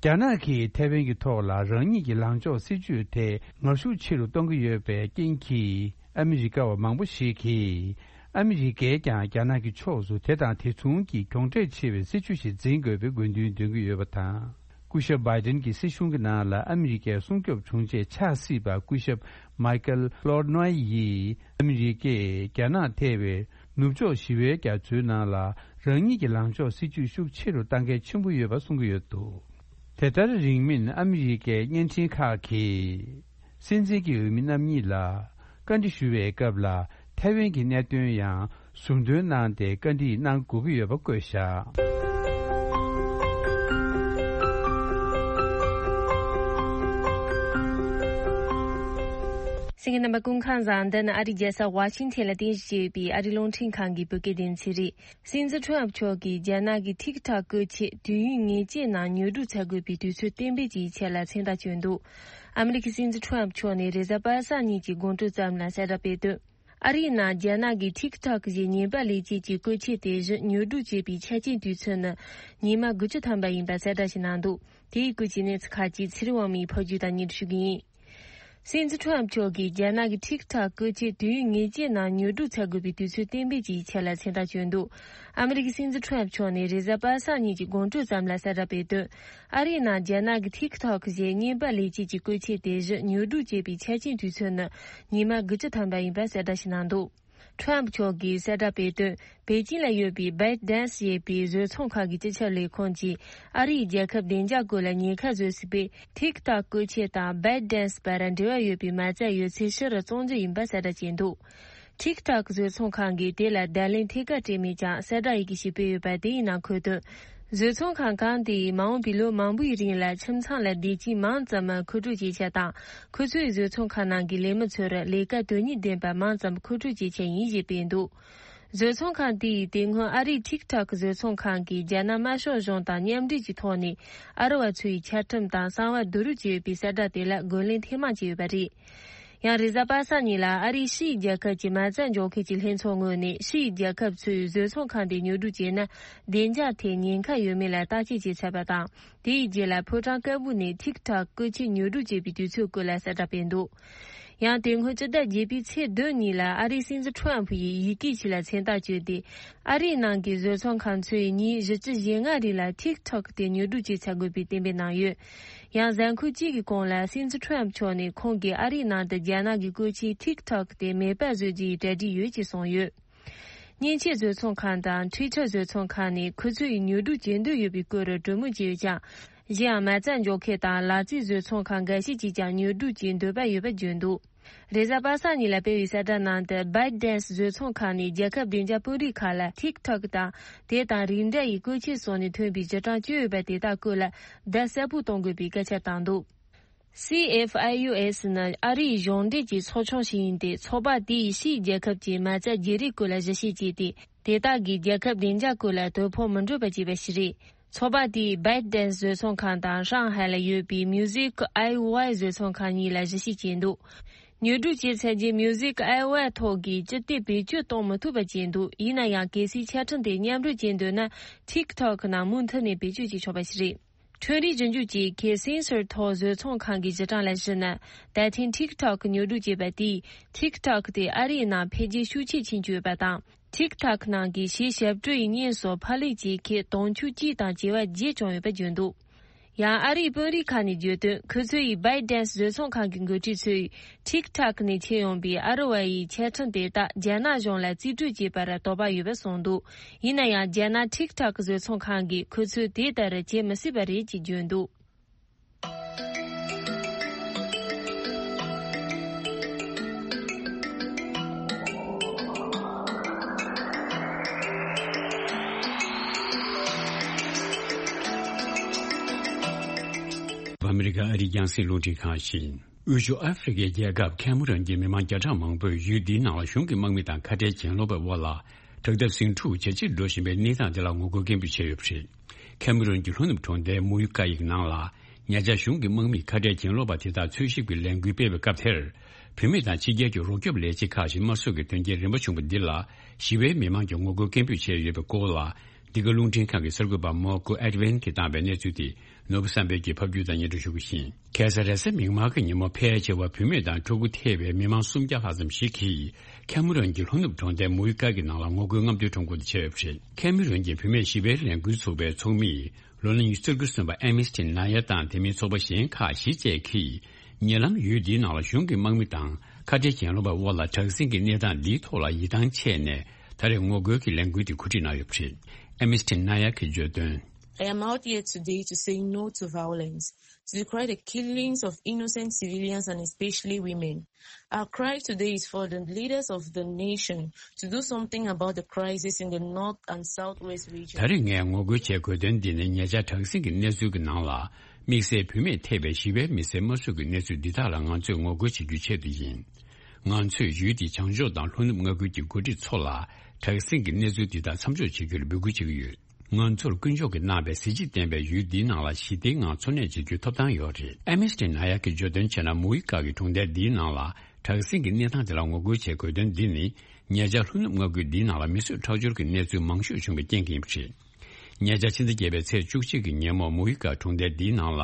རྒྱ་ནག་གིས་ཐའེ་ཝན་གྱི་ཐོག་ལ་རང་ཉིད་ཀྱི་ལངས་ཕྱོགས་སྲིད་ཇུས་དེ་ངར་ཤུགས་ཆེ་རུ་གཏོང་གི་ཡོད་པའི་རྐྱེན་གྱིས། ཨ་མི་རི་ཀ་བ་མང་པོ་ཞིག་གིས་ཨ་མི་རི་ཀས་ཀྱང་རྒྱ་ནག་གི་ཕྱོགས་སུ་དེ་དང་དེ་མཚུངས་ཀྱི་གྱོང་འབྲས་ཆེ་བའི་སྲིད་ཇུས་ཤིག་འཛིན་དགོས་པའི་དགོས་འདུན་འདོན་གྱི་ཡོད་པ་དང་། སྐུ་ཞབས་བྷའི་ཏིན་གྱི་སྲིད་གཞུང་གི་ནང་ལ་ཨ་མི་རི་ཀའི་སྲུང་སྐྱོབ་དྲུང་ཆེ་ཆགས་སྲིད་པ་སྐུ་ཞབས་མའི་ཀལ་ལོར་ནོའི་ཡིས། ཨ་མི་རི་ཀས་རྒྱ་ནག་ཐེ་བའི་ནུབ་ཕྱོགས་ཞི་བའི་རྒྱ་མཚོའི་ནང་ལ་རང་ཉིད་ཀྱི་ལངས་ཕྱོགས་སྲིད་ཇུས་ཤུགས་ཆེ་རུ་གཏང་གལ་ཆེན་པོ་ཡོད་པ་གསུང་གི་ཡོད་འདུག་དེ་ལྟར་རིང་མིན་ཨ་མི་རི་ཀའི་བརྙན་འཕྲིན་ཁག་གིས། སྲིད་འཛིན་གྱི་འོས་མི་རྣམ་གཉིས་ལ་བཀའ་འདྲི་ཞུ་བའི་སྐབས་ལ་ཐའེ་ཝན་གྱི་གནད་དོན་ཡང་ཟུར་འདོན་གནང་སྟེ་བཀའ་འདྲི་གནང་དགོས་ཀྱི་ཡོད་པ་བཀོད་བཞག་གསན་མཁན་རྣམ་པ་སྐུ་ཁམས་བཟང་། འདི་ནི་ཨ་རིའི་རྒྱལ་ས་ཝ་ཤིང་ཐན་ལ་རྟེན་གཞི་བྱས་ཡོད་པའི་ཨ་རིའི་རླུང་འཕྲིན་ཁང་གི་བོད་སྐད་སྡེ་ཚན་རེད། སྲིད་འཛིན་ཁྲོམ་མཆོག་གིས་རྒྱ་ནག་གི་ཐིག་ཐོག་བཀོལ་ཆས་དུས་ཡུན་ངེས་ཅན་ནང་ཉོ་སྒྲུབ་བྱ་དགོས་པའི་དུས་ཚོད་གཏན་འབེབས་ཀྱི་ཡིག་ཆ་ལ་མཚན་རྟགས་བཅོལ་འདུག་ཨ་མི་རི་ཀའི་སྲིད་འཛིན་ཁྲོམ་མཆོག་ནས་རེས་གཟའ་པ་སངས་ཉིན་གྱི་དགོང་དྲོ་ཙམ་ལ་གསལ་བསྒྲགས་སྤེལ་དོན། ཨ་རིའི་ནང་རྒྱ་ནག་གི་ཐིག་ཐོག་ཞེས་ཉེས་པ་ལས་བྱེད་ཀྱི་བཀོལ་ཆས་དེ་བཞིན་ཉོ་སྒྲུབ་བྱེད་པའི་ཆ་རྐྱེན་དུས་ཚོད་ནི་ཉི་མ་དགུ་བཅུ་ཐམ་པ་ཡིན་པ་གསལ་བསྒྲགས་ཤིག་གནང་འདུག་དེའི་སྐོར་གྱི་གནས་ཚུལ་ཁག་ཅིག་ཚེ་རིང་དབང་མོའི་ཕབ་སྒྱུར་དང་སྙན་སྒྲོན་ཞུ་གི་ཡིན། སྲིད་འཛིན་ཁྲོམ་མཆོག་གིས་རྒྱ་ནག་གི་ཐིག་ཐོག་བཀོལ་ཆས་དུས་ཡུན་ངེས་ཅན་ནང་ཉོ་སྒྲུབ་བྱ་དགོས་པའི་དུས་ཚོད་གཏན་འབེབས་ཀྱི་ཡིག་ཆ་ལ་མཚན་རྟགས་བཅོལ་འདུག་ཨ་མི་རི་ཀའི་སྲིད་འཛིན་ཁྲོམ་མཆོག་ནས་རེས་གཟའ་པ་སངས་ཉིན་གྱི་དགོང་དྲོ་ཙམ་ལ་གསལ་བསྒྲགས་སྤེལ་དོན། ཨ་རིའི་ནང་རྒྱ་ནག་གི་ཐིག་ཐོག་ཞེས་ཉེས་པ་ལས་བྱེད་ཀྱི་བཀོལ་ཆས་དེ་བཞིན་ཉོ་སྒྲུབ་བྱེད་པའི་ཆ་རྐྱེན་དུས་ཚོད་ནི་ཉི་མ་དགུ་བཅུ་ཐམ་པ་ཡིན་པ་གསལ་བསྒྲགས་ཤིག་གནང་འདུག་ཁྲོམ་མཆོག་གིས་གསལ་བསྒྲགས་སྤེལ་དོན། པེ་ཅིན་ལ་ཡོད་པའི་བེད་ཌན་སི་ཞེས་པའི་བཟོ་ཚོང་ཁང་གི་སྤྱི་ཁྱབ་ལས་ཁུངས་ཀྱིས་ཨ་རིའི་རྒྱལ་ཁབ་བདེ་འཇགས་སྐོར་ལ་ཉེན་ཁ་བཟོ་སྲིད་པས། ཐིག་ཐོག་བཀོལ་ཆས་དང་བེད་ཌན་སི་བར་འབྲེལ་བ་ཡོད་པའི་མ་རྩ་ཡོད་ཚད་ཕྱིར་བཙོང་རྒྱུ་ཡིན་པ་གསལ་བསྒྲགས་བྱས་འདུག་ཐིག་ཐོག་བཟོ་ཚོང་ཁང་གིས་དེ་ལ་བརྡ་ལན་ཐད་ཀར་སྤྲད་མེད་ཀྱང་གསལ་བསྒྲགས་ཡི་གེ་ཞིག་སྤེལ་ཡོད་པ་དེ་ཡི་ནང་འཁོད་དོན། བཟོ་ཚོང་ཁང་གང་དེས་མ་འོངས་པའི་ལོ་མང་པོའི་རིང་ལ་ཁྱིམ་ཚང་ལ་བདེ་སྐྱིད་མང་ཙམ་མཁོ་སྤྲོད་བྱེད་ཆེད་དང་། ཁོ་ཚོའི་བཟོ་ཚོང་ཁང་ནང་གི་ལས་མི་ཚོར་ལས་ཀ་དོན་སྙིང་ལྡན་པ་མང་ཙམ་མཁོ་སྤྲོད་བྱེད་ཆེད་ཡིན་ཞེས་སྤེལ་འདུག་བཟོ་ཚོང་ཁང་དེས་དེ་སྔོན་ཨ་རིའི་ཐིག་ཐོག་བཟོ་ཚོང་ཁང་གིས་རྒྱ་ནག་དམར་ཤོག་གཞུང་དང་མཉམ་འབྲེལ་གྱི་ཐོག་ནས་ཨ་རི་བ་ཚོའི་འཆལ་ཁྲིམས་དང་གསང་བ་བསྡུ་རུབ་བྱས་ཡོད་པའི་གསལ་བསྒྲགས་དེ་ལ་རྒོལ་ལན་ཐེངས་མང་བྱས་ཡོད་པ་རེད། ཡང་རེས་གཟའ་པ་སངས་ཉིན་ལ་ཨ་རིའི་ཕྱིའི་རྒྱལ་ཁབ་ཀྱི་མ་རྩ་འཇོག་མཁན་གྱི་ལྷན་ཚོགས་ངོས་ནས་ཕྱིའི་རྒྱལ་ཁབ་ཚོས་བཟོ་ཚོང་ཁང་དེ་ཉོ་སྒྲུབ་བྱས་ན་བདེ་འཇགས་ཐད་ཉེན་ཁ་ཡོད་མེད་ལ་བརྟག་དཔྱད་བྱས་ཚར་བ་དང་། དེའི་རྗེས་ལ་ཕོ་བྲང་དཀར་པོ་ནས་ཐིག་ཐོག་བཀོལ་ཆས་ཉོ་སྒྲུབ་བྱེད་པའི་དུས་ཚོད་སྐོར་ལ་གསལ་བསྒྲགས་སྤེལ་འདུག་ཡང་དེ་སྔོན་སྤྱི་ཟླ་བརྒྱད་པའི་ཚེས་བདུན་ཉིན་ལ་ཨ་རིའི་སྲིད་འཛིན་ཁྲོམ་ཕུ་ཡིས་ཡི་གེ་ཞིག་ལ་མཚན་རྟགས་བཅོལ་ཏེ། ཨ་རིའི་ནང་གི་བཟོ་ཚོང་ཁང་ཚོས་ཉིན་བཞི་བཅུ་ཞེ་ལྔ་རིང་ལ་ཐིག་ཐོག་དེ་ཉོ་སྒྲུབ་བྱེད་ཚར་དགོས་པའི་གཏན་འབེབས་གནང་ཡོད། ཡང་གཟའ་འཁོར་གཅིག་གི་གོང་ལ་སྲིད་འཛིན་ཁྲོམ་མཆོག་ནས་ཁོང་གིས་ཨ་རིའི་ནང་དུ་རྒྱ་ནག་གི་བཀོལ་ཆས་ཐིག་ཐོག་དེ་མེད་པ་བཟོ་རྒྱུའི་གྲ་སྒྲིག་ཡོད་ཅེས་གསུངས་ཡོད། མཉེན་ཆས་བཟོ་ཚོང་ཁང་དང་འཕྲུལ་ཆས་བཟོ་ཚོང་ཁང་ནས་ཁོ་ཚོས་ཉོ་སྒྲུབ་བྱེད་འདོད་ཡོད་པའི་སྐོར་གྲོས་མོལ་བྱས་ཡོད་ཀྱང་། གཞན་ཡང་མ་རྩ་འཇོག་མཁན་དང་ལག་རྩལ་བཟོ་ཚོང་ཁང་འགའ་ཤས་ཀྱིས་ཀྱང་ཉོ་སྒྲུབ་བྱེད་འདོད་པ་ཡོད་པ་བརྗོད་འདུག་རེས་གཟའ་པ་སངས་ཉིན་ལ་སྤེལ་བའི་གསལ་བསྒྲགས་ནང་དུ་བེད་ཌན་སི་བཟོ་ཚོང་ཁང་ནས་རྒྱལ་ཁབ་བདེ་འཇགས་དཔོན་རིགས་ཁག་ལ་ཐིག་ཐོག་དང་དེ་དང་རིགས་འདྲ་ཡི་བཀོལ་ཆས་སོགས་ནས་ཐོན་པའི་རྗེས་འབྲང་བཅོལ་ཡོད་པ་དེ་དག་སྐོར་ལ་བརྡ་གསལ་པོ་གཏོང་དགོས་པའི་སྐད་ཆ་བཏང་འདུག་སི་ཨེཕ་ཨའི་ཡུ་ཨེས་ནི་ཨ་རིའི་གཞུང་འབྲེལ་གྱི་ཚོགས་ཆུང་ཞིག་ཡིན་ཏེ། ཚོགས་པ་དེས་ཕྱིའི་རྒྱལ་ཁབ་ཀྱི་མ་རྩ་བརྗེ་རེས་སྐོར་ལ་གཞི་བྱས་བྱས་ཏེ། དེ་དག་གིས་རྒྱལ་ཁབ་བདེ་འཇགས་སྐོར་ལ་དོ་ཕོག་མི་འགྲོ་བ་བྱས་པ་ཞིག་རེད། ཚོགས་པ་དེས་བེད་ཌན་སི་བཟོ་ཚོང་ཁང་དང་ཧྲང་ཧའེ་ལ་ཡོད་པའི་མིའུ་ཟིག་ཨའི་ཝའི་བཟོ་ཚོང་ཁང་གཉིས་ལ་གཞི་བྱས་བྱས་འདུག་ཉོ་སྒྲུབ་བྱས་ཚར་རྗེས་མིའུ་ཟིག་ཨའི་ཝའི་ཐོག་གི་སྤྱི་བདེ་བེད་སྤྱོད་གཏོང་མི་ཐུབ་པ་བྱས་འདུག་ཡིན་ན་ཡང་གལ་སྲིད་ཆ་འཕྲིན་དེ་མཉམ་རུབ་བྱེད་འདོད་ན། ཐིག་ཐོག་ནང་མུ་མཐུད་ནས་བེད་སྤྱོད་བྱེད་ཆོག་པ་ཞིག་རེད། ཁྲོན་རིག་ཞིབ་འཇུག་ཅུས་ཀྱི་སེན་སོར་ཐོག་བཟོ་ཚོང་ཁང་གི་སྤྱི་གྲངས་ལ་གཞིགས་ན། ད་ཐེངས་ཐིག་ཐོག་ཉོ་སྒྲུབ་བྱས་པ་དེས་ཐིག་ཐོག་དེ་ཨ་རིའི་ནང་འཕེལ་རྒྱས་ཤུགས་ཆེ་ཕྱིན་བཅུག་ཡོད་པ་དང་། ཐིག་ཐོག་ནང་གི་གཞས་ཞབས་བྲོ་ཡི་བརྙན་སོགས་ཕབ་ལེན་བྱེད་མཁན་དུང་ཕྱུར་གཅིག་དང་བྱེ་བ་བརྒྱད་བྱུང་ཡོད་པ་བརྗོད་འདུག་ཡང་ཨ་རིའི་དཔོན་རིགས་ཁག་ནས་བརྗོད་དོན། ཁོ་ཚོ་ཡིས་བེད་ཌན་སི་བཟོ་ཚོང་ཁང་གི་འགོ་ཁྲིད་ཚོས། ཐིག་ཐོག་ནས་མཆེད་ཡོང་པའི་ཨ་རི་བ་ཡི་ཆ་འཕྲིན་དེ་དག་རྒྱ་ནག་གཞུང་ལ་རྩིས་སྤྲོད་བྱེད་པར་དོགས་པ་ཡོད་པ་གསུངས་འདུག་ཡིན་ན་ཡང་རྒྱ་ནག་ཐིག་ཐོག་བཟོ་ཚོང་ཁང་གིས་ཁོ་ཚོས་དེ་ལྟར་བྱེད་མི་སྲིད་པ་རེད་ཅེས་བརྗོད་འདུག་ཨ་མི་རི་ཀ་ཨ་རིའི་རྒྱང་སྲིང་རླུང་འཕྲིན་ཁང་ཡིན། དབུས་ཕྱོགས་ཨ་ཧྥེ་རི་ཁའི་རྒྱལ་ཁབ་ཁེ་མ་རོན་གྱི་མི་མང་བརྒྱ་ཕྲག་མང་པོས་ཡུལ་འདིའི་ནང་ལ་གཞུང་གི་དམག་མི་དང་ཁ་བྲལ་གྱེན་ལོག་པའི་དབར་ལ་དྲག་འཐབ་ཟིང་འཁྲུག་ཇེ་ཆེར་འགྲོ་བཞིན་པའི་གནས་སྟངས་དེ་ལ་ངོ་རྒོལ་སྐད་འབོད་བྱས་ཡོད་པ་རེད། ཁེ་མ་རོན་གྱི་ལྷོ་ནུབ་གྲོང་རྡལ་མུའུ་ཀ་ཡིག་ནང་ལ་ ཉེ་ཆར་གཞུང་གི་དམག་མིས་ཁ་བྲལ་གྱེན་ལོག་པ་དེ་དག་འཚོལ་ཞིབ་ཀྱི་ལས་འགུལ་སྤེལ་བའི་སྐབས་དེར། བུད་མེད་དང་ཕྱི་རྒྱལ་གྱི་རོགས་སྐྱོབ་ལས་བྱེད་ཁག་ཅིག་དམར་གསོད་ཀྱི་དོན་རྐྱེན་རིམ་པ་བྱུང་བ་འདི་ལ། ཞི་བའི་མི་མང་གིས་ངོ་རྒོལ་སྐད་འབོད་བྱས་ཡོད་པའི་སྐོར་ལ། འདི་ག་རླུང་འཕྲིན་ཁང་གི་གསར་འགོད་པ་མོ་ཀོ་ཨེད་ཝན་གྱིས་བཏང་བའི་གནས་ཚུལ་དེ། ནོར་བུ་བསམ་འཕེལ་གྱིས་ཕབ་སྒྱུར་དང་སྙན་སྒྲོན་ཞུ་གི་ཡིན། ཁ་སང་རེས་གཟའ་མིག་དམར་གྱི་ཉིན་མོ། ཕལ་ཆེ་བ་བུད་མེད་དང་ཕྲུ་གུ་ཐེ་བའི་མི་མང་སུམ་བརྒྱ་ལྷག་ཙམ་ཞིག་གིས། ཁེ་མུ་རོན་གྱི་ལྷོ་ནུབ་གྲོང་རྡལ་མུའུ་ཀ་གི་ནང་ལ་ངོ་རྒོལ་རྔམ་སྟོན་ཁྲོམ་སྐོར་དུ་བྱས་ཡོད་པ་རེད། ཁེ་མུ་རོན་གྱི་བུད་མེད་ཞི་བའི་ལས་འགུལ་ཚོགས་པའི་ཚོགས་མི། ལོ་ན་ཉི་ཤུ་རྩ་དགུ་སོན་པ་ཨེ་མི་སི་ཊི་ན་ཡ་དང་། དེ་མིན་ཚོགས་པ་གཞན་ཁག་བཞི་བཅས་ཀྱིས། ཉེ་ལམ་ཡུལ་འདིའི་ནང་ལ་གཞུང་གི་དམག་མི་དང་། ཁ་བྲལ་གྱེན་ལོག་པའི་དབར་ལ་དྲག་ཟིང་གི་གནས་སྟངས་འདིའི་ཐོག་ལ་ཡིད་ཐང་ཆད་ནས། ད་རེས་ངོ་རྒོལ་གྱི་ལས་འགུལ་དེ་གོ་སྒྲིག་གནང་ཡོད་པ་རེད། ཨེ་མི་སི་ཊི་ན་ཡ་གིས་བརྗོད་དོན། I am out here today to say no to violence, to decry the killings of innocent civilians and especially women. Our cry today is for the leaders of the nation to do something about the crisis in the north and southwest region. ད་རེས་ངས་ངོ་རྒོལ་བྱེད་དགོས་དོན་འདི་ནི། ཉེ་ཆར་དྲག་ཟིང་གི་གནས་ཚུལ་གྱི་ནང་ལ། དམིགས་བསལ་བུད་མེད་ཐེ་བའི་ཞི་བའི་མི་སེར་དམར་གསོད་ཀྱི་གནས་ཚུལ་འདི་དག་ལ་ང་ཚོས་ངོ་རྒོལ་བྱེད་རྒྱུའི་ཆེད་དུ་ཡིན། ང་ཚོས་ཡུལ་འདིའི་བྱང་ཕྱོགས་དང་ལྷོ་ནུབ་མངའ་ཁུལ་གྱི་འགོ་ཁྲིད་ཚོ་ལ། དྲག་ཟིང་གི་གནས་ཚུལ་འདི་དག་མཚམས་འཇོག་བྱེད་རྒྱུར་འབོད་སྐུལ་བྱེད་ཀྱི་ཡོད། ང་ཚོར་དཀོན་མཆོག་གིས་གནང་བའི་གཟི་བརྗིད་ལྡན་པའི་ཡུལ་འདིའི་ནང་ལ་ཞི་བདེའི་ངང་འཚོ་གནས་བྱེད་རྒྱུའི་ཐོབ་ཐང་ཡོད་རེད། ཨེ་མི་སི་ཊི་ན་ཡ་གིས་བརྗོད་དོན་བྱས་ན། མུའུ་ཀ་གི་གྲོང་རྡལ་འདིའི་ནང་ལ་དྲག་ཟིང་གི་གནས་སྟངས་དེ་ལ་ངོ་རྒོལ་བྱེད་དགོས་དོན་འདི་ནི། ཉེ་ཆར་ལྷོ་ནུབ་མངའ་ཁུལ་འདིའི་ནང་ལ་མི་གསོད་ཁྲག་སྦྱོར་གྱི་གནས་ཚུལ་མང་ཤོས་བྱུང་བའི་རྐྱེན་གྱིས་ཡིན་པ་རེད། ཉེ་ཆར་ཕྱི་ཟླ་བརྒྱད་པའི་ཚེས་བཅུ་གཅིག་གི་ཉིན་མོ། མུའུ་ཀ་གྲོང་རྡལ་འདིའི་ནང་ལ།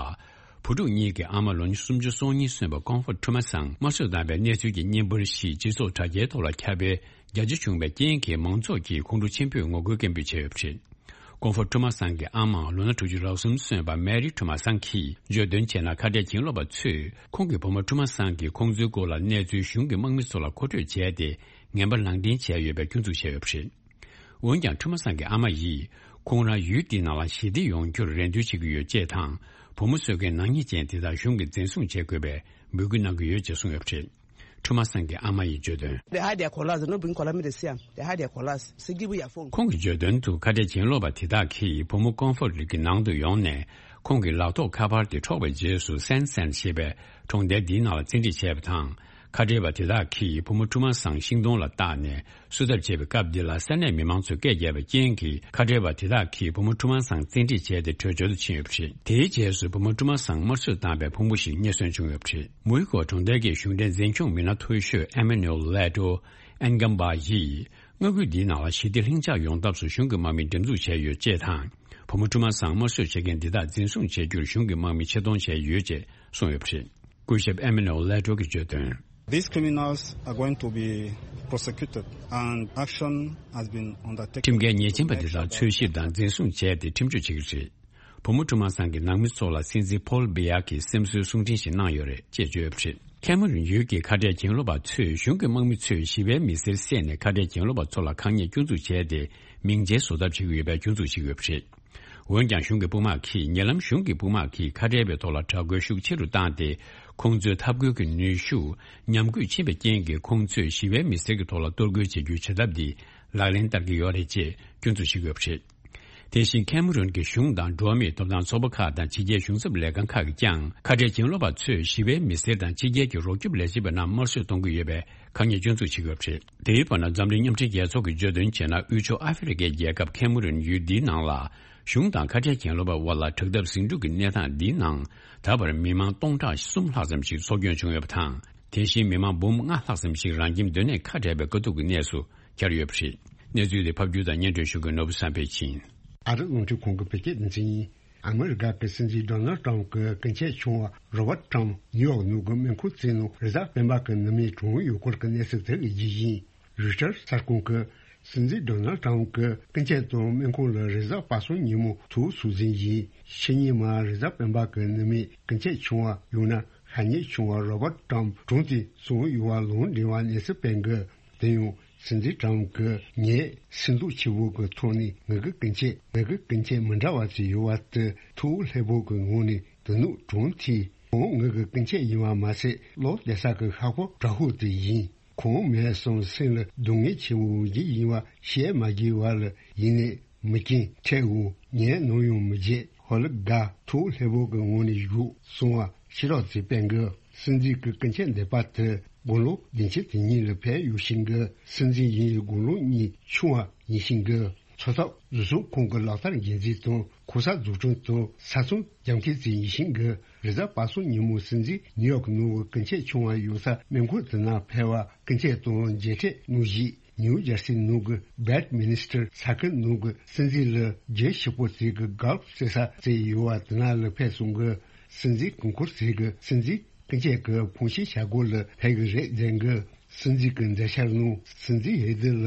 བུ་ཕྲུག་གཉིས་ཀྱི་ཨ་མ་ལོ་ཉི་ཤུ་རྩ་གཉིས་སོན་པ་ཀོང་ཧྥོ་ཁྲུ་མ་སང་དམར་གསོད་བཏང་བའི་གནས་ཚུལ་གྱི་བརྙན་པར་ཞིག་སྤྱི་ཚོགས་དྲ་རྒྱའི་ཐོག་ལ་ཁྱབ་སྤེལ་རྒྱ་ཆེ་བྱུང་བའི་རྐྱེན་གྱིས། མང་ཚོགས་ཀྱིས་ཁོང་ཁྲོ་ཆེན་པོས་ངོ་རྒོལ་སྐད་འབོད་བྱས་ཡོད་པ་རེད། ཀོང་ཧྥོ་ཁྲུ་མ་སང་གི་ཨ་མ་ལོ་ན་དྲུག་ཅུ་རེ་གསུམ་སོན་པ་མེ་རི་ཁྲུ་མ་སང་གིས་བརྗོད་དོན་བྱས་ན། ཁ་བྲལ་གྱེན་ལོག་པ་ཚོས་ཁོང་གི་བུ་མོ་ཁྲུ་མ་སང་གིས་ཁོང་ཚོའི་སྐོར་ལ་གནས་ཚུལ་གཞུང་གི་དམག་མི་ཚོ་ལ་མཁོ་སྤྲོད་བྱས་ཏེ། ངན་པ་ལག་འདེང་བྱས་ཡོད་པའི་སྐྱོན་འཛུགས་བྱས་ཡོད་པ་རེད། འོན་ཀྱང་། ཁྲུ་མ་སང་གི་ཨ་མ་ཡིས་ཁོང་རང་ཡུལ་འདིའི་ནང་ལ་ཞི་བདེ་ཡོང་རྒྱུར་རེ་འདུན་བྱེད་ཀྱི་ཡོད་ཅེས་དང་། བུ་མོ་གསོད་མཁན་ནག་ཉེས་ཅན་དེ་དག་གཞུང་གིས་འཛིན་བཟུང་བྱེད་དགོས་པའི་འབོད་སྐུལ་གནང་གི་ཡོད་ཅེས་གསུངས་ཡོད་པ་རེད། ཁྲུ་མ་སང་གི་ཨ་མ་ཡིས་བརྗོད་དོན། They hide their colares, they don't bring colares, make they see am. They hide their colares. Say, give me your phone. ཁོང་གིས་བརྗོད་དོན་དུ། ཁ་བྲལ་གྱེན་ལོག་པ་དེ་དག་གིས་བུ་མོ་ཀོང་ཧྥོ་ལི་གི་ནང་དུ་ཡོང་ནས། ཁོང་གི་ལག་ཐོགས་ཁ་པར་དེ་འཕྲོག་པའི་རྗེས་སུ། སན་སན་ཞེས་པའི་གྲོང་རྡལ་འདིའི་ནང་ལ་བཙན་ཁྲིད་བྱས་པ་དང་། ཁ་བྲལ་བ་དེ་དག་གིས་བུ་མོ་ཁྲུ་མ་སང་ཤིང་སྡོང་ལ་བཏགས་ནས་གསོད་ཐབས་བྱས་པའི་སྐབས་འདི་ལ། ས་གནས་མི་མང་ཚོས་སྐད་བརྒྱབ་པའི་རྐྱེན་གྱིས། ཁ་བྲལ་བ་དེ་དག་གིས་བུ་མོ་ཁྲུ་མ་སང་བཙན་ཁྲིད་བྱས་ཏེ། བྲོས་བྱོལ་དུ་ཕྱིན་ཡོད་པ་རེད། དེའི་རྗེས་སུ་བུ་མོ་ཁྲུ་མ་སང་དམར་གསོད་བཏང་བའི་ཕུང་པོ་ཞིག་རྙེད་སོན་བྱུང་ཡོད་པ་རེད། མུའུ་ཀ་གྲོང་རྡལ་གྱི་གཞུང་འབྲེལ་འཛིན་སྐྱོང་མི་སྣ་མཐོ་ཤོས་ཨེ་མེ་ནུ་ཨེལ་ལེ་ཏྲོ་ཨན་ཀམ་པ་ཡིས། མངའ་ཁུལ་འདིའི་ནང་ལ་ཞི་བདེ་ལྷིང་འཇགས་ཡོང་ཐབས་སུ་གཞུང་གི་དམག་མི་འགྲེམས་འཛུགས་བྱས་ཡོད་ཅེས་དང་། བུ་མོ་ཁྲུ་མ་སང་དམར་གསོད་བྱེད་མཁན་འདི་དག་འཛིན་བཟུང་བྱེད་རྒྱུར་གཞུང་གི་དམག་མི་ཆེད་གཏོང་བྱས་ཡོད་ཅེས་གསུངས་ཡོད་པ་རེད། སྐུ་ཞབས་ཨེ་མེ་ནུ་ཨེལ་ལེ་ཏྲོ་གིས་བརྗོད་དོན། These criminals are going to be prosecuted and action has been undertaken. ཁྲིམས་འགལ་ཉེས་ཅན་པ་འདི་དག་འཚོལ་ཞིབ་དང་འཛིན་བཟུང་བྱས་ཏེ། ཁྲིམས་གཅོད་བྱེད་ཀྱི་རེད། བུ་མོ་ཁྲུ་མ་སང་གི་ནང་མི་ཚོ་ལ་སྲིད་འཛིན་ཕོལ་བི་ཡ་གིས་སེམས་གསོའི་གསུང་འཕྲིན་ཞིག་གནང་ཡོད་རེད་ཅེས་བརྗོད་ཡོད་པ་རེད། ཁེ་མ་རུན་ཡུལ་གྱི་ཁ་བྲལ་གྱེན་ལོག་པ་ཚོས། གཞུང་གི་དམག་མི་ཚོས་ཞི་བའི་མི་སེར་བསད་ནས། ཁ་བྲལ་གྱེན་ལོག་པ་ཚོ་ལ་ཁ་ཉེས་སྐྱོན་འཛུགས་བྱས་ཏེ། མིང་ཆད་བཟོ་ཐབས་བྱེད་ཀྱི་ཡོད་པའི་སྐྱོན་འཛུགས་བྱེད་ཀྱི་ཡོད་པ་རེད། འོན་ཀྱང་། གཞུང་གི་དཔུང་དམག་གིས། ཉེ་ལམ་གཞུང་གི་དཔུང་དམག་གིས་ཁ་བྲལ་བའི་ཐོག་ལ་དྲག་རྒོལ་ཤུགས་ཆེ་རུ་བཏང་སྟེ། ཁོང་ཚོའི་འཐབ་རྒོལ་གྱི་ནུས་ཤུགས་ཉམས་རྒུད་ཕྱིན་པའི་རྐྱེན་གྱིས། ཁོང་ཚོས་ཞི་བའི་མི་སེར་གྱི་ཐོག་ལ་གཏོར་རྒོལ་བྱེད་རྒྱུའི་བྱེད་ཐབས་འདི་ལག་ལེན་བསྟར་གྱི་ཡོད་རེད་ཅེས་སྐྱོན་འཛུགས་བྱེད་ཀྱི་ཡོད་པ་རེད། དེ་བཞིན། ཁེ་མ་རུན་གྱི་གཞུང་དང་འགྲོ་བ་མིའི་ཐོབ་ཐང་ཚོགས་པ་ཁག་དང་། ཕྱི་རྒྱལ་གཞུང་ཚབ་ལས་ཁང་ཁག་གིས་ཀྱང་། ཁ་བྲལ་གྱེན་ལོག་པ་ཚོས་ཞི་བའི་མི་སེར་དང་ཕྱི་རྒྱལ་གྱི་རོགས་སྐྱོབ་ལས་བྱེད་པ་རྣམས་དམར་གསོད་གཏོང་གི་ཡོད་པའི་ཁ་ཉེས་སྐྱོན་འཛུགས་བྱེད་ཀྱི་ཡོད་པ་རེད། དེའི་བར་ན། འཛམ་གླིང་མཉམ་འབྲེལ་རྒྱལ་ཚོགས་ཀྱིས་བརྗོད་དོན་བྱས་ན། དབུས་ཕྱོགས་ཨ་ཧྥེ་རི་ཁའི་རྒྱལ་ཁབ་ཁེ་མ་རུན་ཡུལ་འདིའི་ནང་ལ། གཞུང་དང་ཁ་བྲལ་གྱེན་ལོག་པའི་དབར་ལ་དྲག་འཐབ་ཟིང་འཁྲུག་གི་གནས་སྟངས་འདིའི་ནང་། ད་བར་མི་མང་སྟོང་ཕྲག་གསུམ་ལྷག་ཙམ་ཞིག་སྲོག་སྐྱོན་བྱུང་ཡོད་པ་དང་། དེ་བཞིན། མི་མང་འབུམ་ལྔ་ལྷག་ཙམ་ཞིག་རང་ཁྱིམ་སྡོད་གནས་ཁ་བྲལ་བའི་དཀའ་སྡུག་གི་གནས་སུ་གྱར་ཡོད་པ་རེད། གནས་ཚུལ་དེ་ཕབ་སྒྱུར་དང་སྙན་སྒྲོན་ཞུ་མཁན་ནོར་བུ་བསམ་འཕེལ་ཡིན། ཨ་རི་རླུང་འཕྲིན་ཁང་གི་བོད་སྐད་སྡེ་ཚན་ཡིན། ཨ་མི་རི་ཀ་གི་སྲིད་འཛིན་ཌོ་ནལ་ཏྲམ་གྱི་སྐུ་མཆེད་ཆུང་བ་རོ་བར་ཏྲམ་ནིའུ་ཡོག་ནང་གི་སྨན་ཁང་རྩིག་ནང་རི་གཟར་སྤེན་པ་གི་ནུ་མས་གྲོངས་ཡོད་སྐོར་གྱི་གནས་ཚུལ་དེ་གི་རྒྱུ་ཡིན། རོའི་ཊར་གསར་ཁང་གིས་སྲིད་འཛིན་ཌོ་ནལ་ཏྲམ་གྱི་སྐུ་མཆེད་དང་སྨན་ཁང་ལ་རི་གཟར་སྤར་སོང་ཉིན་མོ་ཐོག་སྲོལ་འཛིན་ཡིན། ཕྱི་ཉིན་མ་རི་གཟར་སྤེན་པ་གི་ནུ་མའི་སྐུ་མཆེད་ཆུང་བ་ཡང་ན་ཤ་ཉེ་ཆུང་བ་རོ་བར་ཏྲམ་གྲོངས་ཏེ་སོང་ཡོད་པ་ལུང་འདྲེན་པ་གནས་ཚུལ་སྤེལ་གི། དེ་ཡང་སྲིད་འཛིན་ཏྲམ་གྱིས་ངས་སེམས་སྡུག་ཆེ་བོ་གི་ཐོག་ནས་ངེད་ཀྱི་སྐུ་མཆེད་ངེད་ཀྱི་སྐུ་མཆེད་མི་འདྲ་བ་ཅིག་ཡོད་པ་དེ་ཐུགས་ལྷོད་པོ་གི་ངང་ནས་དེ་ནུག་གྲོངས་ཐལ། ཁོང་ངེད་ཀྱི་སྐུ་མཆེད་ཡིན་པ་མ་ཟད་བློ་གཏད་ས་གི་ཤ་ཁོག་དྲག་པོ་དེ་ཡིན། ཁོང་མེད་སོང་སེམས་ལ་སྡུག་བསྔལ་ཆེན་པོ་ཞིག་ཡིན་པ་བཤད་མ་དགོས་པ་ལ་ཡིན་ནས་མི་རྐྱེན་འཕྲད་འོང་ངས་ནམ་ཡང་མི་བརྗེད། ཧོ་ལི་དགའ་ཐུགས་ལྷོད་པོ་གི་ངང་ནས་བཞུགས་སོང་བ་ཕྱི་རོགས་ཚོས་སྤེལ་གི། སྲིད་འཛིན་གྱི་སྐུ་མཆེད་འདས་པ་དེ་དགུང་ལོ་བདུན་ཅུ་དོན་གཉིས་ལ་ཕེབས་ཡོད་ཤིང་གི། སྲིད་འཛིན་ཡིན་ཡི་དགུང་ལོ་གཉིས་ཆུང་བ་ཡིན་ཤིང་གི། འཚོ་ཐབས་བཟོ་ཚོང་ཁང་གི་ལག་བསྟར་འགན་འཛིན་དང་། ཁོ་ས་འཛུགས་སྐྲུན་དང་ས་ཚོང་རྒྱག་མཁན་ཚོ་ཡིན་ཞིང་གི། རེས་གཟའ་པ་སངས་ཉིན་མོ་སྲིད་འཛིན་ནིའུ་ཡོག་ནང་གི་ཀུན་སྤྱོད་ཆུང་བ་ཡོད་ས་སྨན་ཁང་དེ་ན་ཕེབས་པ། ཀུན་སྤྱོད་དང་མཇལ་འཕྲད་གནང་རྗེས། ནིའུ་ཇར་སི་ནང་གི་བེད་མི་ནི་སི་ཊར་ས་ཁུལ་ནང་གི་སྲིད་འཛིན་ལ་རྒྱུ་ཞིག་པོ་ཚོས་གི་གལ་ཟེར་ས་ཚོ་ཡོད་པ་དེ་ན་ལ་ཕེབས་སོང་གི། སྲིད་འཛིན་གོང་འཁོར་ཚོས་གི་སྲིད་འཛིན་ཀུན་སྤྱོད་ཀྱི་ཕོངས་ཞེན་བྱ་སྒོ་ལ་ཕེབས་གི་རེད་ཟེར་གི། སྲིད་འཛིན་གྱི་མཛད་འཆར་ནང་སྲིད་འཛིན་འོས་བསྡུ་ལ་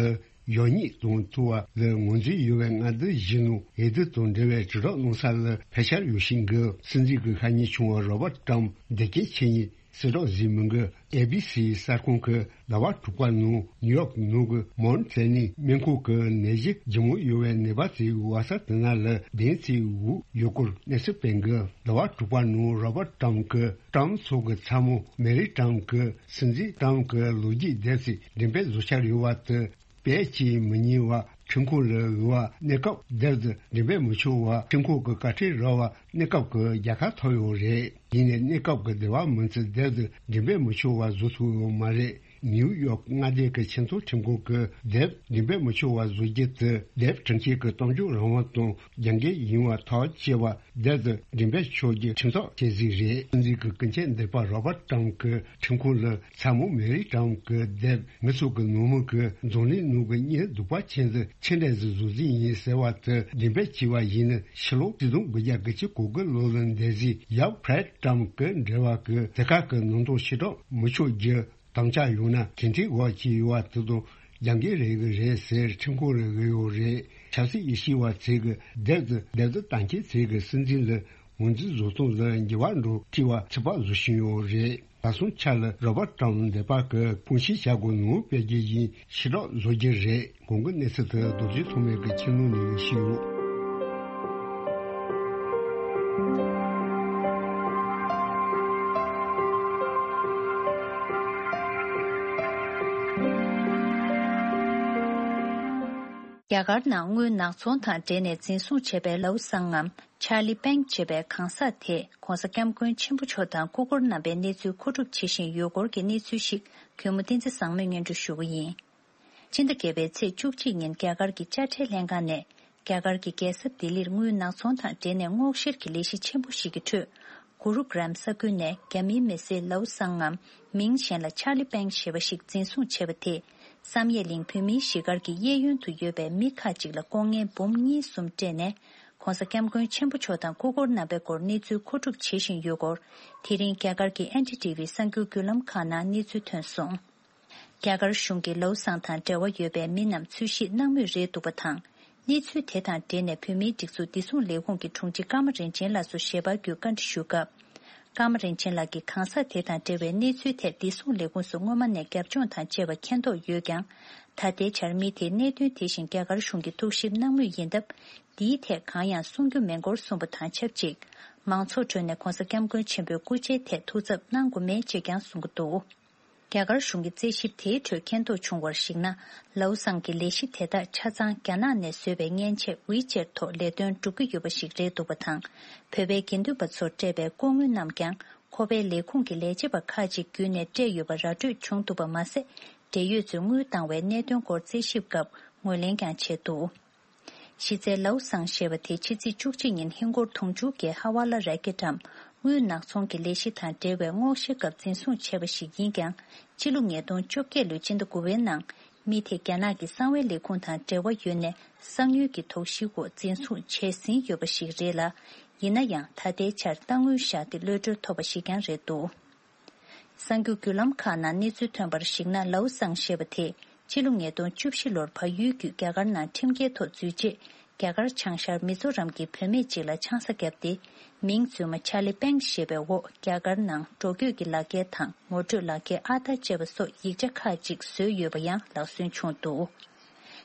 ཡོང་སྙིང་དང་ཐུག་པ་ལ་ངོས་འཛིན་ཡོད་པའི་མངའ་སྡེ་བཞི་ནང་འོས་བསྡུ་དང་འབྲེལ་བའི་དྲིལ་བསྒྲགས་གནང་ས་ལ་ཕེབས་འཆར་ཡོད་ཞིང་གི། སྲིད་འཛིན་གྱི་ཤ་ཉེ་ཆུང་བ་རོ་བར་ཊམ་འདི་གའི་ཆེད་ཉིད་གསལ་བསྒྲགས་བཟོས་མི་འགི། ཨེ་བི་སི་གསར་ཁང་གི་ཟླ་བ་དྲུག་པ་ནང་ནིའུ་ཡོག་ནང་གི་མོན་ཐེ་ནི་སྨན་ཁང་གི་ནད་གཞི་ལྗིད་མོ་ཡོད་པའི་ནད་པ་ཚོའི་བག་ས་དེ་ན་ལ་བདེན་ཚིག་འུ་ཡོད་སྐོར་གནས་ཚུལ་སྤེལ་འགི། ཟླ་བ་དྲུག་པ་ནང་རོ་བར་ཊམ་གི་ཊམ་ཚོ་གི་ཚ་མོ་མེ་རི་ཊམ་གི་སྲིད་འཛིན་ཊམ་གི་ལོ་རྒྱུས་དེབ་ཚིག་འགྲེམས་སྤེལ་བཟོ་འཆར་ཡོད་པ་དེ། དཔེ་ཅིག་མི་ཉན་པ་ཁྲིམས་ཁང་ལ་འོས་པ་གནས་སྐབས་དེབ་དེ་འགྲེམས་སྤེལ་མི་ཆོག་པ། ཁྲིམས་ཁང་གི་བཀའ་ཁྲིར་རོགས་པ་གནས་སྐབས་ཀྱི་རྒྱལ་ཁ་ཐོབ་ཡོད་རེད། ཡིན་ནའི་གནས་སྐབས་ཀྱི་འདས་པ་མིན་ཚེ་དེབ་དེ་འགྲེམས་སྤེལ་མི་ཆོག་པ་བཟོ་ཐུབ་ཡོད་མ་རེད། ནིའུ་ཡོག་མངའ་སྡེ་གི་ཆེས་མཐོའི་ཁྲིམས་ཁང་གིས་དེབ་འགྲེམས་སྤེལ་མི་ཆོག་པ་བཟོ་རྒྱུ་དེ་དེབ་ཁྲིམས་ཁང་གི་གཏམ་བརྗོད་རང་དབང་དང་རྒྱབ་འགལ་ཡིན་པ་ཐག་བཅད་པ། དེབ་དེ་འགྲེམས་སྤེལ་ཆོག་རྒྱུ་ཁྲིམས་ཐག་བཅད་ཟིན་རེད། སྲིད་འཛིན་གྱི་སྐུ་མཆེད་འདས་པ་རོ་བར་ཊམ་གྱི་ཁྲིམས་ཁང་ལ་ཚ་མོ་མེ་རི་ཊམ་གྱི་དེབ་མི་ཚོགས་ཀྱི་ནང་མི་གི་འཛམ་གླིང་ནང་གི་གཉེན་སྡུག་པ་ཅན་ཟིག་ཆེ་འདྲ་ཟིག་བཟོ་རྩིས་ཡིན་ཟེར་བ་དེ་འགྲེམས་སྤེལ་བྱས་པ་ཡིན་ན། ཕྱི་ལོ་ཆིག་སྟོང་དགུ་བརྒྱ་དགུ་བཅུ་གོ་དགུ་ལོ་ལ་འདས་ཟིན་ཡབ་ཕྲེད་ཊམ་གྱི་འབྲེལ་བ་གི་དེ་ཁ་གི་ནང་དོན་ཕྱིར་བསྒྲགས་མི་ཆོག་རྒྱུ་དམ་བཅའ་ཡོད་ན། དེ་འདྲའི་འོག་ཅིག་ཡོད་པ་དེ་དང་རྒྱབ་འགལ་རེད་གི་རེད་ཟེར་ཁྲིམས་ཁང་རེ་གི་ཡོད་རེད། ཆབ་སྲིད་དབྱེ་ཞིབ་པ་ཚོས་གི་དེབ་དེ་དེབ་དེ་བཏང་མཁན་ཚོས་གི་སྲིད་འཛིན་ལ་ངོས་འཛིན་བཟོ་སྟངས་ལ་འགྱུར་བ་འགྲོ་སྲིད་པ་ཚོད་དཔག་བཟོ་བཞིན་ཡོད་རེད། ད་སོང་ཆ་ལ་རོ་བར་ཊམ་འདས་པ་གི་ཕོངས་ཞེན་བྱ་སྒོ་ནང་སྤེལ་རྒྱུ་ཡིན་ཕྱིར་བསྒྲགས་བཟོ་རྒྱུ་རེད། གོང་གི་གནས་ཚུལ་དེ་རྡོ་རྗེ་ཐོགས་མེད་ཀྱི་ཁྱིམ་ནང་ནས་ཞུས་ཡོད། རྒྱ་གར་ནང་དངུལ་ནག་ཚོང་དང་འབྲེལ་ནས་འཛིན་བཟུང་བྱས་པའི་ལའུ་སང་ངམ་ཆར་ལི་པེང་ཞེས་པའི་གང་ཟག་དེས་༧གོང་ས་༧སྐྱབས་མགོན་ཆེན་པོ་མཆོག་དང་སྐུ་འཁོར་རྣམ་པའི་གནས་ཚུལ་མཁོ་སྒྲུབ་བྱེད་བཞིན་ཡོད་སྐོར་གྱི་གནས་ཚུལ་ཞིག་གུས་མོ་བསྟན་འཛིན་བཟང་མོས་སྙན་སྒྲོན་ཞུ་གི་ཡིན། སྤྱི་ཟླ་བརྒྱད་པའི་ཚེས་བཅུ་གཅིག་ཉིན་རྒྱ་གར་གྱི་དཔྱ་ཁྲལ་ལྷན་ཁང་ནས་རྒྱ་གར་གྱི་རྒྱལ་ས་ལྡི་ལིར་དངུལ་ནག་ཚོང་དང་འབྲེལ་ནས་སྔོག་བཤེར་གྱི་ལས་གཞི་ཆེན་པོ་ཞིག་གི་ཁྲོད། གུ་རུ་གྲམ་ས་ཁུལ་ནས་རྒྱ་མིའི་མི་སེར་ལའུ་སང་ངམ་མིང་གཞན་ལ་ཆར་ལི་པེང་ཞེས་པ་ཞིག་འཛིན་བཟུང་བྱས་པ་དེས། བསམ་ཡས་གླིང་བོད་མིའི་གཞིས་སྒར་གྱི་གཡས་གཡོན་དུ་ཡོད་པའི་མི་ཁག་ཅིག་ལ་ལྐོག་རྔན་འབུམ་གཉིས་གསུམ་སྤྲད་ནས། ༧གོང་ས་༧སྐྱབས་མགོན་ཆེན་པོ་མཆོག་དང་སྐུ་འཁོར་རྣམ་པའི་སྐོར་གནས་ཚུལ་མཁོ་སྒྲུབ་བྱེད་བཞིན་ཡོད་སྐོར། དེ་རིང་རྒྱ་གར་གྱི་ཨེན་ཌི་ཊི་ཝི་གསར་འགྱུར་བརྒྱུད་ལམ་ཁག་ནང་གནས་ཚུལ་ཐོན་སོང་། རྒྱ་གར་གཞུང་གིས་ལའུ་སང་དང་འབྲེལ་བ་ཡོད་པའི་མི་རྣམས་འཚོལ་ཞིབ་གནང་མུས་རེད་འདུག་པ་དང་། གནས་ཚུལ་དེ་དང་འབྲེལ་ནས་བོད་མིའི་སྒྲིག་འཛུགས་བདེ་སྲུང་ལས་ཁུངས་ཀྱི་དྲུང་ཆེ་ཀརྨ་རིན་ཆེན་ལགས་སུ་ཞལ་པར་བརྒྱུད་བཀའ་འདྲི་ཞུས་སྐབས། ཀརྨ་རིན་ཆེན་ལགས་ཀྱིས་གང་ཟག་དེ་དང་འབྲེལ་བའི་གནས་ཚུལ་ཐད་བདེ་སྲུང་ལས་ཁུངས་སུ་སྔོན་མ་ནས་རྒྱབ་ལྗོངས་དང་བཅས་པ་མཁྱེན་རྟོགས་ཡོད་ཀྱང་། ད་ལྟའི་ཆར་མི་དེས་གནད་དོན་དེ་བཞིན་རྒྱ་གར་གཞུང་གིས་ཐུགས་ཞིབ་གནང་མུས་ཡིན་སྟབས། འདིའི་ཐད་གང་ཡང་གསུང་རྒྱུ་མེད་སྐོར་གསུངས་པ་དང་ཆབས་ཅིག་མང་ཚོགས་ཁྲོད་ནས་༧གོང་ས་༧སྐྱབས་མགོན་ཆེན་པོའི་སྐུ་ཕྱྭའི་ཐད་ཐུགས་འཚབ་གནང་དགོས་མེད་ཅེས་ཀྱང་གསུང་གི་འདུག་རྒྱ་གར་གཞུང་གི་རྩད་ཞིབ་དེའི་ཁྲོད་མཁྱེན་རྟོགས་བྱུང་བར་གཞིགས་ན། ལའུ་སང་གི་ལས་གཞི་དེ་དག་ཆ་ཚང་རྒྱ་ནག་ནས་བཟོས་པའི་མཉེན་ཆས་ཝི་ཅེར་ཐོག་ལས་དོན་སྒྲུབ་ཀྱི་ཡོད་པ་ཞིག་རེད་འདུག་པ་དང་། བོད་པའི་དགེ་འདུན་པ་ཚོར་སྤྲད་པའི་ལྐོག་དངུལ་རྣམས་ཀྱང་ཁོ་པའི་ལས་ཁུངས་ཀྱི་ལས་བྱེད་པ་ཁག་ཅིག་བརྒྱུད་ནས་སྤྲད་ཡོད་པ་ར་སྤྲོད་བྱུང་འདུག་པ་མ་ཟད། འབྲེལ་ཡོད་ཚོས་དངུལ་བཏང་བའི་གནད་དོན་སྐོར་རྩད་ཞིབ་སྐབས་ངོས་ལེན་ཀྱང་བྱས་འདུག་གཞི་རྩའི་ལའུ་སང་ཞེས་པ་དེ་ཕྱི་ཚེས་བཅུ་གཅིག་ཉིན་ཧིན་སྒོར་དུང་ཕྱུར་བརྒྱད་ཧ་ཝ་ལ་ར་ཀེ་ཊམ་དངུལ་ནག་ཚོང་གི་ལས་གཞི་དང་འབྲེལ་བའི་སྔོག་བཤེར་སྐབས་འཛིན་བཟུང་བྱས་པ་ཞིག་ཡིན་ཀྱང་། སྤྱི་ལོ་ཉིས་སྟོང་བཅོ་བརྒྱད་ལོའི་སྤྱི་ཟླ་དགུ་པའི་ནང་མི་དེ་རྒྱ་ནག་གི་གསང་བའི་ལས་ཁུངས་དང་འབྲེལ་བ་ཡོད་ནས་གསང་ཉུལ་གྱི་དོགས་གཞིའི་འོག་འཛིན་བཟུང་བྱས་ཟིན་ཡོད་པ་ཞིག་རེད་ལ། ཡིན་ན་ཡང་ད་ལྟའི་ཆར་གཏའ་དངུལ་བཞག་སྟེ་གློད་གྲོལ་ཐོབ་པ་ཞིག་ཀྱང་རེད་འདུག་གསར་འགྱུར་བརྒྱུད་ལམ་ཁག་ནང་གནས་ཚུལ་ཐོན་པར་གཞིགས་ན། ལའུ་སང་ཞེས་པ་དེས་སྤྱི་ལོ་ཉིས་སྟོང་བཅུ་བཞི་ལོར་བལ་ཡུལ་བརྒྱུད་རྒྱ་གར་ནང་ཁྲིམས་འགལ་ཐོག་འཛུལ་རྗེས། རྒྱ་གར་བྱང་ཤར་མི་ཛོ་རམ་གྱི་བུད་མེད་ཅིག་ལ་ཆང་ས་བརྒྱབ་སྟེ། མིང་རྫུན་མ་ཆར་ལི་པེང་ཞེས་པའི་འོག་རྒྱ་གར་ནང་འགྲོ་སྐྱོད་ཀྱི་ལག་འཁྱེར་དང་ངོ་སྤྲོད་ལག་འཁྱེར་ཨ་དར་བཅས་པ་སོགས་ཡིག་ཆ་ཁག་ཅིག་བཟོས་ཡོད་པ་ཡང་ལག་སོན་བྱུང་འདུག་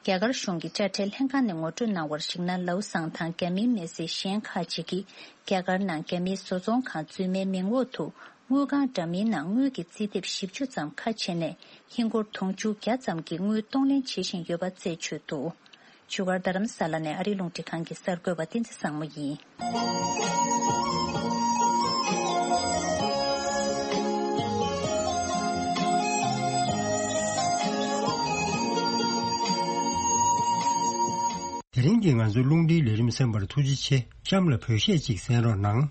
རྒྱ་གར་གཞུང་གི་དཔྱ་ཁྲལ་ལྷན་ཁང་ནས་ངོ་སྤྲོད་གནང་བར་གཞིགས་ན། ལའུ་སང་དང་རྒྱ་མིའི་མི་སེར་གཞན་ཁག་ཅིག་གིས་རྒྱ་གར་ནང་རྒྱ་མིའི་བཟོ་ཚོང་ཁང་རྫུན་མའི་མིང་འོག་ཏུ་དངུལ་ཁང་འདྲ་མིན་ནང་དངུལ་གྱི་རྩིས་དེབ་བཞི་བཅུ་ཙམ་ཁ་ཕྱེ་ནས་ཧིན་སྒོར་དུང་ཕྱུར་བརྒྱ་ཙམ་གྱི་དངུལ་གཏོང་ལེན་བྱེད་བཞིན་ཡོད་པ་རྩད་ཆོད་འདུག་བཞུགས་སྒར་རྡ་རམ་ས་ལ་ནས་ཨ་རིའི་རླུང་འཕྲིན་ཁང་གི་གསར་འགོད་པ་བསྟན་འཛིན་བཟང་མོ་ཡིན། དེ་ ཀྱིས་ང་ཚོའི་རླུང་འཕྲིན་ལས་རིམ་གསན་པར་ཐུགས་རྗེ་ཆེ། གཤམ་ལ་བོད་གཞས་ཅིག་གསན་རོགས་གནང་།